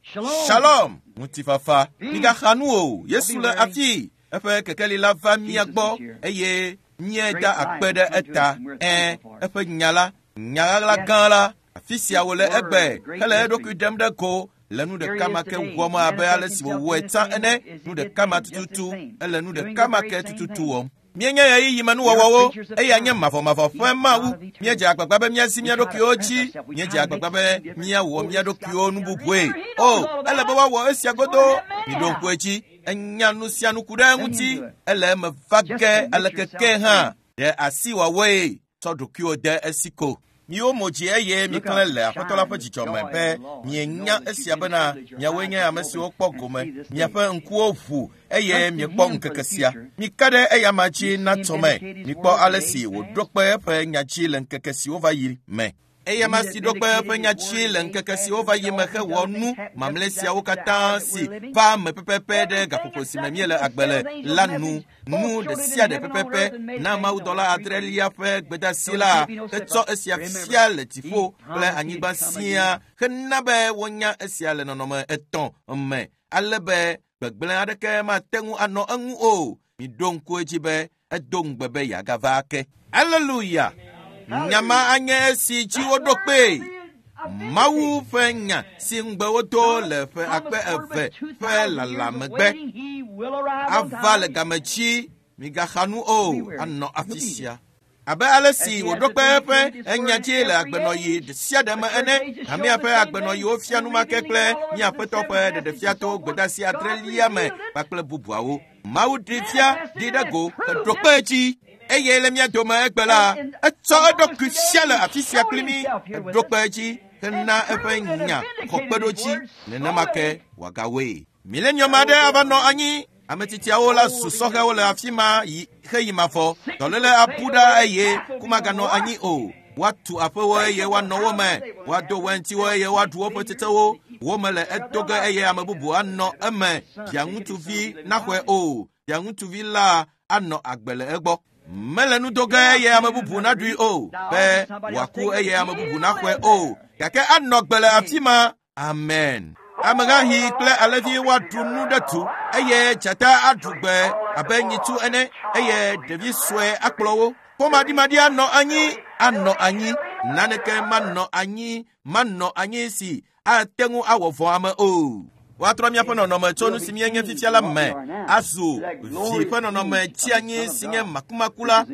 Shalom, ŋutifafa. Migaxa nu o, Yesu le afi. Eƒe kekeli la va mía gbɔ eye míeda akpe ɖe eta. Ẽ, eƒe nya la, nya ɣaɣla gã la, afi sia wòle egbe hele eɖokui ɖem ɖe go le nu ɖeka ma ke wɔm abe ale si wòwɔe tsã ene. Nu ɖeka ma tututu, ele nu ɖeka ma ke tututu wɔm. Míenye ɣeyiɣi me nuwɔwɔwo, eya nye mavɔmavɔ ƒe Mawu. Míedze agbagba be míasi mía ɖokuiwo dzi. Míedze agbagba be míawɔ mía ɖokuiwo nu bubue. O, ele be woawɔ esia godoo. Miɖo ŋku edzi. Enya nu sia nu ku ɖe eŋuti. Ele eme va ge aleke ke hã. Ɖe asi wòawɔe. Tsɔ ɖokuiwò de esi ko. Miwo mo dzi eye miklẽ le Aƒetɔ la ƒe dzidzɔ me be mienya esia bena miawoe nye ame siwo kpɔ gome, miaƒe ŋkuwo ʋu eye miekpɔ ŋkeke sia. Mika ɖe eyama dzi na tɔme. Mikpɔ ale si wòɖo kpe eƒe nya dzi le ŋkeke siwo va yi me. Eyama si ɖo kpe eƒe nya dzi le ŋkeke siwo va yi me hewɔ nu mamlɛ siawo katã si va me pɛpɛpɛ ɖe gaƒoƒo si me míele agbe le la nu. Nu ɖe sia ɖe pɛpɛpɛ na mawudɔla adrelia ƒe gbedeasi la hetsɔ esia fia le dziƒo kple anyigba siaa hena be wonya esia le nɔnɔme etɔ̃ me ale be gbegblẽ aɖeke mate ŋu anɔ eŋu o. Miɖo ŋku edzi be edo ŋugbe be yeagava ake. Aleluya! Nyama anye esi dzi woɖo kpee. Mawu ƒe nya si ŋugbe wodo le ƒe akpe eve ƒe lala megbe ava le game dzi. Migaxa nu o, anɔ afi sia. Abe ale si wòɖo kpe eƒe enya dzi le agbenɔɣi ɖe sia ɖe me ene, hamea ƒe agbenɔɣiwo fia enumake kple mía Aƒetɔ ƒe ɖeɖefia to gbedeasi adrelia me kpakple bubuawo. Mawu ɖi fia ɖi ɖe go heɖo kpe edzi. Eye le mía dome egbe la, etsɔ eɖokui fia le afi sia kpli mí, eɖo kpe edzi hena eƒe nya xɔ kpeɖodzi. Nenema ke wòagawɔe. Milenium aɖe ava nɔ anyi. Ame tsitsiawo la zu sɔhɛwo le afi ma yi xeyi mavɔ. Dɔléle abu ɖa eye ku maganɔ anyi o. Woatu aƒewo eye woanɔ wo me. Woado wɛntiwo eye woaɖu woƒe tsetsewo. Wo me le edo ge eye ame bubu anɔ eme. Via ŋutsuvi naxɔe o. Via ŋutsuvi la anɔ agbe le egbɔ. Mele nu do ge eye ame bubu naɖui o, be wòaku eye ame bubu naxɔe o. Gake anɔ gbe le afi ma. Amen. Amehahi kple alẽvi woaɖu nu ɖe tu eye dzata aɖu gbe abe nyitsu ene eye ɖevi sue akplɔ wo. Ƒomaɖimaɖi anɔ anyi, anɔ anyi. Naneke manɔ anyi, manɔ anyi si ate ŋu awɔ vɔ̃ ame o. Woatrɔ míaƒe nɔnɔme tso nu si míenye fifia la me azu vi ƒe nɔnɔme tsi anyi si nye makumaku la.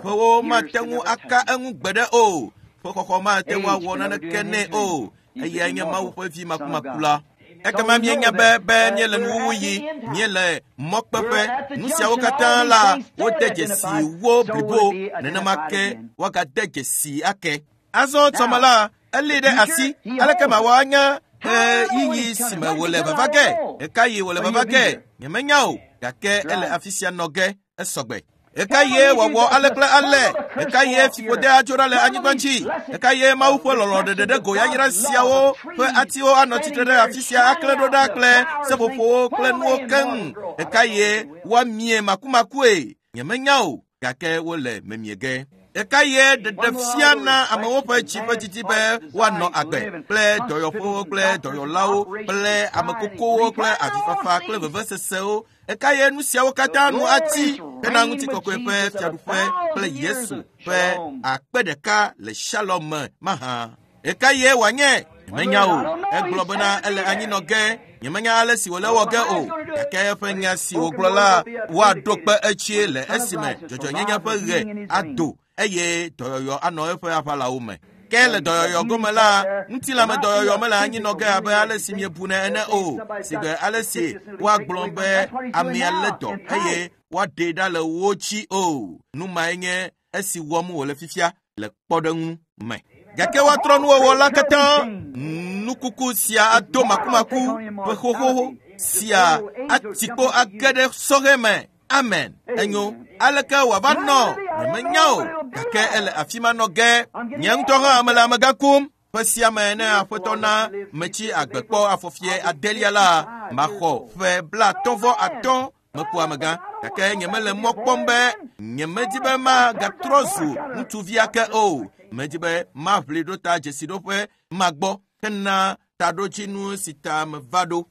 Ƒewo mate ŋu aka eŋu gbeɖe o. Ƒe xɔxɔ mate ŋu awɔ naneke nɛ o. Eyae nye Mawu ƒe vi makumaku la. Ekema míenya be be míele nuwuwu yi, míele mɔkpeƒe. Nu siawo katã la wode dzesi wo blibo. Nenema ke woagade dzesi ake. Azɔ tɔme la, elé ɖe asi. Aleke mawɔ anya ɣeyiɣi si me wòle vava ge? Ɣekaɣi wòle vava ge? Nyemenya o, gake ele afi sia nɔ ge esɔgbe. Ɣekaɣie wòawɔ ale kple ale? Ɣekaɣie fiƒode adzo ɖa le anyigba dzi? Ɣekaɣie Mawu ƒe lɔlɔ̃ ɖeɖe ɖe go yayra siawo ƒe atiwo anɔ tsitre ɖe afi sia aklẽ ɖo ɖa kple seƒoƒowo kple nuwo keŋ? Ɣekaɣie woamie makumakue? Nyemenya o, gake wole memie ge. Ɣekaɣie ɖeɖefia na amewo ƒe dzi ƒe didi be woanɔ agbe kple dɔyɔƒewo kple dɔyɔlawo kple ame kukuwo kple avifafa kple vevesesewo? Ɣekaɣie nu siawo katã nu atsi hena ŋutikɔkɔe ƒe fiaɖuƒe kple Yesu ƒe akpe ɖeka le Shalom me mahã? Ɣekaɣie wòanye? Nyemenya o. Egblɔ bena ele anyi nɔ ge. Nyemenya ale si wòle wɔ ge o. Gake eƒe nya si wògblɔ la, woaɖo kpe etsie le esime dzɔdzɔenyenye ƒe ɣe ado eye dɔyɔyɔ anɔ eƒe aʋalawo me. Ke le dɔyɔyɔ gome la, ŋutilãme dɔyɔyɔ mele anyi nɔ ge abe ale si miebunɛ ene o. Sigbe ale si woagblɔ be amea lé dɔ eye woaɖee ɖa le wo dzi o. Nu mae nye esi wɔm wòle fifia le kpɔɖeŋu me. Gake woatrɔ nuwɔwɔ la katã. Nukuku sia ado makumaku ƒe xoxo sia ati kpo age ɖe sɔhɛ me. Amen. Enyo. Aleke wòava nɔ? Nyemenya o, gake ele afi ma nɔ ge. Nye ŋutɔ hã mele amegã kum. Ƒe sia me ne Aƒetɔ na metsi agbe kpɔ afɔfie adelia la, maxɔ ƒe blaatɔ̃ vɔ atɔ̃ meku amegã. Gake nyemele mɔ kpɔm be nyemedi be magatrɔ zu ŋutsuvi ake o. Medi be maʋli ɖo ta dzesiɖoƒe magbɔ hena taɖodzinu si ta meva ɖo.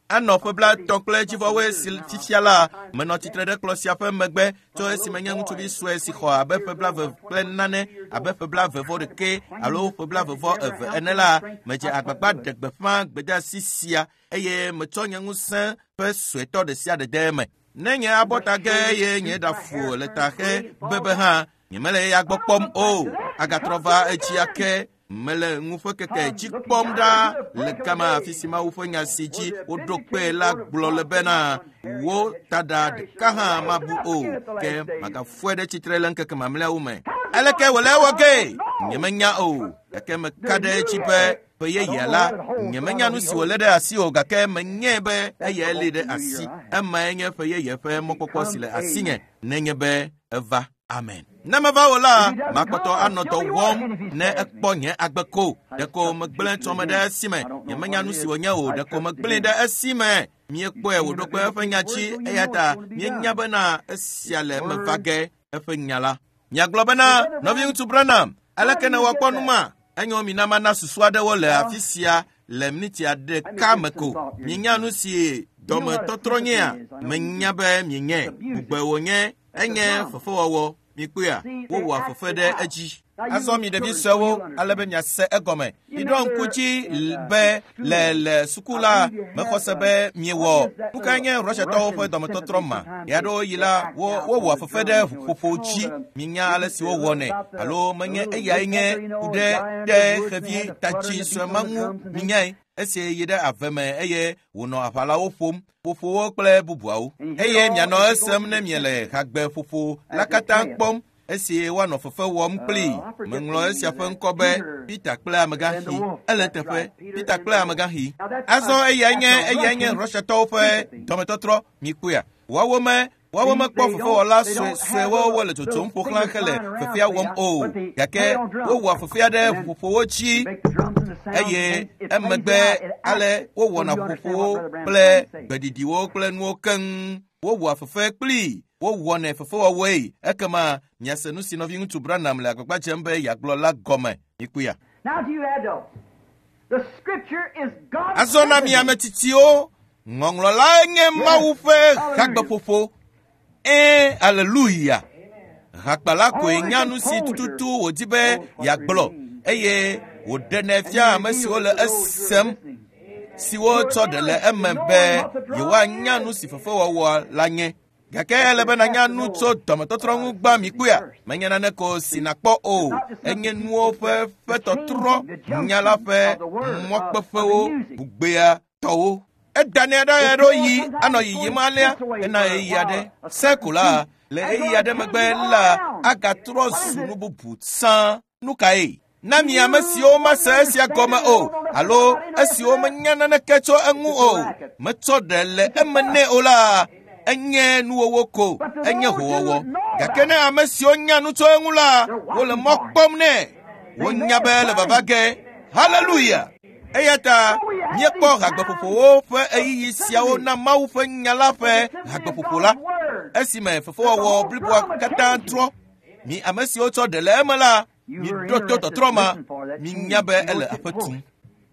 Anɔ ƒe blaetɔ̃ kple dzivɔwoe si fifia la, menɔ tsitre ɖe kplɔ̃ sia ƒe megbe tso esime nye ŋutsuvi sue si xɔ abe ƒe blaeve kple nane abe ƒe blaeve vɔ ɖeke alo ƒe blaeve vɔ eve ene la, medze agbagba ɖe gbeƒã gbedeasi sia eye metsɔ nye ŋusẽ ƒe suetɔ ɖe sia ɖe de eme. Ne nye abɔta ge eye nye ɖafu le ta xe bebe hã, nyemele eya gbɔ kpɔm o. Agatrɔ va edzi ake. Mele ŋu ƒe keke dzi kpɔm ɖa le gama afi si Mawu ƒe nya si dzi woɖo kpe la gblɔ le bena wo taɖa ɖeka hã mabu o, ke magafɔe ɖe tsitre le ŋkeke mamlɛawo me. Aleke wòle ewɔ ge? Nyemenya o, gake meka ɖe edzi be ƒe yeyea la, nyemenya nu si wòlé ɖe asi o, gake menyae be eyae lée ɖe asi. Emae nye ƒe yeye ƒe mɔkpɔkpɔ si le asinye nenye be eva. Amen. Ne meva o la, makpɔtɔ anɔ dɔ wɔm ne ekpɔ nye agbe ko. Ɖeko megblẽ tsɔme ɖe esi me. Nyemenya nu si wònye o, ɖeko megblẽe ɖe esi me. Míekpɔe wòɖo kpe eƒe nya dzi, eya ta míenya bena esia le eme va ge eƒe nya la. Miagblɔ bena, nɔviŋutsu Branham, aleke ne woakpɔ nu ma? Enyo mina mana susu aɖewo le afi sia le miniti ɖeka me ko. Mienya nu si dɔmetɔtrɔ nyea? Menya be mienyae. Bugbe wònye, enye fefewɔwɔ. Mikpɔea, wowɔa fefe ɖe edzi. Azɔ mi ɖevi suewo, ale be miase egɔme. Miɖo ŋku dzi be le le suku la, mexɔ se be miewɔ. Nu kae nye Russiatɔwo ƒe dɔmetɔtrɔ ma? Ɣeaɖewoɣi la, wo wowɔa fefe ɖe ʋuƒoƒo dzi. Minya ale si wowɔnɛ, alo menye eyae nye ku ɖe ɖe xevi tatsi sue ma ŋu. Minyae. Esi yi ɖe ave me eye wònɔ aʋalawo ƒom, ƒoƒowo kple bubuawo. Eye mianɔ esem ne miele hagbeƒoƒo la katã kpɔm esi woanɔ fefe wɔm kplii. Meŋlɔ esia ƒe ŋkɔ be Peter kple amegãxi. Ele teƒe, Peter kple amegãxi. Azɔ eyae nye eyae nye Russiatɔwo ƒe dɔmetɔtrɔ. Mikpɔea, woawo me woawo mekpɔ fefewɔla suesuewo wole tsotsom ƒo xlã hele fefea wɔm o, gake wowɔa fefea ɖe ʋuƒoƒowo dzi eye emegbe ale wowɔna ʋuƒoƒowo kple gbeɖiɖiwo kple nuwo keŋ. Wowɔa fefe kplii, wowɔnɛ fefewɔwɔe. Ekema miase nu si nɔviŋutsu Branham le agbagba dzem be yeagblɔ la gɔme. Mikpɔea. Azɔ na mi ame tsitsiwo, ŋɔŋlɔ lae nye Mawu ƒe hagbeƒoƒo. Ɛ̃, aleluya. Hakpala koe nya nu si tututu wòdi be yeagblɔ eye wòɖenɛ fia ame siwo le esem, siwo tsɔ ɖe le eme be yewoanya nu si fefewɔwɔ la nye. Gake ele be nanya nu tso dɔmetɔtrɔ ŋu gbã. Mikpɔea, menye nane ko si nakpɔ o, enye nuwo ƒe ƒe tɔtrɔ, nya la ƒe mɔkpeƒewo, bugbea tɔwo. Edanɛ ɖe ɣeaɖewoɣi anɔ yiyim alea ena ɣeyiɣi aɖe. Se ko la, le ɣeyiɣi aɖe megbe la, agatrɔ zu nu bubu sã. Nu kae? Na mi ame siwo mase esia gɔme o, alo esiwo menya naneke tso eŋu o, metsɔ ɖe le eme nɛ o la, enye nuwɔwɔ ko, enye howɔwɔ. Gake ne ame siwo nya nu tso eŋu la, wole mɔ kpɔm nɛ. Wonya be ele vava ge. Haleluya! Eya ta míekpɔ hagbeƒoƒowo ƒe ɣeyiɣi siawo na Mawu ƒe nya la ƒe hagbeƒoƒo la, esime fefewɔwɔ bliboa katã trɔ. Mi ame siwo tsɔ ɖe le eme la, miɖo to tɔtrɔ ma, minya be ele aƒe tum.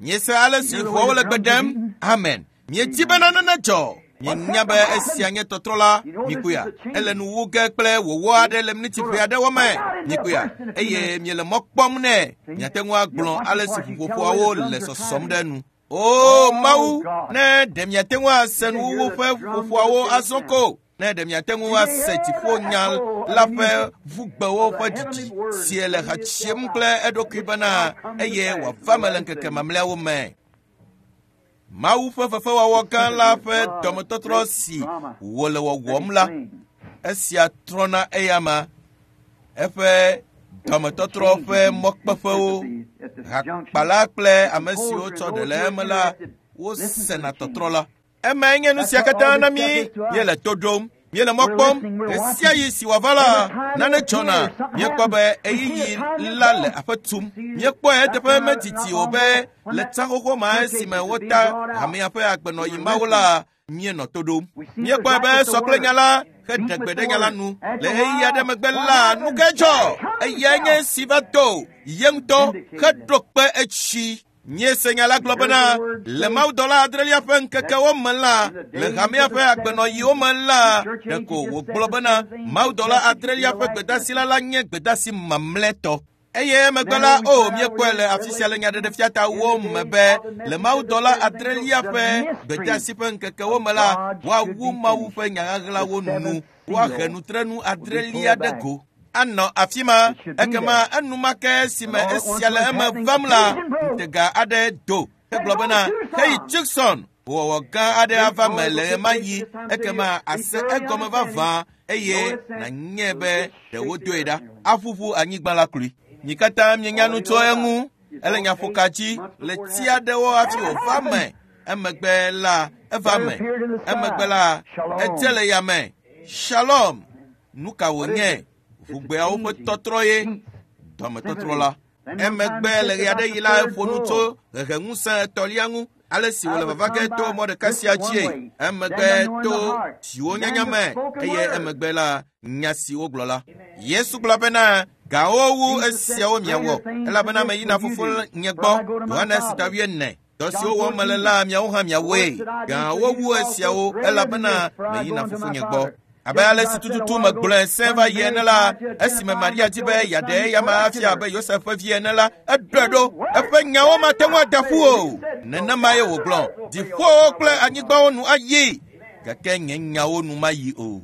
Miese ale si ʋuawo le gbe ɖem. Amen. Miedi be nane nedzɔ. Mienya be esia nye tɔtrɔ la. Mikpɔea, ele nu wu ge kple wɔwɔ aɖe le miniti ʋɛ aɖewo me. Mikpɔea, eye miele mɔ kpɔm nɛ. Miate ŋu agblɔ ale si ʋuƒoƒoawo le sɔsɔm ɖe nu. O Mawu, ne ɖe miate ŋu ase nuwuwu ƒe ʋuƒoƒoawo azɔ ko. Ne ɖe miate ŋu ase dziƒonya la ƒe ʋugbewo ƒe didi si le ha tsiem kple eɖokui bena eye wòava me le ŋkeke mamlɛawo me. Mawu ƒe fefewɔwɔ gã la ƒe dɔmetɔtrɔ si wòle wɔwɔm la, esia trɔna eyama. Eƒe dɔmetɔtrɔ ƒe mɔkpeƒewo, hakpala kple ame siwo tsɔ ɖe le eme la, wosena tɔtrɔ la. Emae nye nu sia katã na mí. Míele to ɖom, míele mɔ kpɔm. Ɣe sia ɣi si wòava la, nane dzɔna. Míekpɔ be ɣeyiɣi la le aƒe tum. Míekpɔe eteƒe medidi o be le tsa xoxo ma esime wota hamea ƒe agbenɔɣi mawo la, míenɔ to ɖom. Míekpɔe be esɔ kple nya la heɖe gbe ɖe nya la nu. Le ɣeyiɣi aɖe megbe la, nu kae dzɔ? Eyae nye esi va do ye ŋutɔ heɖo kpe etsi. Míese nya la gblɔ bena le mawudɔla adrelia ƒe ŋkekewo me la, le hamea ƒe agbenɔɣiwo me la, ɖeko wògblɔ bena mawudɔla adrelia ƒe gbedasi la la nye gbedasi mamlɛtɔ. Eye emegbe la, o míekpɔe le afi sia le nyaɖeɖefia ta wo me be le mawudɔla adrelia ƒe gbedasi ƒe ŋkekewo me la, woawu Mawu ƒe nyaɣaɣlawo nu, woahe nutrenu adrelia ɖe go. Anɔ afi ma, ekema enumake esime esia le eme vam la, ŋutega aɖe do. Egblɔ bena, heyi Tucson, Wɔwɔ gã aɖe ava me le ɣemaɣi ekema ase egɔme vavã eye nànyae be ɖe wodoe ɖa. Aƒuƒu anyigba la kloe. Mi katã mienya nu tso eŋu. Ele nyaƒoka dzi le tsi aɖewo hafi wòva me. Emegbe la eva me. Emegbe la edze le yame. Shalom. Nu ka wònye? Ʋugbeawo ƒe tɔtrɔ ye. Dɔmetɔtrɔ la. Emegbe le ɣe aɖe yi la eƒo nu tso heheŋusẽ etɔ̃lia ŋu. Ale si wòle vava ge to mɔ ɖeka sia dzie. Emegbe to dziwo nyanya me eye emegbe la nya si wogblɔ la. Yesu gblɔ bena gawo wu esiawo miawɔ elabena meyina fofo nye gbɔ. Yohanes ta wuiene. Dɔ siwo wɔm mele la miawo hã miawɔe. Gawo wu esiawo elabena meyina fofo nye gbɔ. Abe ale si tututu megblɔe sẽ va yi ene la, esime Maria di be yeaɖe eyama afia abe Yosef ƒe vi ene la, eɖɔe ɖo. Eƒe nyawo mate ŋu ada ƒu o. Nenema ye wògblɔ. Dziƒowo kple anyigbawo nu ayi, gake nye nyawo nu mayi o.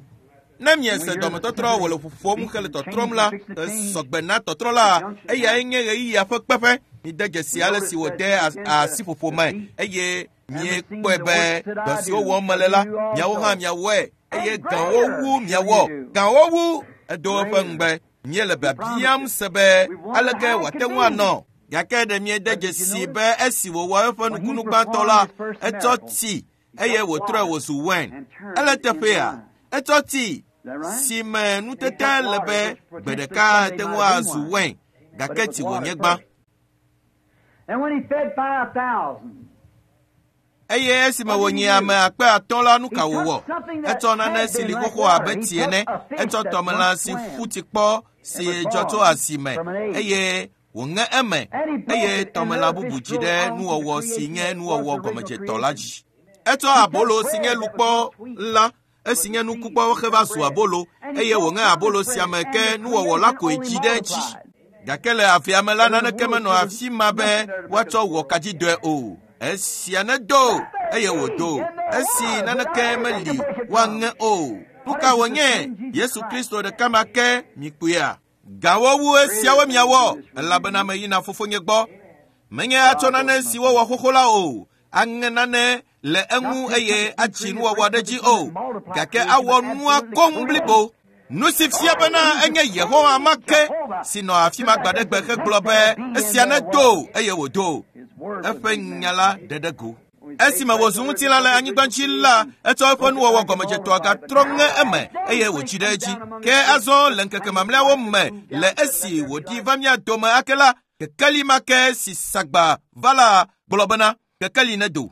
Ne miese dɔmetɔtrɔ wòle ƒoƒom hele tɔtrɔm la, esɔgbe na tɔtrɔ la, eyae nye ɣeyiɣia ƒe kpeƒe. Mide dzesi ale si wòde asiƒoƒo me eye miekpɔe be dɔ siwo wɔm mele la, miawo hã miawɔe. Eye gãwo wu miawɔ. Gãwo wu edo eƒe ŋugbe. Míele biabiam se be aleke wòate ŋu anɔ. Gake ɖe miede dzesi be esi wòwɔ eƒe nukunu gbãtɔ la, etsɔ tsi eye wòtrɔe wòzu wain. Ele teƒea, etsɔ tsi si me nutete le be gbe ɖeka ate ŋu azu wain, gake tsi wònye gbã. Eye esime wònyi ame akpe atɔ̃ la, nu ka wòwɔ? Etsɔ nane si li xoxo abe tsi ene. Etsɔ tɔmelã si ƒu tsi kpɔ si dzɔ tso asi me eye wòŋe eme eye tɔmelã bubu dzi ɖe nuwɔwɔ si nye nuwɔwɔ gɔmedzetɔ la dzi. Etsɔ abolo si nye lukpɔ la, esi nye nukukpɔ heva zu abolo eye wòŋe abolo sia me ke nuwɔwɔ la koe dzi ɖe edzi. Gake le avea me la, naneke menɔ afi ma be woatsɔ wɔ kadzidɔe o. Esia nedo eye wòdo. Esi naneke meli woaŋe o. Nu ka wònye? Yesu Kristo ɖeka ma ke mikpɔea. Gawo wu esiawo miawɔ elabena meyina fofonye gbɔ. Menye atsɔ nane si wowɔ xoxo la o. Aŋe nane le eŋu eye atsi nuwɔwɔ ɖe dzi o. Gake awɔ nua koŋ blibo. Nu si fia bena enye Yehowa ma ke si nɔ afi ma gbaɖegbe hegblɔ be esia nedo eye wòdo. Eƒe nya la ɖe ɖe go. Esime wòzu ŋutilã le anyigba dzi la, etsɔ eƒe nuwɔwɔ gɔmedzetɔa gatrɔ ŋe eme eye wòdzi ɖe edzi. Ke azɔ le ŋkeke mamlɛawo me le esi wòɖi va mía dome ake la, kekeli ma ke si sagba va la gblɔ bena kekeli nedo.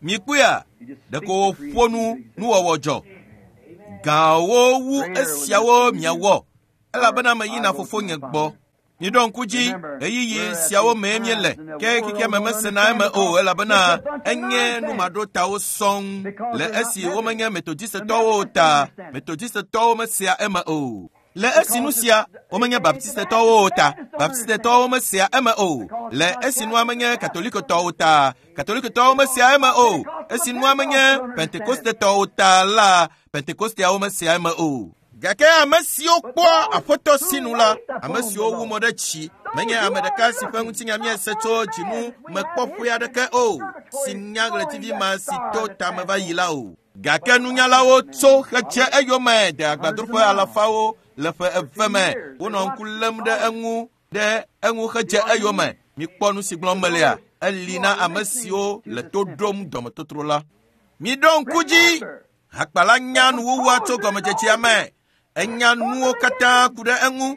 Mikpɔea, ɖeko wòƒo nu nuwɔwɔ dzɔ. Gãwo wu esiawo miawɔ elabena meyina fofonye gbɔ. Miɖo ŋku dzi ɣeyiɣi siawo mee míele ke xexeame mesena eme o elabena enye numaɖotawo sɔŋ le esi womenye Metodistetɔwo ta. Metodistetɔwo mesea eme o. Le esi nu sia womenye Baptistetɔwo ta. Baptistetɔwo mesea eme o. Le esi nua menye Katolikotɔwo ta. Katolikotɔwo mesea eme o. Esi nua menye Pentekostetɔwo ta la, Pentekosteawo mesea eme o. Gake ame siwo kpɔa Aƒetɔ sinu la, ame siwo wu mo ɖe tsi, menye ame ɖeka si ƒe ŋutinya míese tso dzinu mekpɔƒe aɖeke o, si nya ɣletivi ma si to tame va yi la o. Gake nunyalawo tso xetse eyome de agbadroƒe alafawo le ƒe eve me. Wonɔ ŋku lém ɖe eŋu ɖe eŋu xedze eyome. Mikpɔ nu si gblɔm melea, eli na ame siwo le to ɖom dɔmetotro la. Miɖo ŋku dzi. Hakpala nya nuwuwua tso gɔmedzedzea me. Enya nuwo katã ku ɖe eŋu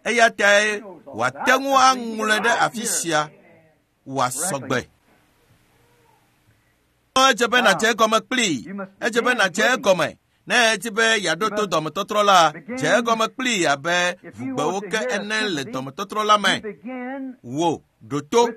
eya tae wòate ŋu aŋlɔe ɖe afi sia wòasɔ gbe. Edze be nàdze egɔme kplii. Edze be nàdze egɔme. Ne edi be yeaɖo to dɔmetɔtrɔ la, dze egɔme kplii abe ʋugbewo ke ene le dɔmetɔtrɔ la me. Wò ɖo to.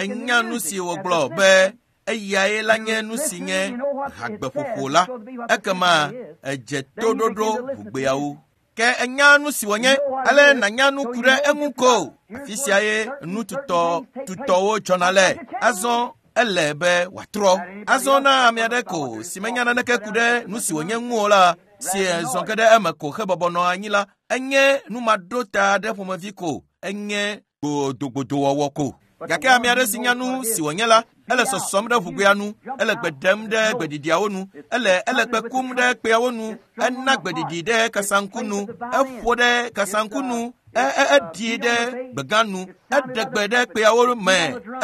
Enya nu si wògblɔ be eyae la nye nu si nye hagbeƒoƒo la. Ekema edze toɖoɖo ʋugbeawo. Ke enya nu si wònye, ale nànya nu ku ɖe eŋu ko. Afi sia ye nu tutɔ tutɔwo dzɔna le. Azɔ ele be wòatrɔ. Azɔ na ame aɖe ko si menya naneke ku ɖe nu si wònye ŋu o la, si zɔ ge ɖe eme ko hebɔbɔ nɔ anyi la, enye numaɖota aɖe ƒomevi ko. Enye gbodogbodowɔwɔ ko. Gake ame aɖe si nya nu si wònye la, Ele sɔsɔm ɖe ʋugoea nu, ele gbe ɖem ɖe gbeɖiɖiawo nu, ele ele kpe kum ɖe kpeawo nu, ena gbeɖiɖi ɖe kasaŋku nu, eƒo ɖe kasaŋku nu, eɖi ɖe gbegã nu, eɖe gbe ɖe kpeawo me,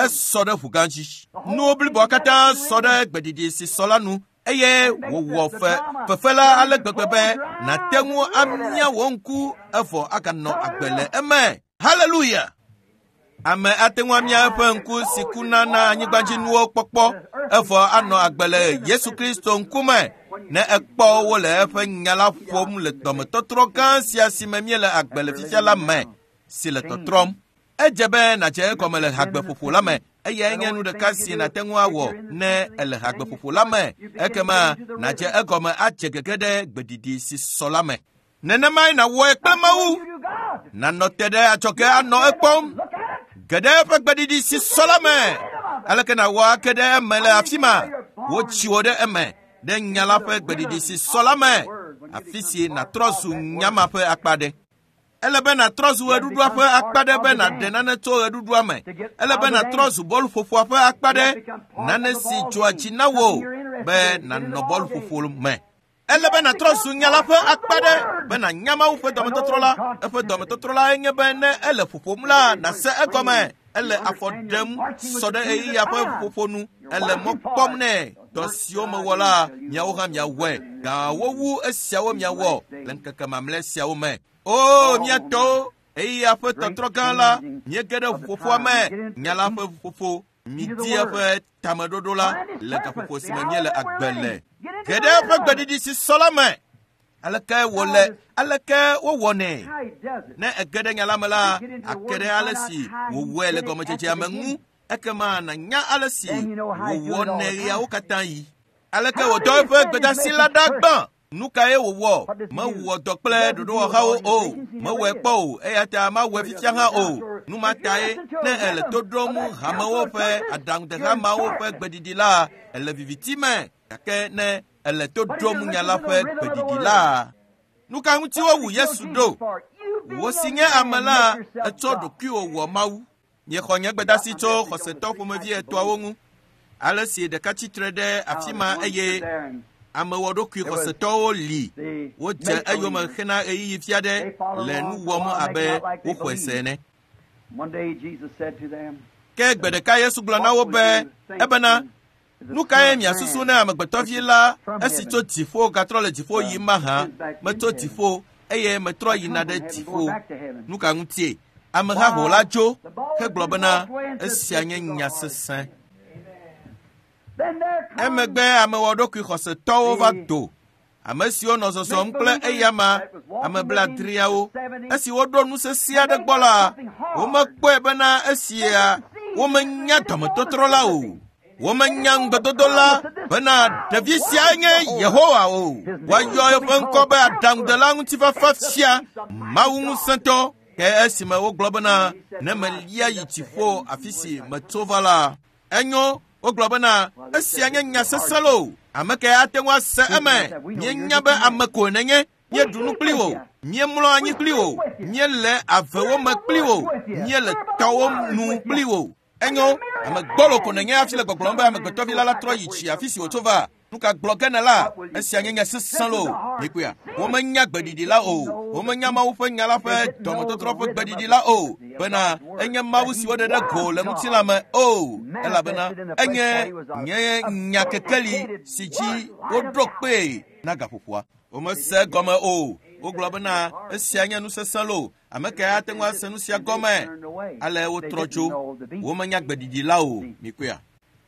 esɔ ɖe ʋugã dzi. Nuwo bliboa katã sɔ ɖe gbeɖiɖi si sɔ la nu eye wòwɔ fe fefe la ale gbegbe be nàte ŋu amia wò ŋku evɔ aganɔ agbe le eme. Haleluya! Ame ate ŋu amia eƒe ŋku si kuna na anyigbadzinuwo kpɔkpɔ evɔ anɔ agbe le Yesu Kristo ŋkume ne ekpɔ wo le eƒe nya la ƒom le dɔmetɔtrɔ gã sia si me míele agbe le fifia la me si le tɔtrɔm. Edze be nàdze egɔme le hagbeƒoƒo la me. Eyae nye nu ɖeka si nàte ŋu awɔ ne ele hagbeƒoƒo la me. Ekema nàdze egɔme adze gege ɖe gbeɖiɖi si sɔ la me. Nenemae nàwɔe kple Mawu. Nànɔ te ɖe adzɔge anɔ ekpɔm. Ge ɖe eƒe gbeɖiɖi si sɔ la me. Aleke nàwɔ ake ɖe eme le afi ma? Wotsi wò ɖe eme ɖe nya la ƒe gbeɖiɖi si sɔ la me. Afi si nàtrɔ zu nya ma ƒe akpa ɖe. Ele be nàtrɔ zu ɣeɖuɖua ƒe akpa ɖe be nàɖe nane tso ɣeɖuɖua me. Ele be nàtrɔ zu bɔluƒoƒoa ƒe akpa ɖe, nane si dzɔa dzi na wò be nànɔ bɔluƒoƒo me. Ele be nàtrɔ zu nya la ƒe akpa ɖe be nànya Mawu ƒe dɔmetɔtrɔ la. Eƒe dɔmetɔtrɔ la nye be ne ele ƒoƒom la, nàse egɔme. Ele afɔ ɖem sɔ ɖe ɣeyiɣia ƒe ƒoƒo nu. Ele mɔ kpɔm nɛ. Dɔ siwo mewɔ la, miawo hã miawɔe. Gãwo wu esiawo miawɔ le ŋkeke mamlɛ siawo me. O, miatɔwo, ɣeyiɣia ƒe tɔtrɔ gã la, míege ɖe ʋuƒoƒoa me, nya la ƒe ʋuƒoƒo. Midi eƒe tameɖoɖo la le gaƒoƒo si me míele agbe le. Ge ɖe eƒe gbeɖiɖi si sɔ la me. Aleke wòle, aleke wowɔnɛ? Ne ege ɖe nya la me la, ake ɖe ale si wòwɔe le gɔmedzedzea me ŋu. Ekema nànya ale si wòwɔnɛ ɣeawo katã yi. Aleke wòdɔ eƒe gbedasi la ɖa gbã? Nu kae wòwɔ? Mewɔ dɔ kple ɖoɖowɔhawo o. Mewɔe kpɔ o, eya ta mawɔe fifia hã o. Nu ma tae ne ele to ɖom hamewo ƒe aɖaŋudehamawo ƒe gbeɖiɖi la, ele viviti me. Gake ne ele to ɖom nya la ƒe gbeɖiɖi la, nu ka ŋuti wowu Yesu ɖo? Wò si nye ame la, etsɔ ɖokuiwò wɔ Mawu. Miexɔ nye gbedasi tso xɔsetɔ ƒomevi etɔ̃awo ŋu. Ale si ɖeka tsitre ɖe afi ma eye amewɔɖokui xɔsetɔwo li. Wodze eyome hena ɣeyiɣi fia ɖe le nu wɔm abe woxɔe se ene. Ke gbe ɖeka Yesu gblɔ na wo be ebena, nu kae miasusu ne amegbetɔvi la esi tso dziƒo gatrɔ le dziƒo yim mahã? Metso dziƒo eye metrɔ yina ɖe dziƒo. Nu ka ŋutie? Amehaho la dzo hegblɔ bena esia nye nya sesẽ. Emegbe amewɔɖokui xɔsetɔwo va do. Ame siwo nɔ zɔzɔm kple eyama, ame blaadreawo. Esi woɖo nu sesẽ aɖe gbɔ la, womekpɔe bena esia womenya dɔmetɔtrɔ la o. Womenya ŋugbedodo la bena ɖevi sia nye Yehowa o. Woayɔ eƒe ŋkɔ be aɖaŋudela ŋutifafa fia, Mawu ŋusẽtɔ. Ke esime wogblɔ bena ne melia yi dziƒo afi si metso va la, enyo. Wogblɔ bena esia nye nya sesẽ loo. Ame kae ate ŋu ase eme? Míenya be ame ko nenye. Míeɖu nu kpli wò, míemlɔ anyi kpli wò, míele avewo me kpli wò, míele tɔwo nu kpli wò. Enyo, ame gbɔlo ko nenye hafi le gbɔgblɔm be amegbetɔvi la la trɔ yi tsi afi si wòtso va. Nu ka gblɔ ge nèla? Esia nye nya sesẽ loo. Mikpɔea? Womenya gbeɖiɖi la o. Womenya Mawu ƒe nya la ƒe dɔmetɔtrɔ ƒe gbeɖiɖi la o. Bena enye Mawu si woɖe ɖe go le ŋutilã me o. Elabena enye nye nya kekeli si dzi woɖo kpee na gaƒoƒoa. Womese gɔme o. Wogblɔ bena esia nye nu sesẽ loo. Ame kae ate ŋu ase nu sia gɔme? Ale wotrɔ dzo. Womenya gbeɖiɖi la o. Mikpɔea?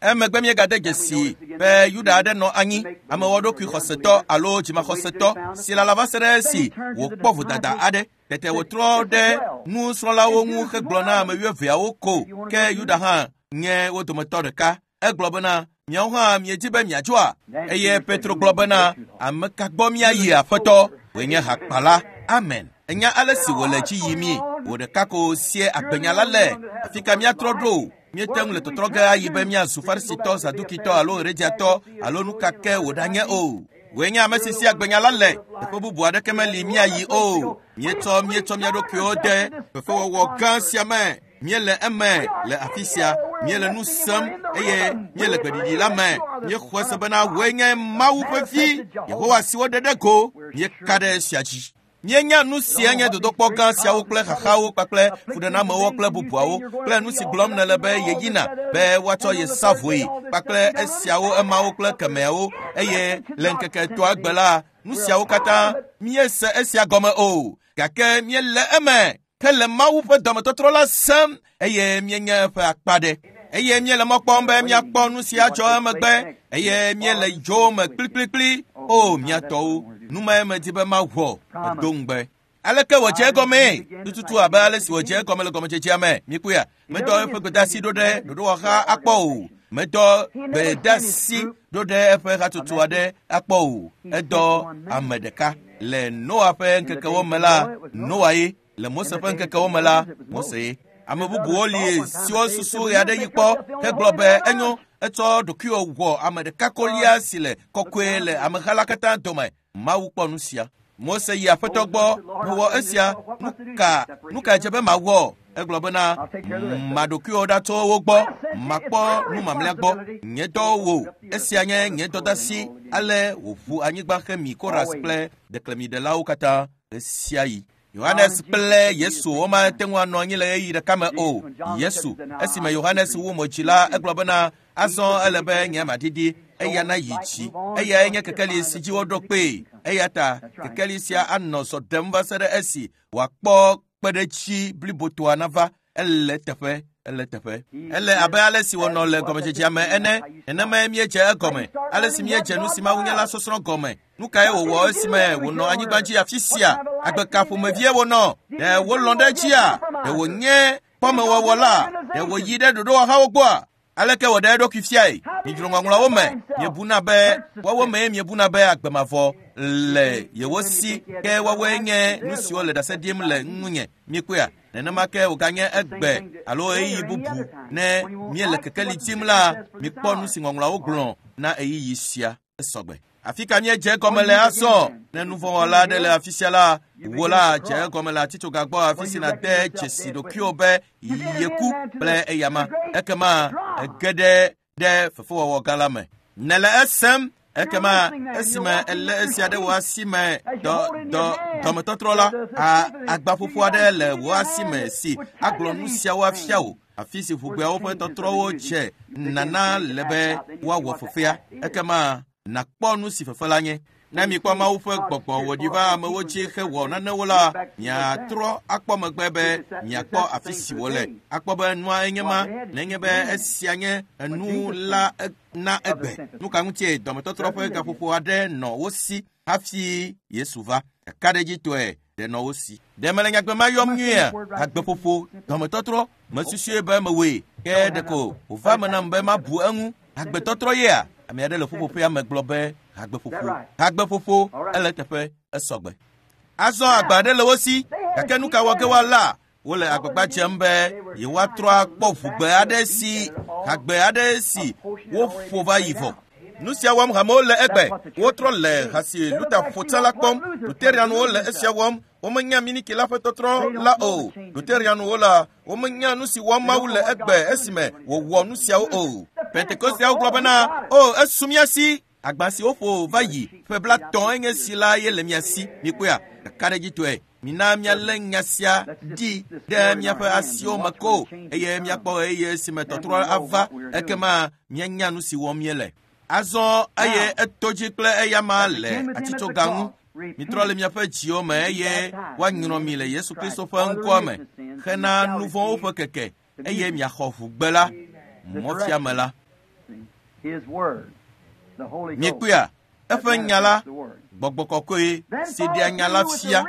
Emegbe míegade dzesi be Yuda aɖe nɔ anyi, amewɔɖokui xɔsetɔ alo dzimaxɔsetɔ si lala va se ɖe esi wòkpɔ vodada aɖe. Tete wòtrɔ ɖe nusrɔ̃lawo ŋu hegblɔ na ame wuieveawo ko. Ke Yuda hã nye wo dometɔ ɖeka. Egblɔ bena, miawo hã miedzi be miadzoa? Eye Petro gblɔ bena, ame ka gbɔ míayi Aƒetɔ? Wòe nye hakpala. Amen. Enya ale si wòle dzi yimii. Wò ɖeka ko sie agbenya la le. Afi ka míatrɔ ɖo? Míete ŋu le tɔtrɔ ge ayi be míazu Farisitɔ, Zadukitɔ alo Herodiatɔ alo nu ka ke wòɖanye o. Wòe nye ame si si agbenya la le. Teƒe bubu aɖeke meli míayi o. Míetsɔ míetsɔ mía ɖokuiwo de fefewɔwɔ gã sia me. Míele eme le afi sia, míele nu sem eye míele gbeɖiɖi la me. Míexɔe se bena wòe nye Mawu ƒe vi, Yehowa si woɖe ɖe go. Míeka ɖe esia dzi. Míenya nu sia nye dodokpɔ gã siawo kple xaxawo kpakple fuɖenamewo kple bubuawo kple nu si gblɔm nèle be yeyina be woatsɔ ye sa vɔe kpakple esiawo emawo kple kemeawo eye le ŋkeke etɔ̃a gbe la nu siawo katã míese esia gɔme o gake míele eme ke le Mawu ƒe dɔmetɔtrɔ la sem eye míenye eƒe akpa ɖe eye míele mɔ kpɔm be míakpɔ nu sia dzɔ emegbe eye míele dzo me kplikplikpli o mía tɔwo nu mae medi be mawɔ edo ŋugbe. Aleke wòdze egɔmee? Tututu abe ale si wòdze egɔme le gɔmedzedzea me. Míkpɔea? Medɔ eƒe gbedeasi ɖo ɖe ɖoɖowɔha akpɔ o. Medɔ gbedeasi ɖo ɖe eƒe hatsotso aɖe akpɔ o. Edɔ ame ɖeka. Le Noa ƒe ŋkekewo me la, Noa ye. Le Mose ƒe ŋkekewo me la, Mose ye. Ame bubuwo li siwo susu ɣe aɖe yi kpɔ hegblɔ be enyo etsɔ ɖokuiwò wɔ ame ɖeka kolia si le kɔkɔe le ameha la katã dome. Mawu kpɔ nu sia. Mose yi aƒetɔ gbɔ mewɔ esia nu ka nu ka dze be mawɔ? Egblɔ bena maɖokuiwo ɖa tso wo gbɔ, makpɔ nu mamlɛa gbɔ. Nye dɔ wò, esia nye nye dɔdasi. Ale wòʋu anyigba xemi Koras kple ɖeklemiɖelawo katã ɣe sia ɣi. Yohanes kple Yesu womate ŋu anɔ anyi le ɣeyiɣi ɖeka me o. Yesu esime Yohanes wu mo dzi la, egblɔ bena azɔ ele be nye maɖiɖi eya nayi dzi. Eyae nye kekeli si dzi woɖo kpee. Eya ta kekeli sia anɔ zɔ ɖem va se ɖe esi wòakpɔ kpeɖetsi blibotoa nava. Ele teƒe, ele teƒe. Ele abe ale si wònɔ le gɔmedzedzea me ene. Nenemae míedze egɔme. Ale si míedze nu si Mawu nye la sɔsrɔ̃ gɔme. Nu kae wòwɔ esime wònɔ anyigba dzi afi sia? Agbe ka ƒomevie wònɔ? Ɖe wolɔ̃ ɖe edzia? Ɖe wònye kpɔmewɔwɔ la? Ɖe wòyi ɖe ɖoɖowɔhawo gbɔa? Aleke wòɖe eɖokui fiae? Midzro ŋɔŋlɔawo me. Miebuna be woawo mee miebuna be agbe mavɔ le yewo si ke woawoe nye nu siwo le ɖase ɖim le ŋunye. Míekpɔea? Nenema ke wòganye egbe alo ɣeyiɣi bubu ne míele kekeli tim la, mikpɔ nu si ŋɔŋlɔawo gblɔ na ɣeyiɣi sia esɔgbe. Afi ka míedze egɔme le azɔ? Ne nuvɔ̃wɔla aɖe le afi sia la, wò la dze egɔme le atitsoga gbɔ afi si nàde dzesi ɖokuiwò be yeku kple eyama. Ekema ege ɖe ɖe fefewɔwɔ gã la me. Nèle esem. Ekema esime ele esia ɖe wò asi me dɔ dɔ dɔmetɔtrɔ la, agbaƒoƒo aɖe le wò asi me si agblɔ nu siawo afia wò. Afi si ʋugbeawo ƒe tɔtrɔwo dze nana le be woawɔ fefea. Ekema nàkpɔ nu si fefe la nye. Ne mikpɔ Mawu ƒe gbɔgbɔ wòɖi va amewo dzi hewɔ nanewo la, miatrɔ akpɔ megbe be miakpɔ afi si wòle. Akpɔ be nua enye ma, nenye be esia nye enu la na egbe. Nu ka ŋutie dɔmetɔtrɔ ƒe gaƒoƒo aɖe nɔ wo si hafi Yesu va? Kakaɖedzitɔe ɖe nɔ wo si. Ɖe mele nyagbe ma yɔm nyuiea? Agbeƒoƒo, dɔmetɔtrɔ, mesusue be mewɔe, ke ɖeko wòva me nam be mabu eŋu. Agbetɔtrɔ yea? Ame aɖe le ƒuƒoƒea me gblɔ be agbeƒoƒo. Agbeƒoƒo ele teƒe esɔgbe. Azɔ agba aɖe le wo si, gake nu ka wɔ ge woala? Wole agbagba dzem be yewoatrɔ akpɔ ʋugbe aɖe si hagbe aɖe si woƒo va yi vɔ. Nu sia wɔm hamewo le egbe. Wotrɔ le ha si Luther ƒo tsã la kpɔm. Lutherianwo le esia wɔm. Womenya miniki la ƒe tɔtrɔ la o. Lutherianwo la, womenya nu si wɔm Mawu le egbe esime wòwɔ nu siawo o. Pentekosteawo gblɔ bena, o esu mía si. Agba si woƒo va yi ƒe blatɔ̃ enye si la ye le mía si. Mikpɔea? Kakaɖedzitɔe. Mina míalé nya sia ɖi ɖe míaƒe asiwo me ko eye míakpɔ ɣeyiɣi esime tɔtrɔ ava ekema míanya nu si wɔm míele. Azɔ eye eto dzi kple eyama le atitsoga ŋu. Mitrɔ le miaƒe dziwo me eye woanyrɔ mi le Yesu Kristo ƒe ŋkɔa me hena nu vɔ̃wo ƒe keke eye miaxɔ ʋugbe la, mɔfiame la. Miekpɔea? Eƒe nya la, gbɔgbɔ kɔkɔe si ɖea nya la fia.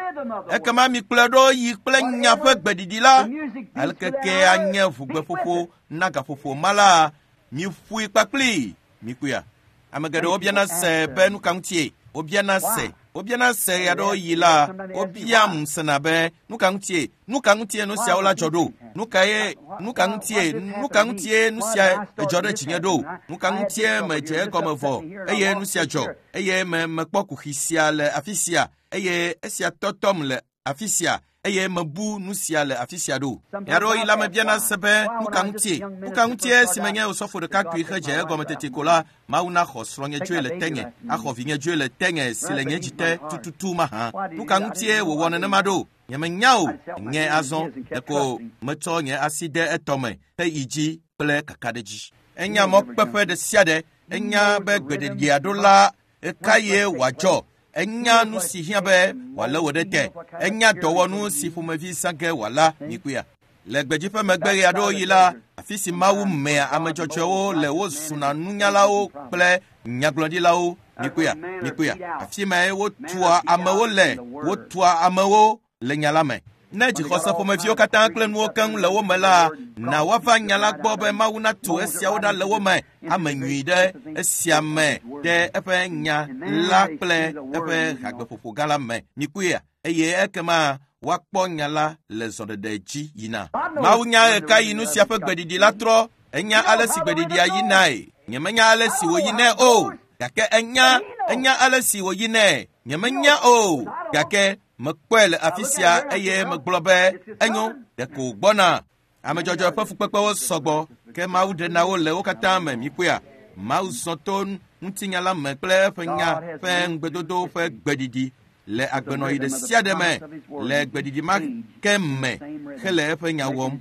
Ekema mikplɔe ɖo yi kple nya ƒe gbeɖiɖi la. Aleke ke anye ʋugbeƒoƒo na gaƒoƒo ma la, miƒoe kpakpli. Mikpɔea? Ame geɖewo biana se be nu ka ŋutie? Wobiana se. Wobiana se ɣeaɖewo yi la, wobiam sena be nu ka ŋutie? Nu ka ŋutie nu siawo la dzɔ ɖo? Nu kae nu ka ŋutie nu ka ŋutie nu sia dzɔ ɖe dzinye ɖo? Nu ka ŋutie medze egɔme vɔ eye nu sia dzɔ? Eye me mekpɔ kuxi sia le afi sia eye esia tɔtɔm le afi sia eye mebu nu sia le afi sia ɖo. Ɣeaɖewoɣi la mebiana se be nu ka ŋutie? Nu ka ŋutie si menye osɔfo ɖekakpui hedze egɔme tete ko la, Mawu naxɔ srɔ̃nye dzoe le tenye, axɔ vinye dzoe le tenye si le nye dzi te tututu mahã. Nu ka ŋutie wòwɔ nenema ɖo? Nyemenya o. Nye azɔ ɖeko metsɔ nye asi de etɔme heyi dzi kple kakaɖedzi. Enya mɔkpeƒe ɖe sia ɖe, enya be gbeɖeɖia ɖo la ɣekaɣie wòadzɔ. Enya nu si hiã be wòalé wò ɖe te. Enya dɔwɔnu si ƒomevi zã ge wòala mikpɔea. Le gbedzi ƒe megbe ɣeaɖewoɣi la, afi si Mawu mea ame dzɔdzɔewo le wozuna nunyalawo kple nyagblɔɖilawo mikpɔea, mikpɔea. Afi mae wotua amewo le, wotua amewo le nya la me. Ne dzixɔse ƒomeviwo katã kple nuwo keŋ le wo me la, na woava nya la gbɔ be Mawu natu esiawo ɖa le wo me, ame nyui ɖe esia me ɖe eƒe nya la kple eƒe hagbeƒoƒo gã la me. Mikpɔea, eye ekema woakpɔ nya la le zɔɖeɖe dzi yina. Mawu nya ɣekaɣi nu sia ƒe gbeɖiɖi la trɔ. Enya ale si gbeɖiɖia yinae. Nyemenya ale si wòyinɛ o, gake enya enya ale si wòyinɛ. Nyemenya o, gake mekpɔe le afi sia eye megblɔ be enyo ɖeko gbɔna. Ame dzɔdzɔe ƒe fukpekpewo sɔgbɔ, ke Mawu ɖena wo le wo katã me. Mikpɔea, Mawu zɔ to ŋutinya la me kple eƒe nya ƒe ŋugbedodo ƒe gbeɖiɖi le agbenɔɣi ɖe sia ɖe me, le gbeɖiɖi ma ke me hele eƒe nya wɔm.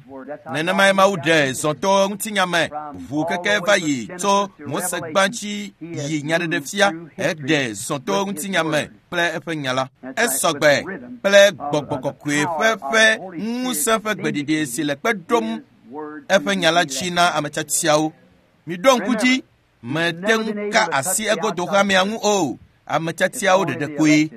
Nenemae Mawu ɖe zɔ to ŋutinya me, ʋu keke va yi tso Mose gbãtsi yi nyaɖeɖefia, eɖe zɔ to ŋutinya me kple eƒe nya la. Esɔgbe kple gbɔgbɔ kɔkɔe ƒe ƒe ŋusẽ ƒe gbeɖiɖi si le kpe ɖom eƒe nya la dzi na ame tiatiawo. Miɖo ŋku dzi, mete ŋu ka asi egodo hamea ŋu o. Ame tiatiawo ɖeɖe koe.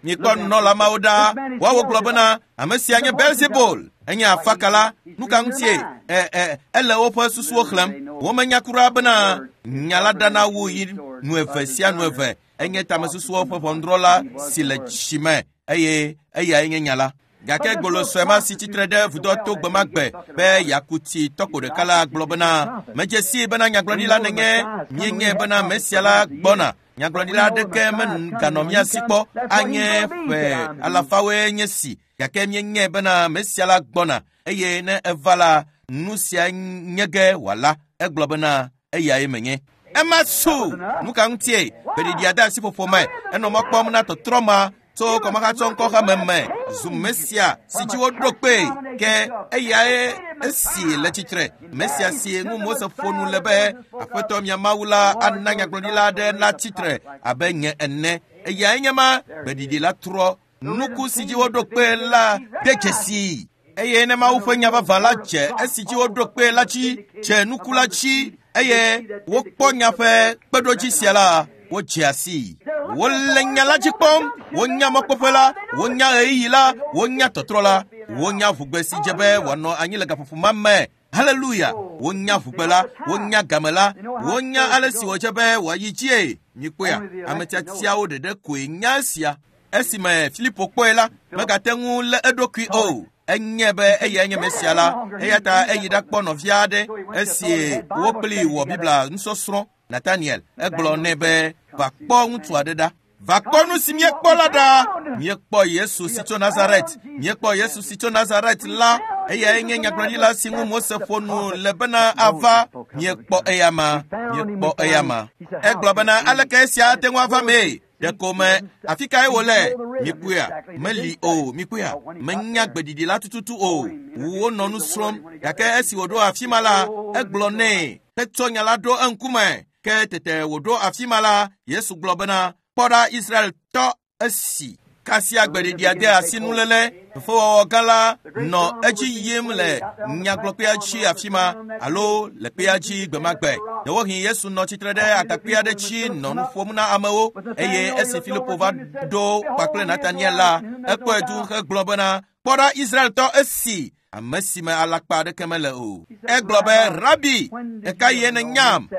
Mikpɔ nunɔla mawo ɖa, woawo gblɔ bena ame sia nye Belzebul, enye afakala. Nu ka ŋutie? Ɛ ɛ ele woƒe susuwo xlẽm. Womenya kura bena nya la ɖana wu yi nu eve sia nu eve. Enye tamesusuwo ƒe ʋɔnudrɔ̃la si le tsi me eye eyae nye nya la. Gake gbolosɔe ma si tsitre ɖe vudoa to gbe ma gbe be yeaku tsi tɔkpo ɖeka la gblɔ bena medze sii bena nyagblɔɖila nenye, míenye bena Mesia la gbɔna. Nyagblɔɖila aɖeke meganɔ mía si kpɔ anye ƒe alafawoe nye si, gake míenye bena Mesia la gbɔna eye ne eva la, nu sia nye ge wòala. Egblɔ bena eyae menye. Ema su. Nu ka ŋutie? Gbeɖiɖia de asi ƒoƒo me. Enɔ mɔ kpɔm na tɔtrɔ ma tso kɔmahatsɔ ŋkɔxɔme me zu Mesia si dzi woɖo kpee. Ke eyae esi le tsitre. Mesia si ŋu Mose ƒo nu le be Aƒetɔ mia Mawu la ana nyagblɔɖila aɖe la tsitre abe nye ene. Eyae nye ma. Gbeɖiɖi la trɔ. Nuku si dzi woɖo kpee la de dzesii. Eye ne Mawu ƒe nya vavã la dze esi dzi woɖo kpee la dzi, dze nuku la dzi, eye wokpɔ nya ƒe kpeɖodzi sia la, wodze asi. Wole nya la dzi kpɔm, wonya mɔkpɔƒe la, wonya ɣeyiɣi la, wonya tɔtrɔ la, wonya ʋugbe si dze be wòanɔ anyi le gaƒoƒo ma me. Haleluya! Wonya ʋugbe la, wonya game la, wonya ale si wòdze be wòayi dzie. Mikpɔea, ame tiatiawo ɖeɖe koe nya esia. Esime Filipo kpɔe la, megate ŋu lé eɖokui o. Enye be eyae nye Mesia la, eya ta eyi ɖakpɔ nɔvia aɖe esi wo kpli wɔ Biblia nusɔsrɔ̃. Nathaniel egblɔ nɛ be va kpɔ ŋutsu aɖe ɖa. Va kpɔ nu si míekpɔ la ɖa. Míekpɔ Yesu si tso Nazaret. Míekpɔ Yesu si tso Nazaret la. Eyae nye nyagblɔɖila si ŋu Mose ƒo nu le bena ava. Míekpɔ eya ma. Míekpɔ eya ma. Egblɔ bena aleke esia ate ŋu ava mee? Ɖeko me afi kae wòle? Mikpɔea, meli o. Mikpɔea, menya gbeɖiɖi la tututu o. Wonɔ nu srɔ̃m, gake esi wòɖo afi ma la, egblɔ nɛ hetsɔ nya la ɖo eŋkume. Ke tete wòɖo afi ma la, Yesu gblɔ bena, kpɔ ɖa Israeltɔ esi. Kasia gbeɖiɖia de asi nuléle. Fefewɔwɔ gã la nɔ edzi yim le nyagblɔkpea dzi afi ma alo le kpea dzi gbe ma gbe. Ɖewohĩ Yesu nɔ tsitre ɖe agakpe aɖe dzi nɔ nu ƒom na amewo eye esi Filipo va ɖo kpakple Nataniel la, ekpɔe du hegblɔ bena, kpɔ ɖa Israeltɔ esi, ame si me alakpa aɖeke mele o. Egblɔ be, Rabi, ɣekaɣie nènyam?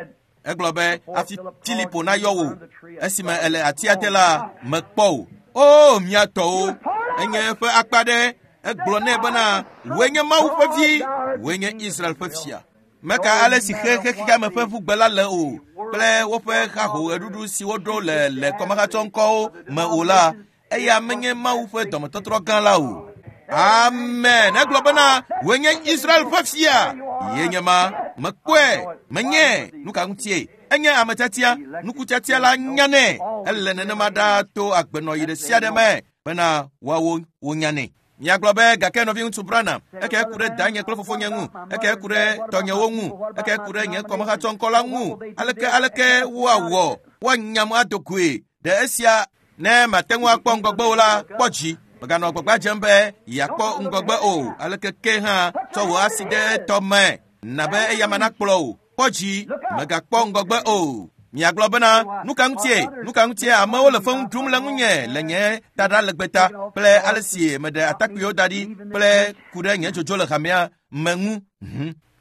Egblɔ be, hafi Filipo nayɔ wò esime ele atia te la, mekpɔ wò. O, mía tɔwo, enye eƒe akpa ɖe. Egblɔ nɛ bena, wòe nye Mawu ƒe vi, wòe nye Israel ƒe fia. Meka ale si xexexeame ƒe ʋugbe la le o kple woƒe hahoɣeɖuɖu si woɖo le le kɔmahatsɔŋkɔwo me o la, eya menye Mawu ƒe dɔmetɔtrɔ gã la o. Amen. Egblɔ bena wòe nye Israel ƒe fia. Ye nye ma mekpɔe menye nu ka ŋutie. Enye ame tiatia, nukutiatia la nyanɛ. Ele nenema ɖaa to agbenɔyi ɖe sia ɖe me bena woawo wonyanɛ. Miagblɔ be gake nɔviŋutsu Branham, eke ku ɖe danye kple fofonye ŋu, eke ku ɖe tɔnyewo ŋu, eke ku ɖe nye kɔmehatsɔŋkɔ la ŋu. Aleke aleke woawɔ woanyam ado goe ɖe esia ne mate ŋu akpɔ ŋgɔgbe o la kpɔ dzi. Meganɔ gbagba dzem be yeakpɔ ŋgɔgbe o. Aleke ke hã tsɔ wò asi ɖe tɔme na be eyama nakplɔ o. Kpɔ dzi, megakpɔ ŋgɔgbe o. Miagblɔ bena nu ka ŋutie, nu ka ŋutie amewo le feŋu ɖum le ŋunye le nye taɖa legbe ta kple ale si meɖe atakpuiwo da ɖi kple ku ɖe nye dzodzo le hamea me ŋu.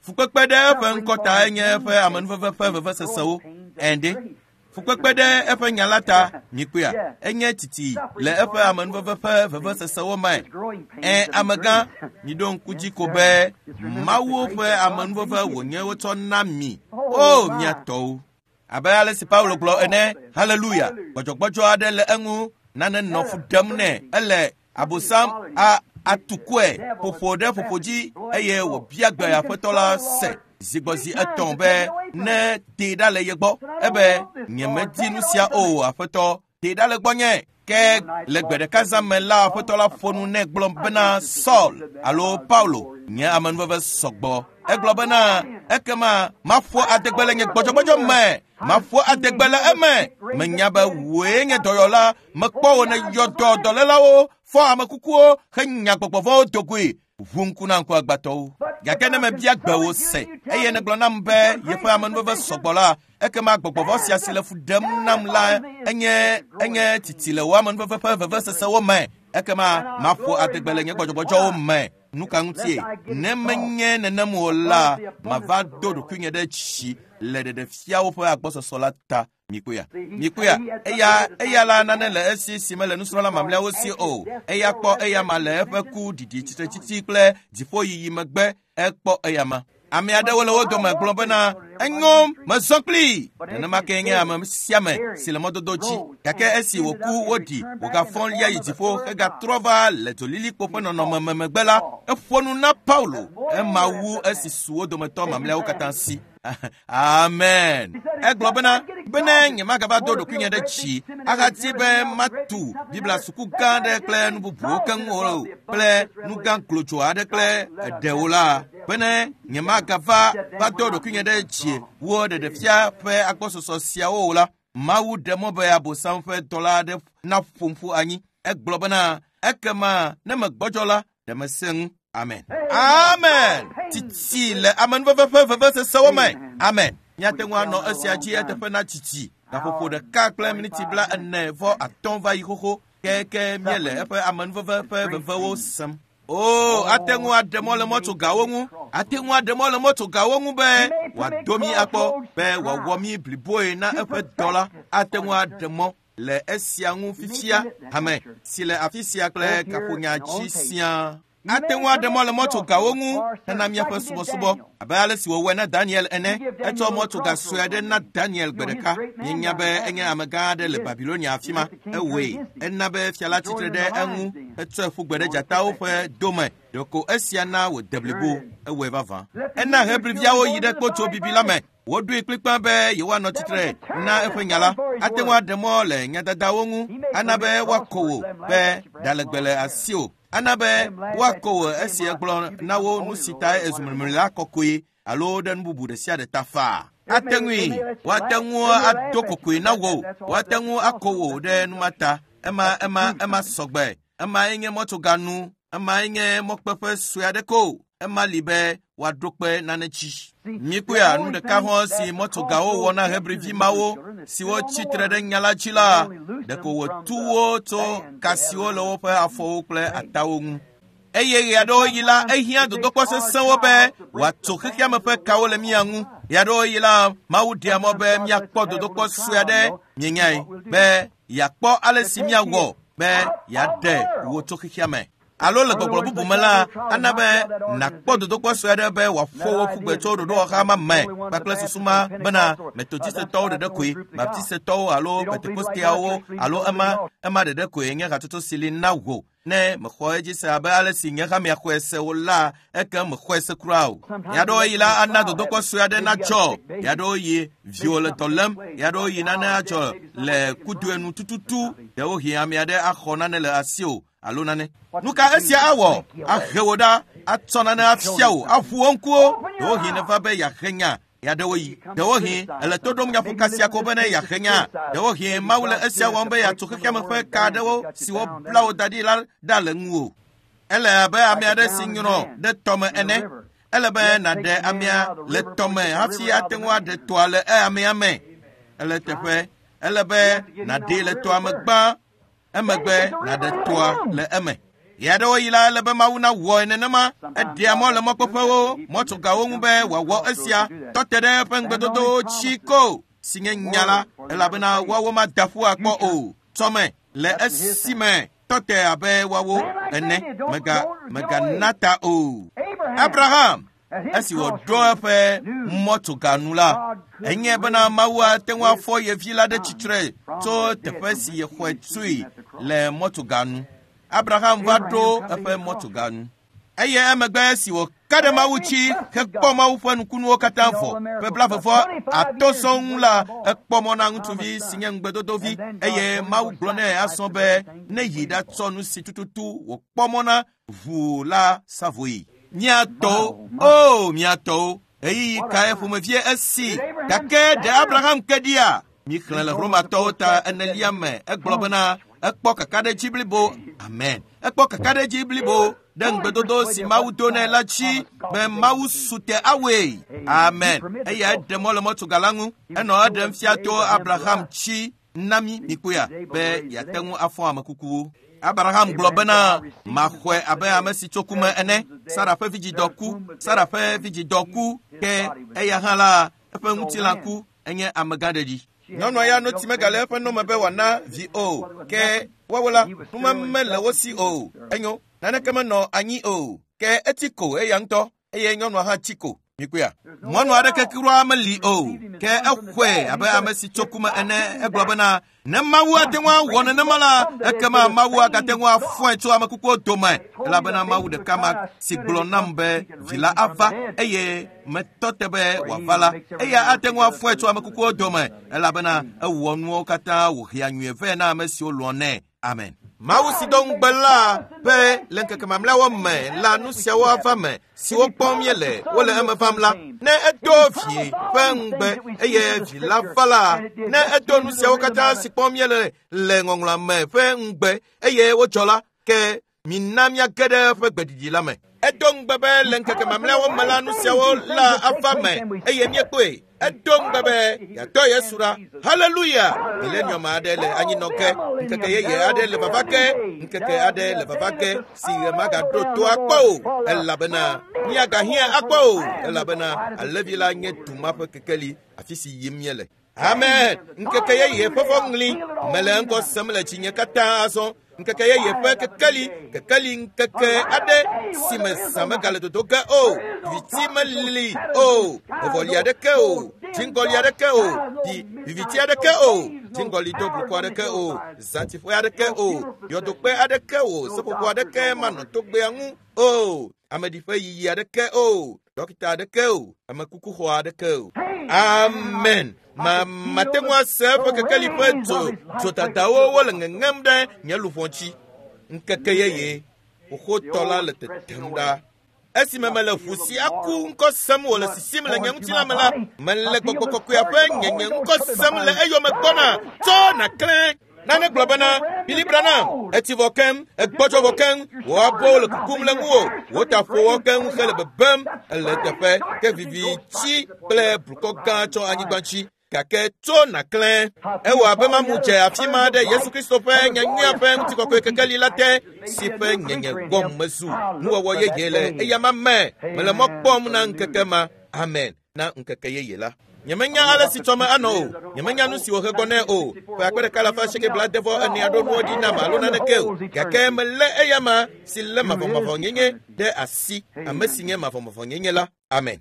Fukpekpe ɖe eƒe ŋkɔ ta nye eƒe amenuveve ƒe vevesesewo. Ɛnde. Fukpekpe ɖe eƒe nya la ta, mikpɔea, enye titi le eƒe amenuveve ƒe vevesesewo me. Ɛ amegã, miɖo ŋku dzi ko be Mawu ƒe amenuveve wònye wotsɔ na mi. O mia tɔwo. Abe ale si Paulo gblɔ ene, haleluya, gbɔdzɔgbɔdzɔ aɖe le eŋu, nane nɔ fu ɖem nɛ, ele abosam a atukɔe ƒoƒo ɖe ƒoƒo dzi eye wòbia gbe aƒetɔ la se zigbɔzi etɔ̃ be ne tee ɖa le ye gbɔ. Ebe nyemedi nu sia o aƒetɔ, tee ɖa le gbɔnye. Ke le gbe ɖeka zã me la aƒetɔ la ƒo nu nɛ gblɔ bena Saul alo Paulo nye amenuveve sɔgbɔ. Egblɔ bena ekema maƒo adegbe le nye gbɔdzɔgbɔdzɔ me, maƒo adegbe le eme. Menya be wòe nye dɔyɔla, mekpɔ wò ne yɔ dɔ dɔlélawo, fɔ amekukuwo henya gbɔgbɔvɔwo do goe. Ʋu ŋku na ŋku agbatɔwo. Gake ne mebia gbe wò se eye negblɔ nam be yeƒe amenuveve sɔgbɔ la, ekema gbɔgbɔvɔ sia si le fu ɖem nam la enye enye titi le wò amenuveve ƒe vevesesewo me. Ekema maƒo adegbe le nye gbɔdzɔgbɔdzɔwo me. Nu ka ŋutie? Ne menye nenem o la, mava do ɖokuinye ɖe tsi le ɖeɖefiawo ƒe agbɔsɔsɔ la ta. Mikpɔea, mikpɔea, eya eya la nane le esi si mele nusrɔ̃la mamlɛawo si o. Eya kpɔ eya ma le eƒe ku ɖiɖi tsitretsitsi kple dziƒoyiyi megbe. Ekpɔ eya ma. Ame aɖewo le wo dome gblɔ bena enyo mezɔ kplii. Nenema ke nye ame sia ame si le mɔdodo dzi. Gake esi wòku woɖi wògafɔ lia yi dziƒo hegatrɔ va le dzolilikpo ƒe nɔnɔme me megbe la, eƒo nu na Paulo. Ema wu esi su wo dometɔ mamlɛawo katã si. Amen. Egblɔ bena bene nyemagava do ɖokuinye ɖe tsi ahati be matu Biblia suku gã aɖe kple nu bubuwo keŋ o kple nu gã klotso aɖe kple eɖewo la, bene nyemagava va do ɖokuinye ɖe tsi wo ɖeɖefia ƒe agbɔsɔsɔ siawo o la, Mawu ɖe mɔ be abosam ƒe dɔla aɖe naƒom ƒu anyi. Egblɔ bena ekema ne megbɔdzɔ la, ɖe mesẽ ŋu. Amen. Amen. Titi le amenuveve ƒe vevesesewo me. Amen. Míate ŋu anɔ esia dzi eteƒe na titi. Gaƒoƒo ɖeka kple miniti bla ene vɔ atɔ̃ va yi xoxo keke míele eƒe amenuveve ƒe vevewo sem. O, ate ŋu aɖe mɔ le mɔtsogawo ŋu. Ate ŋu aɖe mɔ le mɔtsogawo ŋu be wòado mí akpɔ, be wòawɔ mí bliboe na eƒe dɔ la. Ate ŋu aɖe mɔ le esia ŋu fifia hame si le afi sia kple kaƒonya dzi siaa. Ate ŋu aɖe mɔ le mɔtsogawo ŋu hena míaƒe subɔsubɔ abe ale si wòwɔe na Daniel ene. Etsɔ mɔtsoga sue aɖe na Daniel gbe ɖeka. Míenya be enye amegã aɖe le Babilonia afi ma. Ewɔe. Ena be fia la tsitre ɖe eŋu hetsɔe ƒu gbe ɖe dzatawo ƒe dome. Ɖeko esia na wòde blibo. Ewɔe vavã. Ena Hebriviawo yi ɖe kpotso bibi la me. Woɖoe kplikpaa be yewoanɔ tsitre na eƒe nya la. Ate ŋu aɖe mɔ le nyadadawo ŋu. Ana be woakɔ wò be ɖalegbe le asiwò. Ana be woakɔ wò esi egblɔ na wo nu si tae ezu mlimlila kɔkɔe alo ɖe nu bubu ɖe sia ɖe ta faa. Ate ŋui, woate ŋu ado kokoe na wò, woate ŋu akɔ wò ɖe nu ma ta. Ema ema ema sɔgbe. Emae nye mɔtsoganu. Emae nye mɔkpeƒe sue aɖe ko. Ema li be woaɖo kpe nane dzi. Mikpɔea, nu ɖeka hã si mɔtsogawo wɔ na Hebrivi mawo siwo tsitre ɖe nya la dzi la, ɖeko wòtu wo tso ka siwo le woƒe afɔwo kple atawo ŋu. Eye ɣe aɖewo yi la, ehiã dodokpɔ sesẽwo be wòatso xexeame ƒe kawo le mía ŋu. Ɣe aɖewo yi la, Mawu ɖea mɔ be míakpɔ dodokpɔ sue aɖe, mienyae, be yeakpɔ ale si míawɔ be yeaɖe wò tso xexeame. Alo le gbɔgblɔ bubu me la, ana be nàkpɔ dodokpɔ sue aɖe be wòaƒo wo ƒu gbe tso ɖoɖowɔha ma me kpakple susu ma bena Metodistetɔwo ɖeɖe koe, Baptistetɔwo alo Pentekosteawo alo ema ema ɖeɖe koe nye hatsotso si li na wò. Ne mexɔ edzi se abe ale si nye hamea xɔe se o la, eke mexɔe se kura o. Ɣeaɖewoɣi la ana dodokpɔ sue aɖe nadzɔ, ɣeaɖewoɣi viwò le dɔ lém, ɣeaɖewoɣi nane adzɔ le kudue nu tututu, ɖewohĩ ame aɖe axɔ nane le asiwò alo nane. Nu ka esia awɔ? Ahe wò ɖa, atsɔ nane afia wò, aʋu wò ŋkuwo. Ɖewohĩ neva be yeahe nya. Ɣeaɖewoɣi, ɖewohĩ ele to ɖom nyaƒoka sia ko bene yeahe nya. Ɖewohĩ Mawu le esia wɔm be yeatso xexeame ƒe ka aɖewo siwo bla wò da ɖi la ɖa le ŋuwò. Ele abe ame aɖe si nyrɔ ɖe tɔme ene. Ele be nàɖe amea le tɔme hafi ate ŋu aɖe tɔa le amea me. Ele teƒe. Ele be nàɖee le tɔa me gbã, emegbe nàɖe tɔa le eme. Ɣeaɖewoɣi la, ele be Mawu nawɔe nenema. Eɖea mɔ le mɔkpɔƒewo, mɔtsogawo ŋu be wòawɔ esia. Tɔ te ɖe eƒe ŋugbedodowo dzi ko si nye nya la, elabena woawo mada ƒu akpɔ o. Tɔme le esime tɔ te abe woawo ene. Mega megana ta o. Abraham, esi wòɖo eƒe mɔtsoga nu la, enye bena Mawu ate ŋu afɔ ye vi la ɖe tsitre tso teƒe si yexɔe tsoe le mɔtsoga nu. Abraham va ɖo eƒe mɔtsoga nu. Eye emegbe si wòka ɖe Mawu dzi hekpɔ Mawu ƒe nukunuwo katã vɔ ƒe blaeve atɔ̃ sɔŋ la, ekpɔ mɔ na ŋutsuvi si nye ŋugbedodovi eye Mawu gblɔ nɛ azɔ be ne yi ɖatsɔ nu si tututu wòkpɔ mɔ na ʋu la sa vɔe. Mía tɔwo, o mía tɔwo, ɣeyiɣi kae ƒomevie esi gake ɖe Abraham ke ɖia? Míxlẽ le Romatɔwo ta enelia me egblɔ bena ekpɔ kakaɖedzi blibo. Amen. Ekpɔ kakaɖedzi blibo ɖe ŋugbedodo si Mawu do nɛ la dzi be Mawu su te awɔe. Amen. Eya eɖe mɔ le mɔtsoga la ŋu. Enɔ eɖem fia to Abraham dzi na mí mikpɔea be yeate ŋu afɔ ame kukuwo. Abraham gblɔ bena maxɔe abe ame si tso ku me ene. Sara ƒe vidzidɔ ku. Sara ƒe vidzidɔ ku ke eya hã la eƒe ŋutilã ku enye amegã ɖeɖi. Nyɔnua ya notsi megale eƒe nome be wòana vi o. Ke woawo la, numeme le wo si o. Enyo, naneke menɔ anyi o. Ke etsi ko eya ŋutɔ eye nyɔnua hã tsi ko. Mikpɔea? Mɔnu aɖeke kura meli o. Ke exɔe abe ame si tso ku me ene. Egblɔ bena ne Mawu ate ŋu awɔ nenema la, ekema Mawu agate ŋu afɔe tso ame kukuwo dome. Elabena Mawu ɖeka ma si gblɔ nam be vi la ava eye metɔ te be wòava la, eya ate ŋu afɔe tso ame kukuwo dome. Elabena ewɔ nuwo katã wòhea nyuie vɛ na ame siwo lɔ̃ nɛ. Amen. Mawu si do ŋugbe la be le ŋkeke mamlɛawo me la nu siawo ava me siwo kpɔm míele wole eme vam la, ne edo vi ƒe ŋugbe eye vi la va la, ne edo nu siawo katã si kpɔm míele le ŋɔŋlɔa me ƒe ŋugbe eye wodzɔ la, ke mina míage ɖe eƒe gbeɖiɖi la me. Edo ŋugbe be le ŋkeke mamlɛawo me la nu siawo la ava me eye míekpɔe. Edo ŋugbe be yeatɔ Yesu ɖa. Haleluya! Milenium aɖe le anyinɔ ke, ŋkeke yeye aɖe le vava ke, ŋkeke aɖe le vava ke si ɣe magaɖo to akpɔ o, elabena míagahiã akpɔ o, elabena alẽvi la nye du ma ƒe kekeli afi si yim míele. Amen. Ŋkeke yeye ƒe fɔŋli mele ŋgɔ sem le dzinye katã azɔ. Ŋkeke yeye ƒe kekeli, kekeli ŋkeke aɖe si me zã megale dodo ge o, viviti melili o, vɔvɔli aɖeke o, dziŋgɔli aɖeke o, viviti aɖeke o, dziŋgɔli do blukɔ aɖeke o, zãtiƒe aɖeke o, yɔdokpe aɖeke o, seƒoƒo aɖeke manɔ togbea ŋu o, ameɖiƒe yiyi aɖeke o, dɔkita aɖeke o, amekukuxɔ aɖeke o. Amen. Ma mate ŋu ase eƒe kekeli ƒe dzo dzodadawo wole ŋeŋem ɖe nye luʋɔ dzi. Ŋkeke yeye xoxotɔ la le tetem ɖa. Esime mele ʋu si aku ŋkɔ sem wòle sisim le nye ŋutilã me la, mele gbɔgbɔ kɔkɔea ƒe nyenye ŋkɔ sem le eyome gbɔna. Tsɔ nàklẽ. Nane gblɔ bena, Billy Branham, etsi vɔ keŋ, egbɔdzɔ vɔ keŋ, wò abɔwo le kukum le ŋuwò, wò taƒowɔ keŋ hele bebem, ele teƒe ke viviti kple blukɔ gã tsɔ anyigba dzi. Gake tso nàklẽ. Ewɔ abe mamu dze afi ma ɖe Yesu Kristo ƒe nyanyuia ƒe ŋutikɔkɔe kekeli la te, si ƒe nyenye gbɔm mezu nuwɔwɔ yeye le eyama me. Mele mɔ kpɔm na ŋkeke ma. Amen. Na ŋkeke yeye la. Nyemenya ale si tsɔme anɔ o. Nyemenya nu si wòhe gbɔ nɛ o. Ƒe akpe ɖeka alafa asieke blaadevɔ ene aɖo nuwo ɖi nam alo naneke o. Gake melé eyama si lé mavɔmavɔnyenye ɖe asi, ame si nye mavɔmavɔnyenye la. Amen.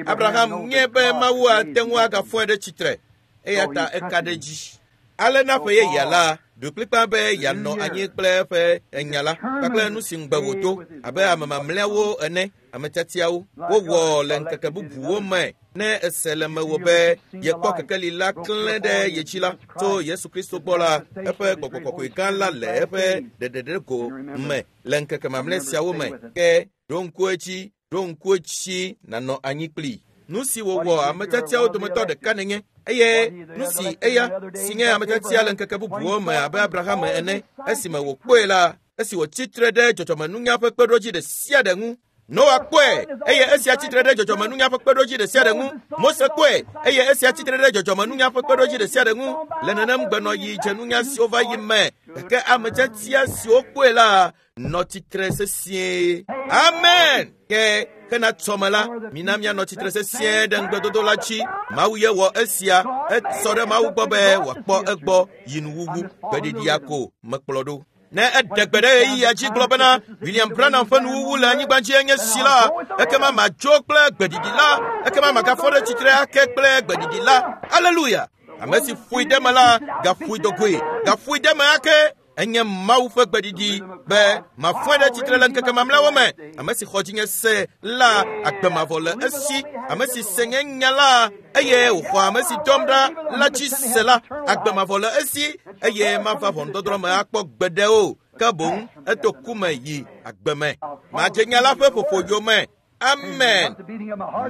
Abraham nye be Mawu ate ŋu agafɔe ɖe tsitre eya ta eka ɖe dzi. Ale na ƒe yeyea la, ɖo kplikpa be yeanɔ anyi kple eƒe enya la kpakple nu si ŋugbe wòdo abe ame mamlɛawo ene, ame tiatiawo wowɔ le ŋkeke bubuwo me. Ne ese le mewò be yekpɔ kekeli la klẽ ɖe ye dzi la tso Yesu Kristo gbɔ la, eƒe gbɔgbɔ kɔkɔe gã la le eƒe ɖeɖeɖego me le ŋkeke mamlɛ siawo me. Ke ɖo ŋku edzi, ɖo ŋku edzi nànɔ anyi kplii. Nu si wòwɔ ame tiatiawo dometɔ ɖeka nenye eye nu si eya si nye ame tiatia le ŋkeke bubuwo me abe Abraham ene esime wòkpɔe la, esi wòtsi tre ɖe dzɔdzɔmenunya ƒe kpeɖodzi ɖe sia ɖe ŋu. Noa kpɔe eye esia tsi tre ɖe dzɔdzɔmenunya ƒe kpeɖodzi ɖe sia ɖe ŋu. Mose kpɔe eye esia tsi tre ɖe dzɔdzɔmenunya ƒe kpeɖodzi ɖe sia ɖe ŋu. Le nenem gbenɔyi dzenunya siwo va yi me, gake ame tiatia siwo kpɔe la nɔ tsitre sesĩe. Amen. Ke hena tsɔme la, mina míanɔ tsitre sesĩe ɖe ŋugbedodo la dzi. Mawu ye wɔ esia, esɔ ɖe Mawu gbɔ be wòakpɔ egbɔ yi nuwuwu. Gbeɖiɖia ko mekplɔ ɖo. Ne eɖe gbe ɖe ɣeyiɣia dzi gblɔ bena William Branham ƒe nuwuwu le anyigba dzi enye si la, ekema madzo kple gbeɖiɖi la, ekema magafɔ ɖe tsitre ake kple gbeɖiɖi la. Aleluya! Ame si ƒoe ɖe me la, gaƒoe dogoe, gaƒoe ɖe me ake. Enye Mawu ƒe gbeɖiɖi be mafɔe ɖe tsitre le ŋkeke mamlɛawo me. Ame si xɔ dzinye se la, agbe mavɔ le esi. Ame si se nye nya la, eye wòxɔ ame si dɔm ɖa la dzi se la, agbe mavɔ le esi eye mava ʋɔnudɔdrɔ̃ me akpɔ gbeɖe o. Ke boŋ eto ku me yi agbe me. Madze nya la ƒe ƒoƒo yome. Amen.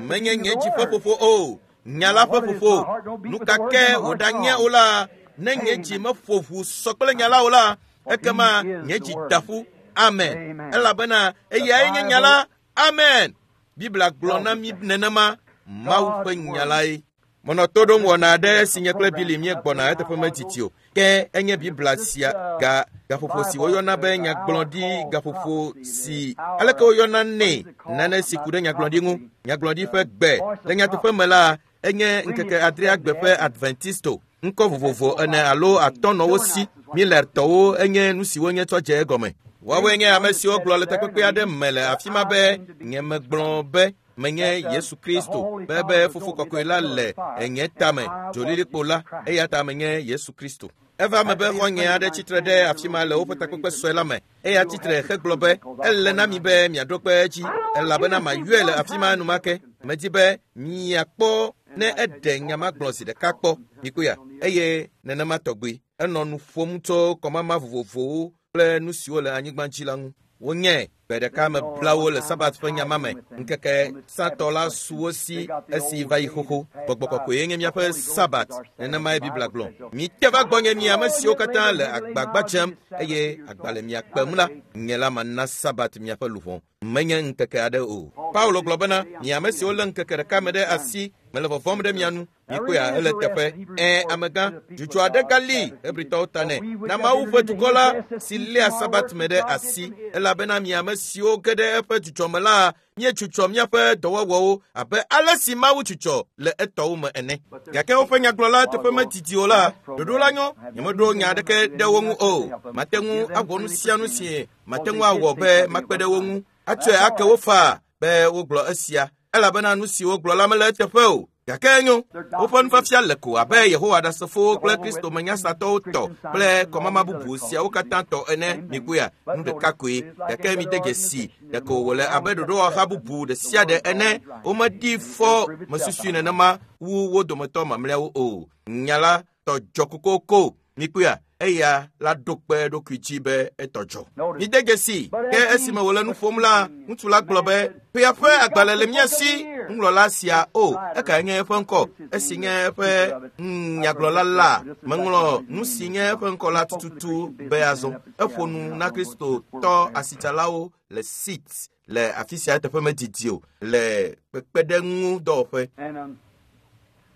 Menye nye dzi ƒe ƒoƒo o, nya la ƒe ƒoƒo. Nu ka ke wòɖanye o la, ne nye dzi meƒo ʋu sɔ kple nya la o la, ekema nye dzi da ƒu. Amen. Elabena eyae nye nya la. Amen. Biblia gblɔ na mí nenema, Mawu ƒe nya lae. Menɔ to ɖom wɔna aɖe si nye kple Bili míegbɔna eteƒe medidi o. Ke enye Biblia sia ga gaƒoƒo si woyɔna be nyagblɔɖi gaƒoƒo si aleke woyɔna nɛ nane si ku ɖe nyagblɔɖi ŋu. Nyagblɔɖi ƒe gbe le nyateƒe me la enye ŋkeke adrea gbe ƒe Adventisto. Ŋkɔ vovovo ene alo atɔ̃ nɔ wo si. Millertɔwo enye nu siwo nye tsɔ dze egɔme. Woawoe nye ame siwo gblɔ le takpekpe aɖe me le afi ma be nyemegblɔ be menye Yesu Kristo be be fofo kɔkɔe la le enye tame dzolilikpo la eya ta menye Yesu Kristo. Eva me be xɔ̃nye aɖe tsitre ɖe afi ma le woƒe takpekpe sue la me. Eya tsitre hegblɔ be ele na mi be miaɖo kpe edzi elabena mayɔe le afi ma enumake. Medi be miakpɔ ne eɖe nya ma gblɔ zi ɖeka kpɔ. Mikpɔea? Eye nenema tɔgbi enɔ nu ƒom tso kɔmama vovovowo kple nu siwo le anyigba dzi la ŋu. Wonye gbe ɖeka me blawo le Sabat ƒe nyama me. Ŋkeke satɔ la su wo si esi va yi xoxo. Gbɔgbɔ kɔkɔe nye míaƒe Sabat. Nenemae Biblia gblɔ. Mite va gbɔnye mi ame siwo katã le agbagba dzem eye agba le mia kpem la, nye la mana Sabat miaƒe luʋɔ. Menye ŋkeke aɖe o. Paulo gblɔ bena mi ame siwo lé ŋkeke ɖeka me ɖe asi mele vɔvɔ̃m ɖe mia nu. Mikpɔea ele teƒe. Ẽ amegã, dzudzɔ aɖe gali Hebritɔwo ta nɛ. Na Mawu ƒe dukɔ la si léa Sabat me ɖe asi elabena mi ame siwo ge ɖe eƒe dzudzɔ me la, míedzudzɔ míaƒe dɔwɔwɔwo abe ale si Mawu dzudzɔ le etɔwo me ene. Gake woƒe nyagblɔla teƒe medidi o la, ɖoɖo la nyo. Nyemeɖo nya aɖeke ɖe wo ŋu o. Mate ŋu awɔ nu sia nu si mate ŋu awɔ be makpe ɖe wo ŋu. Atsɔe ake wo faa be wogblɔ esia elabena nu si wogblɔ la mele eteƒe o. Gake enyo, woƒe nufiafia le ko abe Yehowa Ɖasefowo kple Kristo menyasatɔwo tɔ kple kɔmama bubu siawo katã tɔ ene. Mikpɔea, nu ɖeka koe. Gake mide dzesi ɖeko wòle abe ɖoɖowɔha bubu ɖe sia ɖe ene. Womeɖi fɔ mesusui nenema wu wo dometɔ mamlɛawo o. Nya la tɔ dzɔ kokoko. Mikpɔea, eya la ɖo kpe eɖokui dzi be etɔ dzɔ. Mide dzesi ke esime wòle nu ƒom la, ŋutsu la gblɔ be ƒea ƒe agbalẽ le mía si. Nuŋlɔla sia o, ekae nye eƒe ŋkɔ? Esi nye eƒe nyagblɔla la, meŋlɔ nu si nye eƒe ŋkɔ la tututu be azɔ. Eƒo nu na Kristotɔ asitsalawo le Sit le afi sia eteƒe medidi o le kpekpeɖeŋu dɔwɔƒe.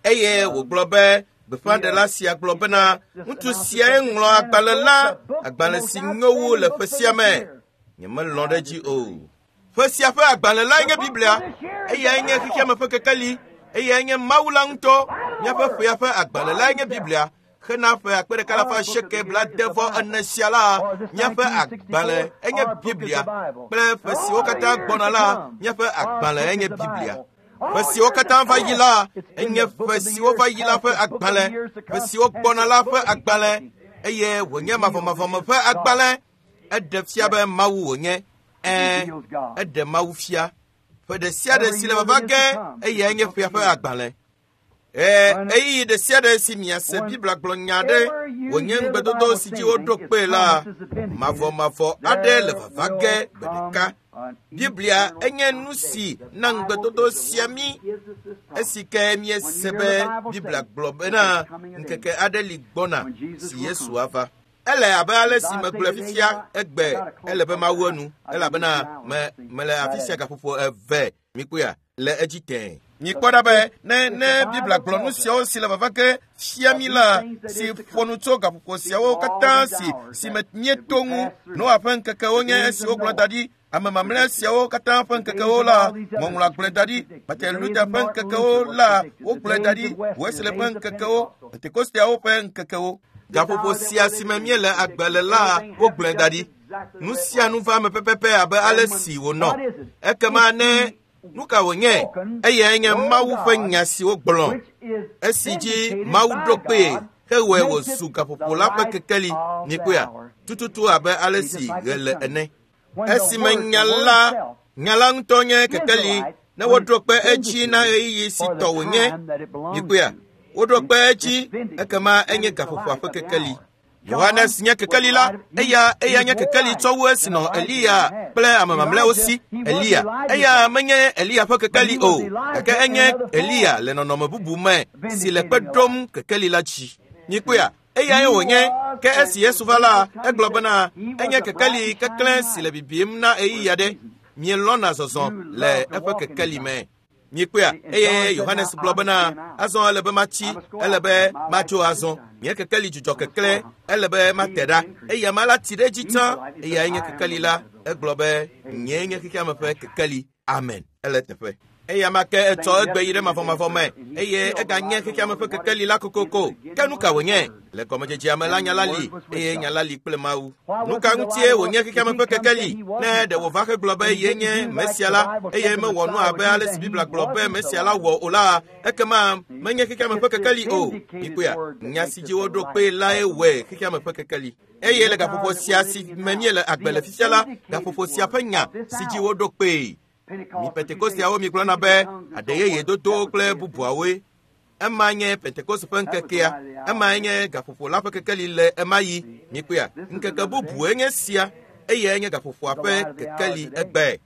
Eye wògblɔ be gbeƒãɖela sia gblɔ bena ŋutsu siae ŋlɔ agbalẽ la, agbalẽ si nyo wu le ƒe sia me. Nyemelɔ̃ ɖe edzi o. Ƒe sia ƒe agbalẽ lae nye Biblia. Eyae nye xexeame ƒe kekeli. Eyae nye Mawu la ŋutɔ. Míaƒe ƒea ƒe agbalẽ lae nye Biblia. Xena ƒe akpe ɖeka alafa asieke blaade-vɔ ene sia la, míaƒe agbalẽ enye Biblia. Kple ƒe siwo katã gbɔna la, míaƒe agbalẽ enye Biblia. Ƒe siwo katã va yi la, enye ƒe siwo va yi la ƒe agbalẽ. Ƒe siwo gbɔna la ƒe agbalẽ. Eye wònye mavɔmavɔme ƒe agbalẽ. Eɖe fia be Mawu wònye. Ɛ̃, eɖe Mawu fia. Ƒe ɖe sia ɖe si le vava ge, eyae nye ƒea ƒe agbalẽ. Ee, ɣeyiɣi ɖe sia ɖe si miase Biblia gblɔ nya aɖe wònye ŋugbedodo si dzi woɖo kpee la, mavɔmavɔ aɖe le vava ge gbe ɖeka. Biblia enye nu si na ŋugbedodo sia mí. Esi ke míese be Biblia gblɔ bena ŋkeke aɖe li gbɔna si Yesu ava. Ele abe ale si megblɔe fifia egbe ele be mawu enu elabena me mele afi sia gaƒoƒo eve mikpɔea le edzi tẽe. Mikpɔ ɖa be ne ne Biblia gblɔ nu siawo si le vava ge fia mí la si ƒo nu tso gaƒoƒo siawo katã si si me míeto ŋu. Noa ƒe ŋkekewo nye esiwo gblɔ da ɖi. Ame mamlɛ siawo katã ƒe ŋkekewo la, Ŋɔŋlɔa gblɔe da ɖi. Martin Luther ƒe ŋkekewo la, wogblɔe da ɖi. Wesley ƒe ŋkekewo, Pentekosteawo ƒe ŋkekewo. Gaƒoƒo sia si me míele agbe le la, wogblɔe da ɖi. Nu sia nu va eme pɛpɛpɛ abe ale si wònɔ. Ekema ne nu ka wònye, eyae nye Mawu ƒe nya si wogblɔ, esi dzi Mawu ɖo kpee hewɔe wòzu gaƒoƒo la ƒe kekeli. Mikpɔea, tututu abe ale si ɣe le ene. Esime nya la, nya la ŋutɔ nye kekeli, ne woɖo kpe edzi na ɣeyiɣi si tɔ wònye. Mikpɔea, woɖo kpe edzi, ekema enye gaƒoƒoa ƒe kekeli. Yohanes nye kekeli la, eya eya nye kekeli tsɔ wu esi nɔ Eliya kple ame mamlɛawo si. Eliya, eya menye Eliya ƒe kekeli o, gake enye Eliya le nɔnɔme bubu me si le kpe ɖom kekeli la dzi. Mikpɔea, eyae wònye. Ke esi Yesu va la, egblɔ bena enye kekeli keklẽ si le bibim na ɣeyiɣi aɖe. Mielɔ̃na zɔzɔ le eƒe kekeli me. Mikpɔea, eye Yohanes gblɔ bena azɔ ele be matsi, ele be matso azɔ. Nye kekeli dzudzɔ keklẽ, ele be mate ɖa. Eya ma la tsi ɖe edzi tsã, eyae nye kekeli la. Egblɔ be nyee nye xexeame ƒe kekeli. Amen. Ele teƒe. Eya ma ke etsɔ egbe yi ɖe mavɔmavɔ me, eye eganye xexeame ƒe kekeli la kokoko. Ke nu ka wònye? Le gɔmedzedzea me la, nya la li, eye nya la li kple Mawu. Nu ka ŋutie wònye xexeame ƒe kekeli? Ne ɖe wòva hegblɔ be ye nye Mesia la, eye mewɔ nu abe ale si Biblia gblɔ be Mesia la wɔ o la, ekema menye xexeame ƒe kekeli o. Mikpɔea, nya si dzi woɖo kpee lae wɔe xexeame ƒe kekeli. Eye le gaƒoƒo sia si me míele agbe le fifia la, gaƒoƒo sia ƒe nya si dzi woɖo kpee. Mi Pentekosteawo migblɔna be aɖe yeye dodo kple bubuawoe. Ema nye Pentekoste ƒe ŋkekea. Emae nye gaƒoƒo la ƒe kekeli le ema yi. Mikpɔea, ŋkeke bubue nye sia, eyae nye gaƒoƒoa ƒe kekeli egbe.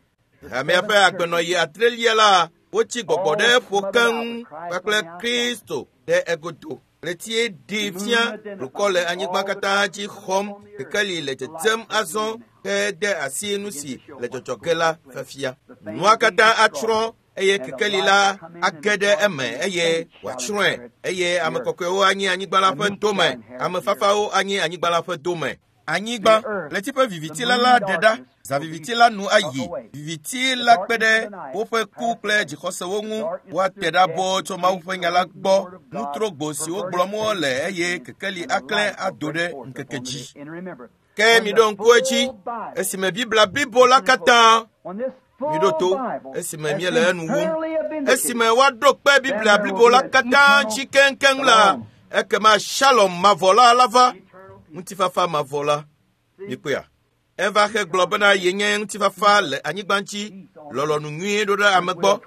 Hamea ƒe agbenɔɣi adrelia la, wotsi gbɔgbɔ ɖe eƒo keŋ kpakple Kristo ɖe egodo. Ɣletie ɖee fia blukɔ le anyigba katã dzi xɔm. Kekeli le dzedzem azɔ hede asi nu si le dzɔdzɔ ge la fafia. Nua katã atsrɔ̃ eye kekeli la age ɖe eme eye wòatsrɔ̃e. Eye ame kɔkɔewo anyi anyigba la ƒe dome. Ame fafawo anyi anyigba la ƒe dome. Anyigba, ɣleti ƒe viviti la la ɖe ɖa. Zã viviti la nu ayi. Viviti la kpe ɖe woƒe ku kple dzixɔsewo ŋu. Woate ɖa boo tso Mawu ƒe nya la gbɔ. Nutrogbo siwo gblɔm wole eye kekeli aklẽ ado ɖe ŋkeke dzi. Ke miɖo ŋku edzi, esime Biblia blibo la katã miɖo to, esime míele enu wum, esime woaɖo kpe Biblia blibo la katã dzi keŋkeŋ la, ekema Shalom mavɔ la la va, ŋutifafa mavɔ la. Mikpɔea, eva hegblɔ bena yenye ŋutifafa le anyigba dzi, lɔlɔ̃nu nyui ɖo ɖe ame gbɔ,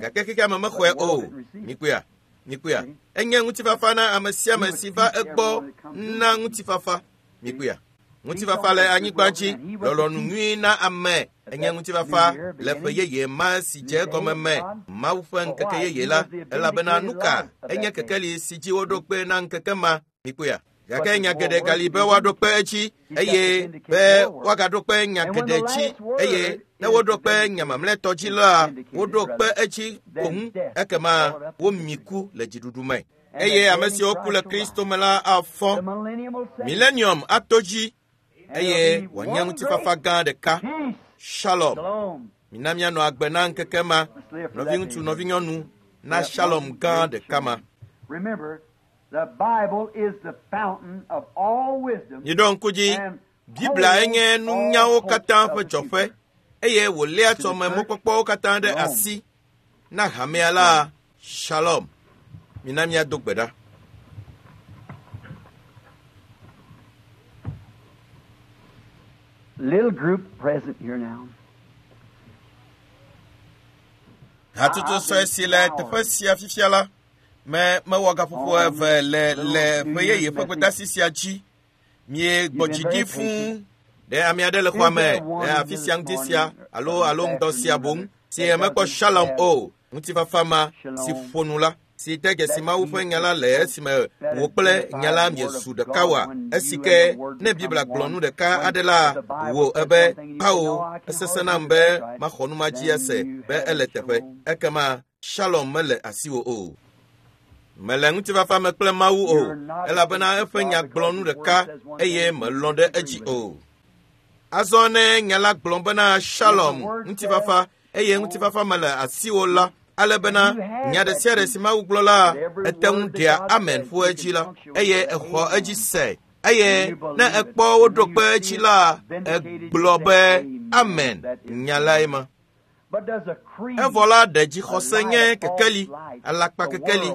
gake xexeame mexɔe o. Mikpɔea, mikpɔea, enye ŋutifafa na ame sia ame si va egbɔ na ŋutifafa. Mikpɔea, ŋutifafa le anyigba dzi, lɔlɔ̃nu nyui na ame. Enye ŋutifafa le ƒe yeye ma si dze egɔme me, Mawu ƒe ŋkeke yeye la, elabena nu ka enye kekeli si dzi woɖo kpe na ŋkeke ma. Mikpɔea, gake nya geɖe gali be woaɖo kpe edzi, eye be woagaɖo kpe nya geɖe dzi, eye ne woɖo kpe nya mamlɛtɔ dzi la, woɖo kpe edzi boŋ, ekema womi ku le dziɖuɖu me. Eye ame siwo ku le Kristo me la afɔ. Millennium ato dzi, eye wòanye ŋutifafa gã ɖeka. Shalom. Mina míanɔ agbe na ŋkeke ma. Nɔviŋutsu, nɔvinyɔnu, na Shalom gã ɖeka ma. Miɖo ŋku dzi, Biblia enye nunyawo katã ƒe dzɔƒe eye wòléa tsɔme mɔkpɔkpɔwo katã ɖe asi na hamea la. Shalom. Mina míado gbe ɖa. Little group present here now. Hatsotso sue si le teƒe sia fifia la, me mewɔ gaƒoƒo eve le le ƒe yeye ƒe gbedeasi sia dzi. Miegbɔ dzi ɖi fũu. Ɖe ame aɖe le xɔa me le afi sia ŋuti sia alo alo ŋdɔ sia boŋ si mekpɔ Shalom o, ŋutifafa ma si ƒo nu la, si de dzesi Mawu ƒe nya la le esime wò kple nya la miezu ɖeka wa. Esi ke ne Biblia gblɔ nu ɖeka aɖe la, wò ebe kpawo esesẽ nam be maxɔ nu ma dzi ase be ele teƒe. Ekema Shalom mele asiwò o. Mele ŋutifafa me kple Mawu o, elabena eƒe nya gblɔ nu ɖeka eye melɔ̃ ɖe edzi o. Azɔ ne nya la gblɔ bena Shalom, ŋutifafa, eye ŋutifafa mele asiwò la, ale bena nya ɖe sia ɖe si Mawu gblɔ la, ete ŋu ɖea amen ƒo edzi la, eye exɔ edzi se. Eye ne ekpɔ woɖo kpe edzi la, egblɔ be amen, nya lae ma. Evɔ la ɖe dzixɔse nye kekeli, alakpa kekeli,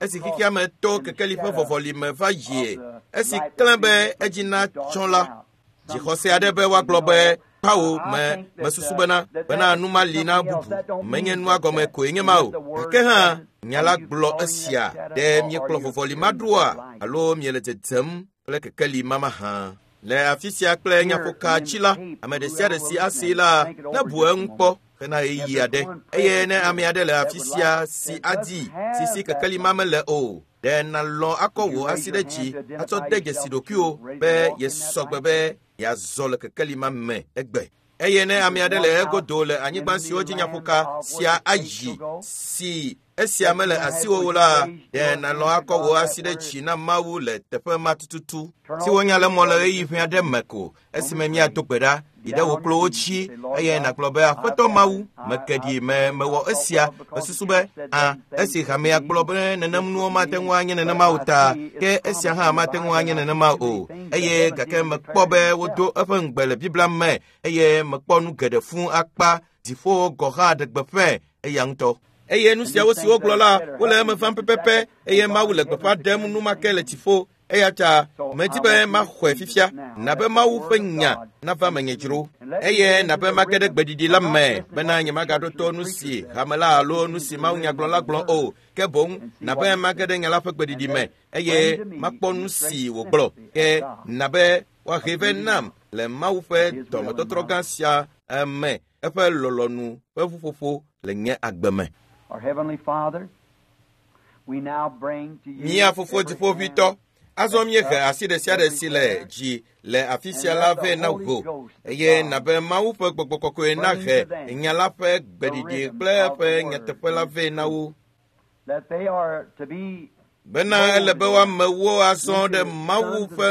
esi xexea me to kekeli ƒe vɔvɔli me va yie, esi klẽ be edzi natsɔ la, dzixɔse aɖe be woagblɔ be kpawo me mesusu bena bena nu ma li na bubu, menye nua gɔme koe nye ma o. Gake hã nya la gblɔ esia, ɖe miekplɔ vɔvɔli ma ɖoa alo miele dzedzem kple kekeli ma mahã. Le afi sia kple nyaƒoka dzi la, ame ɖe sia ɖe si asee la nebu eŋu kpɔ hena ɣeyiɣi aɖe. Eye ne ame aɖe le afi sia si adi si si kekeli ma mele o, ɖe nalɔ̃ akɔ wò asi ɖe dzi atsɔ de dzesi ɖokuiwò be yesɔgbe be yeazɔ le kekeli ma me egbe. Eye ne ame aɖe le egodo le anyigba siwo dzi nyaƒoka sia ayi si esia mele asiwò o la, ɖe nalɔ̃ akɔ wò asi ɖe dzi na Mawu le teƒe ma tututu si wonya le mɔ le ɣeyiɣi ƒe aɖe me ko esime míado gbe ɖa yi ɖe wò kplowo dzi eye nàgblɔ be Aƒetɔ Mawu, meke ɖi me mewɔ esia, mesusu be a esi hamea gblɔ be nenem nuwo mate ŋu anye nenema o ta, ke esia hã mate ŋu anye nenema o. Eye gake mekpɔ be wodo eƒe ŋugbe le Biblia me eye mekpɔ nu geɖe fũu akpa dziƒowo gɔ̃ hã ɖe gbeƒãe eya ŋutɔ. Eye nu siawo si wogblɔ la, wole eme vam pɛpɛpɛ eye Mawu le gbeƒã ɖem enumake le dziƒo. Eya ta medi be maxɔe fifia, nabe Mawu ƒe nya nava menye dzro, eye nabe mage ɖe gbeɖiɖi la me bena nyemagaɖo to nu si hame la alo nu si Mawu nyagblɔla gblɔ o, ke boŋ nabe mage ɖe nya la ƒe gbeɖiɖi me eye makpɔ nu si wògblɔ. Ke nabe woahe vɛ nam le Mawu ƒe dɔmetɔtrɔ gã sia me, eƒe lɔlɔ̃nu ƒe ƒuƒoƒo le nye agbe me. Mía Fofo Dziƒoʋĩtɔ, azɔ míehe asi ɖe sia ɖe si le dzi le afi sia la vɛ na wò, eye nabe Mawu ƒe Gbɔgbɔ Kɔkɔe nahe nya la ƒe gbeɖiɖi kple eƒe nyateƒe la vɛ na wo. Bena ele be woamewo azɔ ɖe Mawu ƒe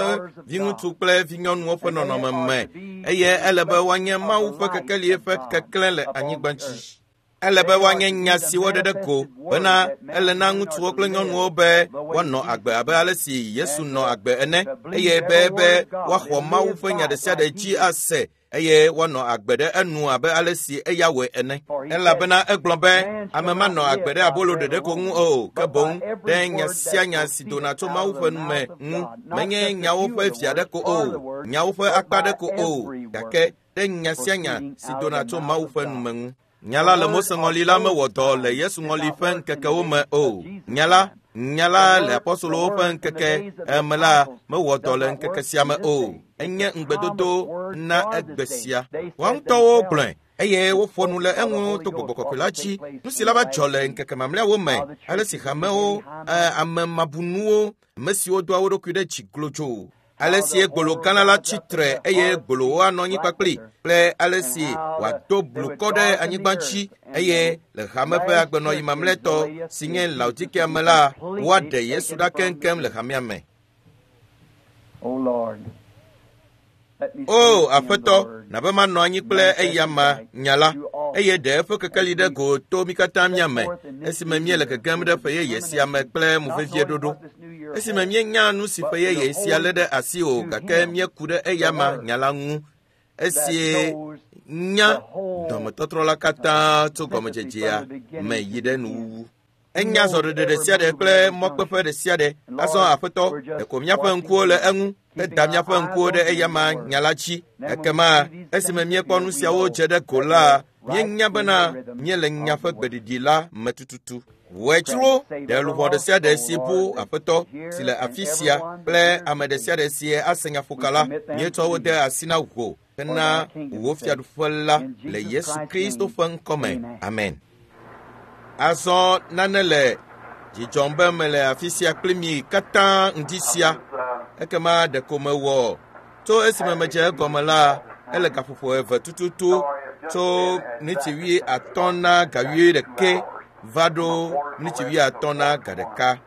viŋutsu kple vinyɔnuwo ƒe nɔnɔme me, eye ele be woanye Mawu ƒe kekeli ƒe keklẽ le anyigba dzi. Ele be woanye nya si woɖe ɖe go bena ele na ŋutsuwo kple nyɔnuwo be woanɔ agbe abe ale si Yesu nɔ agbe ene, eye be be woaxɔ Mawu ƒe nya ɖe sia ɖe dzi ase eye woanɔ agbe ɖe enu abe ale si eya wɔe ene. Elabena egblɔ be ame manɔ agbe ɖe abolo ɖeɖe ko ŋu o, ke boŋ ɖe nya sia nya si dona tso Mawu ƒe nu me ŋu, menye nyawo ƒe vi aɖe ko o, nyawo ƒe akpa aɖe ko o, gake ɖe nya sia nya si dona tso Mawu ƒe nu me ŋu. Nya la le Mose ŋɔli la mewɔ dɔ le Yesu ŋɔli ƒe ŋkekewo me o. Nya la, nya la le apɔstolowo ƒe ŋkeke eme la mewɔ dɔ le ŋkeke sia me o. Enye ŋugbedodo na egbe sia. Woa ŋutɔwo gblɔe eye woƒo nu le eŋu to Gbɔgbɔ Kɔkɔe la dzi. Nu si la va dzɔ le ŋkeke mamlɛawo me, ale si hamewo, ame mabunuwo, ame siwo doa wo ɖokui ɖe dzi glodzo, ale si gbolo gã la tsi tre eye gbolowo anɔ anyi kpakpli kple ale si wòado blukɔ ɖe anyigba dzi eye le hame ƒe agbenɔɣi mamlɛtɔ si nye Laodikea me la, woaɖe Yesu ɖa keŋkeŋ le hamea me. O Aƒetɔ, na be manɔ anyi kple eyama nya la, eye ɖe eƒe kekeli ɖe go to mí katã mía me, esime míele gegem ɖe ƒe yeye sia me kple movevie ɖoɖo. Esime míenya nu si ƒe yeye sia lé ɖe asi o, gake míeku ɖe eyama nya la ŋu. Esie nya dɔmetɔtrɔ la katã tso gɔmedzedzea me yi ɖe nuwuwu. Enya zɔɖeɖe ɖe sia ɖe kple mɔkpeƒe ɖe sia ɖe. Azɔ Aƒetɔ, ɖeko míaƒe ŋkuwo le eŋu, heda míaƒe ŋkuwo ɖe eyama nya la dzi. Ekema esime míekpɔ nu siawo dze ɖe go la, míenya bena míele nya ƒe gbeɖiɖi la me tututu. Wòe tsro ɖe luʋɔ ɖe sia ɖe si bu Aƒetɔ si le afi sia kple ame ɖe sia ɖe si ase nyaƒoka la, míetsɔ wo de asi na wò hena wò fiaɖuƒe la le Yesu Kristo ƒe ŋkɔme. Amen. Azɔ nane le dzidzɔm be mele afi sia kpli mi katã ŋdi sia. Ekema ɖeko mewɔ tso esime medze egɔme la, ele gaƒoƒo eve tututu tso miniti wui atɔ̃ na ga wui ɖeke va ɖo miniti wui atɔ̃ na ga ɖeka.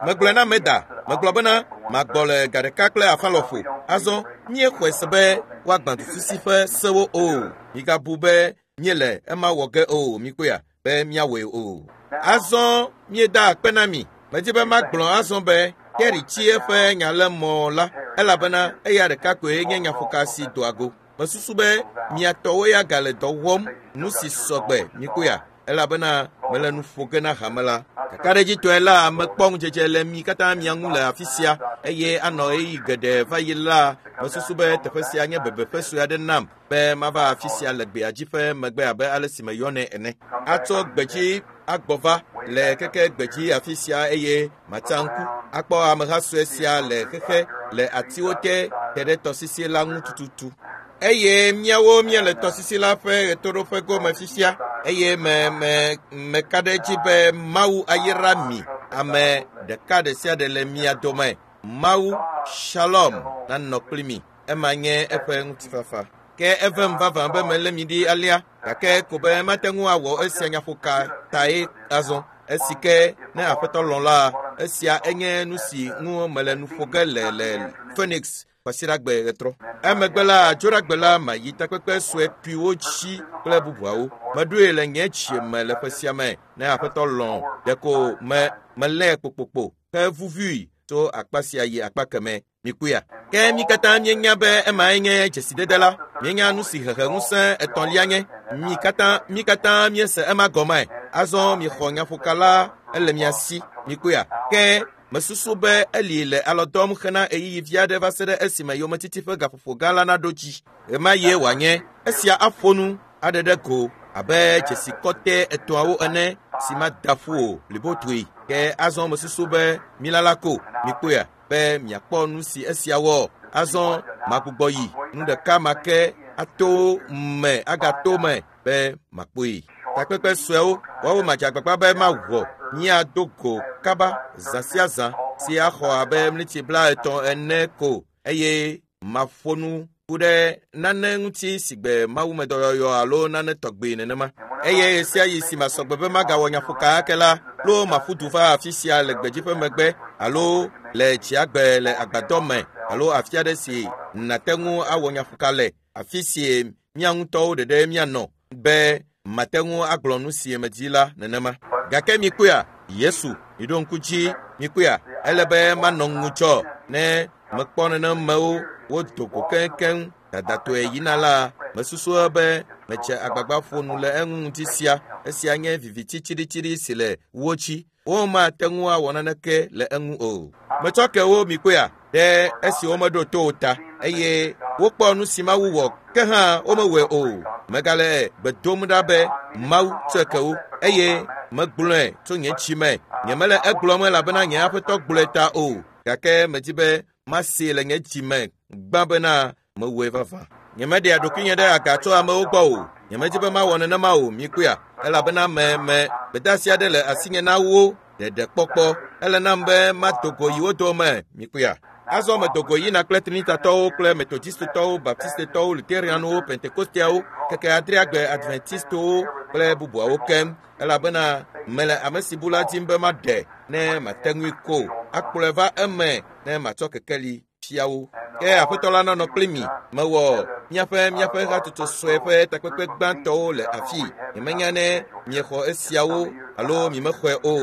Megblɔe na Meda, megblɔ bena magbɔ le ga ɖeka kple afã lɔƒo. Azɔ míexɔe se be woagbã duƒusi ƒe sewo o. Migabu be míele ema wɔ ge o, mikpɔea be míawɔe o. Azɔ míeda akpe na mi. Medzi be magblɔ azɔ be Terry tsi eƒe nyalemɔ la, elabena eya ɖeka koe nye nyaƒoka si doa go. Mesusu be mia tɔwo ya gale dɔ wɔm nu si sɔgbe, mikpɔea, elabena mele nu ƒo ge na hame la. Kakaɖedzitɔe la, mekpɔ ŋudzedze le mi katã mia ŋu le afi sia, eye anɔ ɣeyiɣi geɖe va yi la, mesusu be teƒe sia nye bebeƒe sue aɖe nam be mava afi sia le gbeadzi ƒe megbe abe ale si meyɔnɛ ene. Atsɔ gbedzi agbɔ va le keke gbedzi afi sia eye matsa ŋku akpɔ ameha sue sia le xexe le atiwo te te ɖe tɔsisi la ŋu tututu. Eye míawo míele tɔsisi la ƒe ɣetoɖoƒe gome fifia, eye me me meka ɖe edzi be Mawu ayra mi, ame ɖeka ɖe sia ɖe le mia dome. Mawu Shalom nanɔ kpli mi. Ema nye eƒe ŋutifafa. Ke evem vavã be melé mi ɖi alea, gake ko be mate ŋu awɔ esia nyaƒoka tae azɔ. Esi ke ne Aƒetɔ lɔ̃ la, esia enye nu si ŋu mele nu ƒo ge le le Phoenix kwasiɖagbe ɣetrɔ. Emegbe la, dzoɖagbe la, mayi takpekpe sue kpuiwo dzi kple bubuawo. Meɖoe le nye dzi me le ƒe sia me ne Aƒetɔ lɔ̃, ɖeko me melé kpokpokpo hevuvui tso akpa sia yi akpa keme. Mikpɔea? Ke mi katã míenya be emae nye dzesidede la. Míenya nu si hehe ŋusẽ etɔ̃lia nye. Mi katã mi katã míese ema gɔme. Azɔ miexɔ nyaƒoka la, ele mia si. Mikpɔea? Ke mesusu be eli le alɔ dɔm hena ɣeyiɣi vi aɖe va se ɖe esime yometiti ƒe gaƒoƒo gã la naɖo dzi. Ɣemaɣie wòanye esia aƒo nu aɖe ɖe go abe dzesi kɔtɛ etɔ̃awo ene si mada ƒu o blibotoe. Ke azɔ mesusu be milala ko. Mikpɔea? Be miakpɔ nu si esia wɔ. Azɔ magbugbɔ yi nu ɖeka ma ke ato me agato me be makpɔe. Takpekpe suewo woawo madze agbagba be mawɔ míado go kaba zã sia zã si axɔ abe miniti blaetɔ̃ ene ko, eye maƒo nu ku ɖe nane ŋuti sigbe mawumedɔyɔyɔ alo nane tɔgbe nenema. Eye ɣe sia ɣi si masɔgbe be magawɔ nyaƒoka ake la, lo maƒu du va afi sia le gbedzi ƒe megbe alo le tsiagbe le agbadɔ me alo afi aɖe si nate ŋu awɔ nyaƒoka le, afi si mía ŋutɔwo ɖeɖe míanɔ be mate ŋu agblɔ nu si medzi la nenema. Gake mikpɔea, Yesu, miɖo ŋku dzi, mikpɔea, ele be manɔ ŋudzɔ ne mekpɔ nenemewo wodo go keŋkeŋ dadatɔe yina la, mesusu be medze agbagba ƒo nu le eŋu ŋuti sia. Esia nye viviti tsiɖitsiɖi si le wo dzi. Womate ŋu awɔ naneke le eŋu o. Metsɔ ke wo mikpɔea ɖe esi womeɖo to o ta, eye wokpɔ nu si Mawu wɔ, ke hã womewɔe o. Megale gbe dom ɖa be Mawu tsɔe ke wo, eye megblɔe tso nye dzi me. Nyemele egblɔm elabena nye Aƒetɔ gblɔe ta o, gake medzi be masee le nye dzi me gbã bena mewɔe vavã. Nyemeɖea ɖokuinye ɖe aga tso amewo gbɔ o. Nyemedzi be mawɔ nenema o, mikpɔea, elabena me me gbedeasi aɖe le asinye na wo ɖeɖekpɔkpɔ. Ele nam be mado go yi wo dome, mikpɔea. Azɔ medo go yina kple Trinitatɔwo kple Metodistotɔwo, Baptistetɔwo, Lutherianwo, Pentekosteawo, keke adreagbe Adventistowo kple bubuawo keŋ, elabena mele ame si bu la dim be maɖe ne mate ŋui ko akplɔe va eme ne matsɔ kekeli fia wo. Ke aƒetɔ la nanɔ kpli mi. Mewɔ míaƒe míaƒe hatutu sue ƒe takpekpe gbãtɔwo le afi. Nyemenya ne miexɔ esiawo alo mimexɔe o.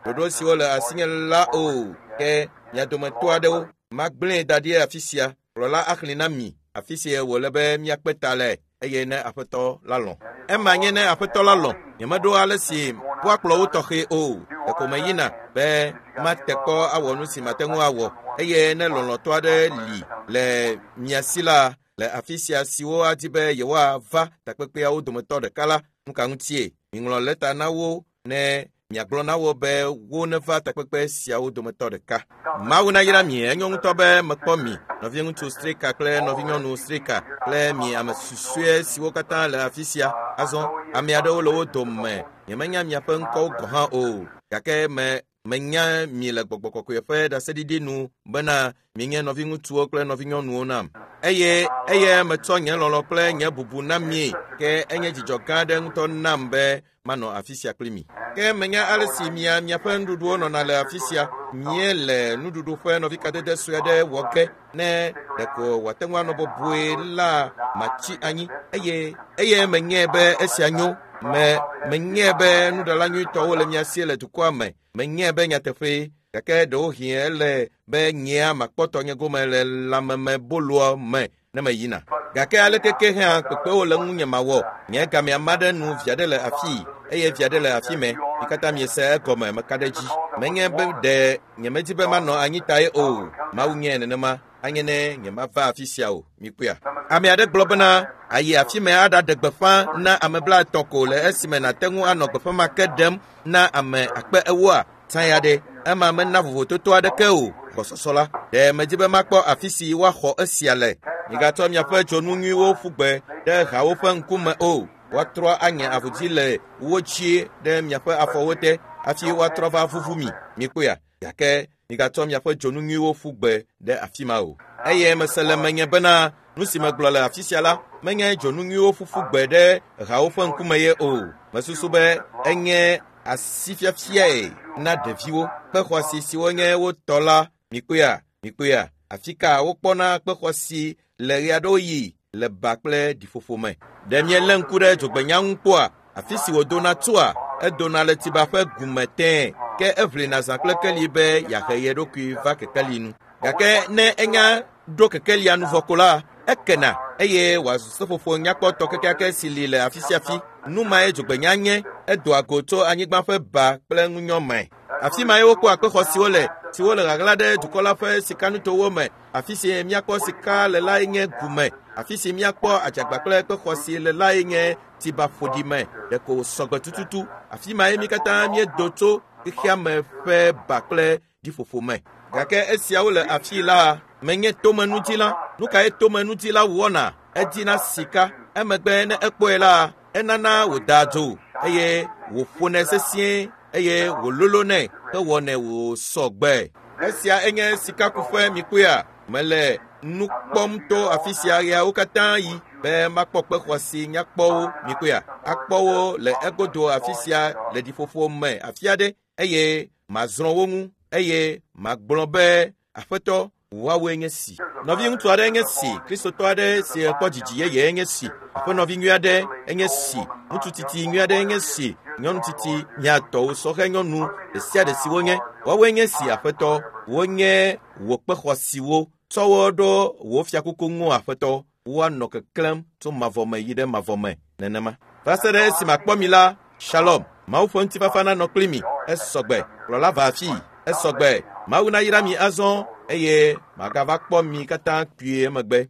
Ɖoɖo siwo le asinye la o. Ke mia dometɔ aɖewo magblẽe da ɖi afi sia. Kplɔla axlẽ na mi afi si wòle be míakpe ta le eye ne aƒetɔ la lɔ̃. Ema nye ne aƒetɔ la lɔ̃. Nyemeɖo ale si woakplɔ wo tɔxɛ o. Ɖeko meyina be mate kpɔ awɔ nu si mate ŋu awɔ. Eye ne lɔlɔ̃tɔ aɖe li le mia si la le afi sia siwo adi be yewoava takpekpeawo dometɔ ɖeka la, nu ka ŋutie? Miŋlɔ lɛta na wo ne miagblɔ na wo be wo neva takpekpe siawo dometɔ ɖeka. Mawu nayra mi, enyo ŋutɔ be mekpɔ mi, nɔviŋutsu Strika kple nɔvinyɔnu Strika kple mi ame susɔe siwo katã le afi sia. Azɔ ame aɖewo le wo dome. Nyemenya miaƒe ŋkɔwo gɔ̃ hã o. Gake me menya mi le gbɔgbɔ kɔkɔe ƒe ɖaseɖiɖi nu bena mienye nɔviŋutsuwo kple nɔvinyɔnuwo nam. Eye eye metsɔ nye lɔlɔ̃ kple nye bubu na mi. Ke enye dzidzɔ gã aɖe ŋutɔ nam be manɔ afi sia kpli mi. Ke menya ale si mia miaƒe nuɖuɖuwo nɔna le afi sia. Míele nuɖuɖu ƒe nɔvikadede sue aɖe wɔ ge ne ɖeko wòate ŋu anɔ bɔbɔe la matsi anyi. Eye eye menyae be esia nyo. Me menyae be nuɖala nyuitɔwo le mia si le dukɔa me. Menyae be nyateƒee. Gake ɖewohĩ ele be nyea makpɔ tɔnye gome le lãmemeboloa me ne meyina. Gake aleke ke hã kpekpewo le ŋunye mawɔ. Nye gamea ma ɖe nu via ɖe le afii eye via ɖe le afi mɛ. Mi katã miese egɔme meka ɖe edzi. Menye be ɖe nyemedi be manɔ anyi tae o. Mawu nye nenema. Anye ne nyemava afi sia o. Mikpɔea? Ame aɖe gblɔ bena ayi afi mɛ aɖaɖe gbeƒã na ame blaetɔ̃ ko le esime nàte ŋu anɔ gbeƒã ma ke ɖem na ame akpe ewoa. Tsã ya ɖe ema mena vovototo aɖeke o. Gbɔsɔsɔ la, ɖe medzi be makpɔ afi si woaxɔ esia le. Migatsɔ miaƒe dzonu nyuiwo ƒu gbe ɖe hawo ƒe ŋkume o. Woatrɔ anye avuzi le wo dzi ɖe miaƒe afɔwo te hafi woatrɔ va vuvu mi. Mikpɔea? Gake migatsɔ miaƒe dzonu nyuiwo ƒu gbe ɖe afi ma o. Eye mese le menye bena nu si megblɔ le afi sia la menye dzonu nyuiwo ƒuƒu gbe ɖe hawo ƒe ŋkume ye o. Mesusu be enye asifiafiae na ɖeviwo. Kpe xɔasi siwo nye wo tɔ la, mikpɔea? Mikpɔea? Afi ka wokpɔna kpe xɔasi le ɣe aɖewo yi le ba kple ɖiƒoƒo me. Ɖe mielé ŋku ɖe dzogbenya ŋu kpɔa? Afi si wòdona tsoa, edona le tsiba ƒe gume tẽe. Ke eʋlina zã kple keli be yeahe ye ɖokui va kekeli nu. Gake ne enya ɖo kekelia nu vɔ ko la, ekena eye wòazu seƒoƒo nyakpɔtɔ kekeake si li le afi sia afi. Nu mae dzogbenya nye, edoa go tso anyigba ƒe ba kple ŋunyɔ me. Afi mae wokpɔa kpe xɔasiwo le, siwo le ɣaɣla ɖe dukɔ la ƒe sikanutowo me. Afi si míakpɔ sika le lae nye gume. Afi si míakpɔ adzagba kple kpe xɔasi le lae nye tsiba ƒoɖi me. Ɖeko sɔgbe tututu. Afi mae mí katã míedo tso xexea me ƒe ba kple ɖiƒoƒo me. Gake esiawo le afi la menye tomenudzila. Nu kae tomenudzila wɔna? Edina sika. Emegbe ne ekpɔe la, enana wòdaa dzo eye wòƒonɛ sesĩe eye wòlolonɛ hewɔnɛ wòsɔ gbe. Esia enye sikakuƒe mikpɔea? Mele nu kpɔm to afi sia ɣeawo katã yi be makpɔ kpe xɔasi nyakpɔwo mikpɔea? Akpɔ wo le egodo afi sia le ɖiƒoƒo me afi aɖe eye mazrɔ̃ wo ŋu eye magblɔ be aƒetɔ woawoe nye si. Nɔviŋutsu aɖe nye si, kristotɔ aɖe si kpɔ dzidzi yeye nye si, aƒenɔvi nyui aɖe enye si, ŋutsu tsitsi nyui aɖe nye si, nyɔnu tsitsi miatɔwo sɔhɛ nyɔnu ɖe sia ɖe si wonye, woawoe nye si aƒetɔ, wonye wò kpe xɔasiwo. Tsɔ wo ɖo wò fiakuku ŋu aƒetɔ, woanɔ keklẽm tso mavɔ me yi ɖe mavɔ me nenema. Va se ɖe esime akpɔ mi la, Shalom. Mawu ƒe ŋutifafa nanɔ kpli mi. Esɔgbe. Kplɔla va afii. Esɔgbe. Mawu nayra mi azɔ eye magava kpɔ mi katã kpuie emegbe.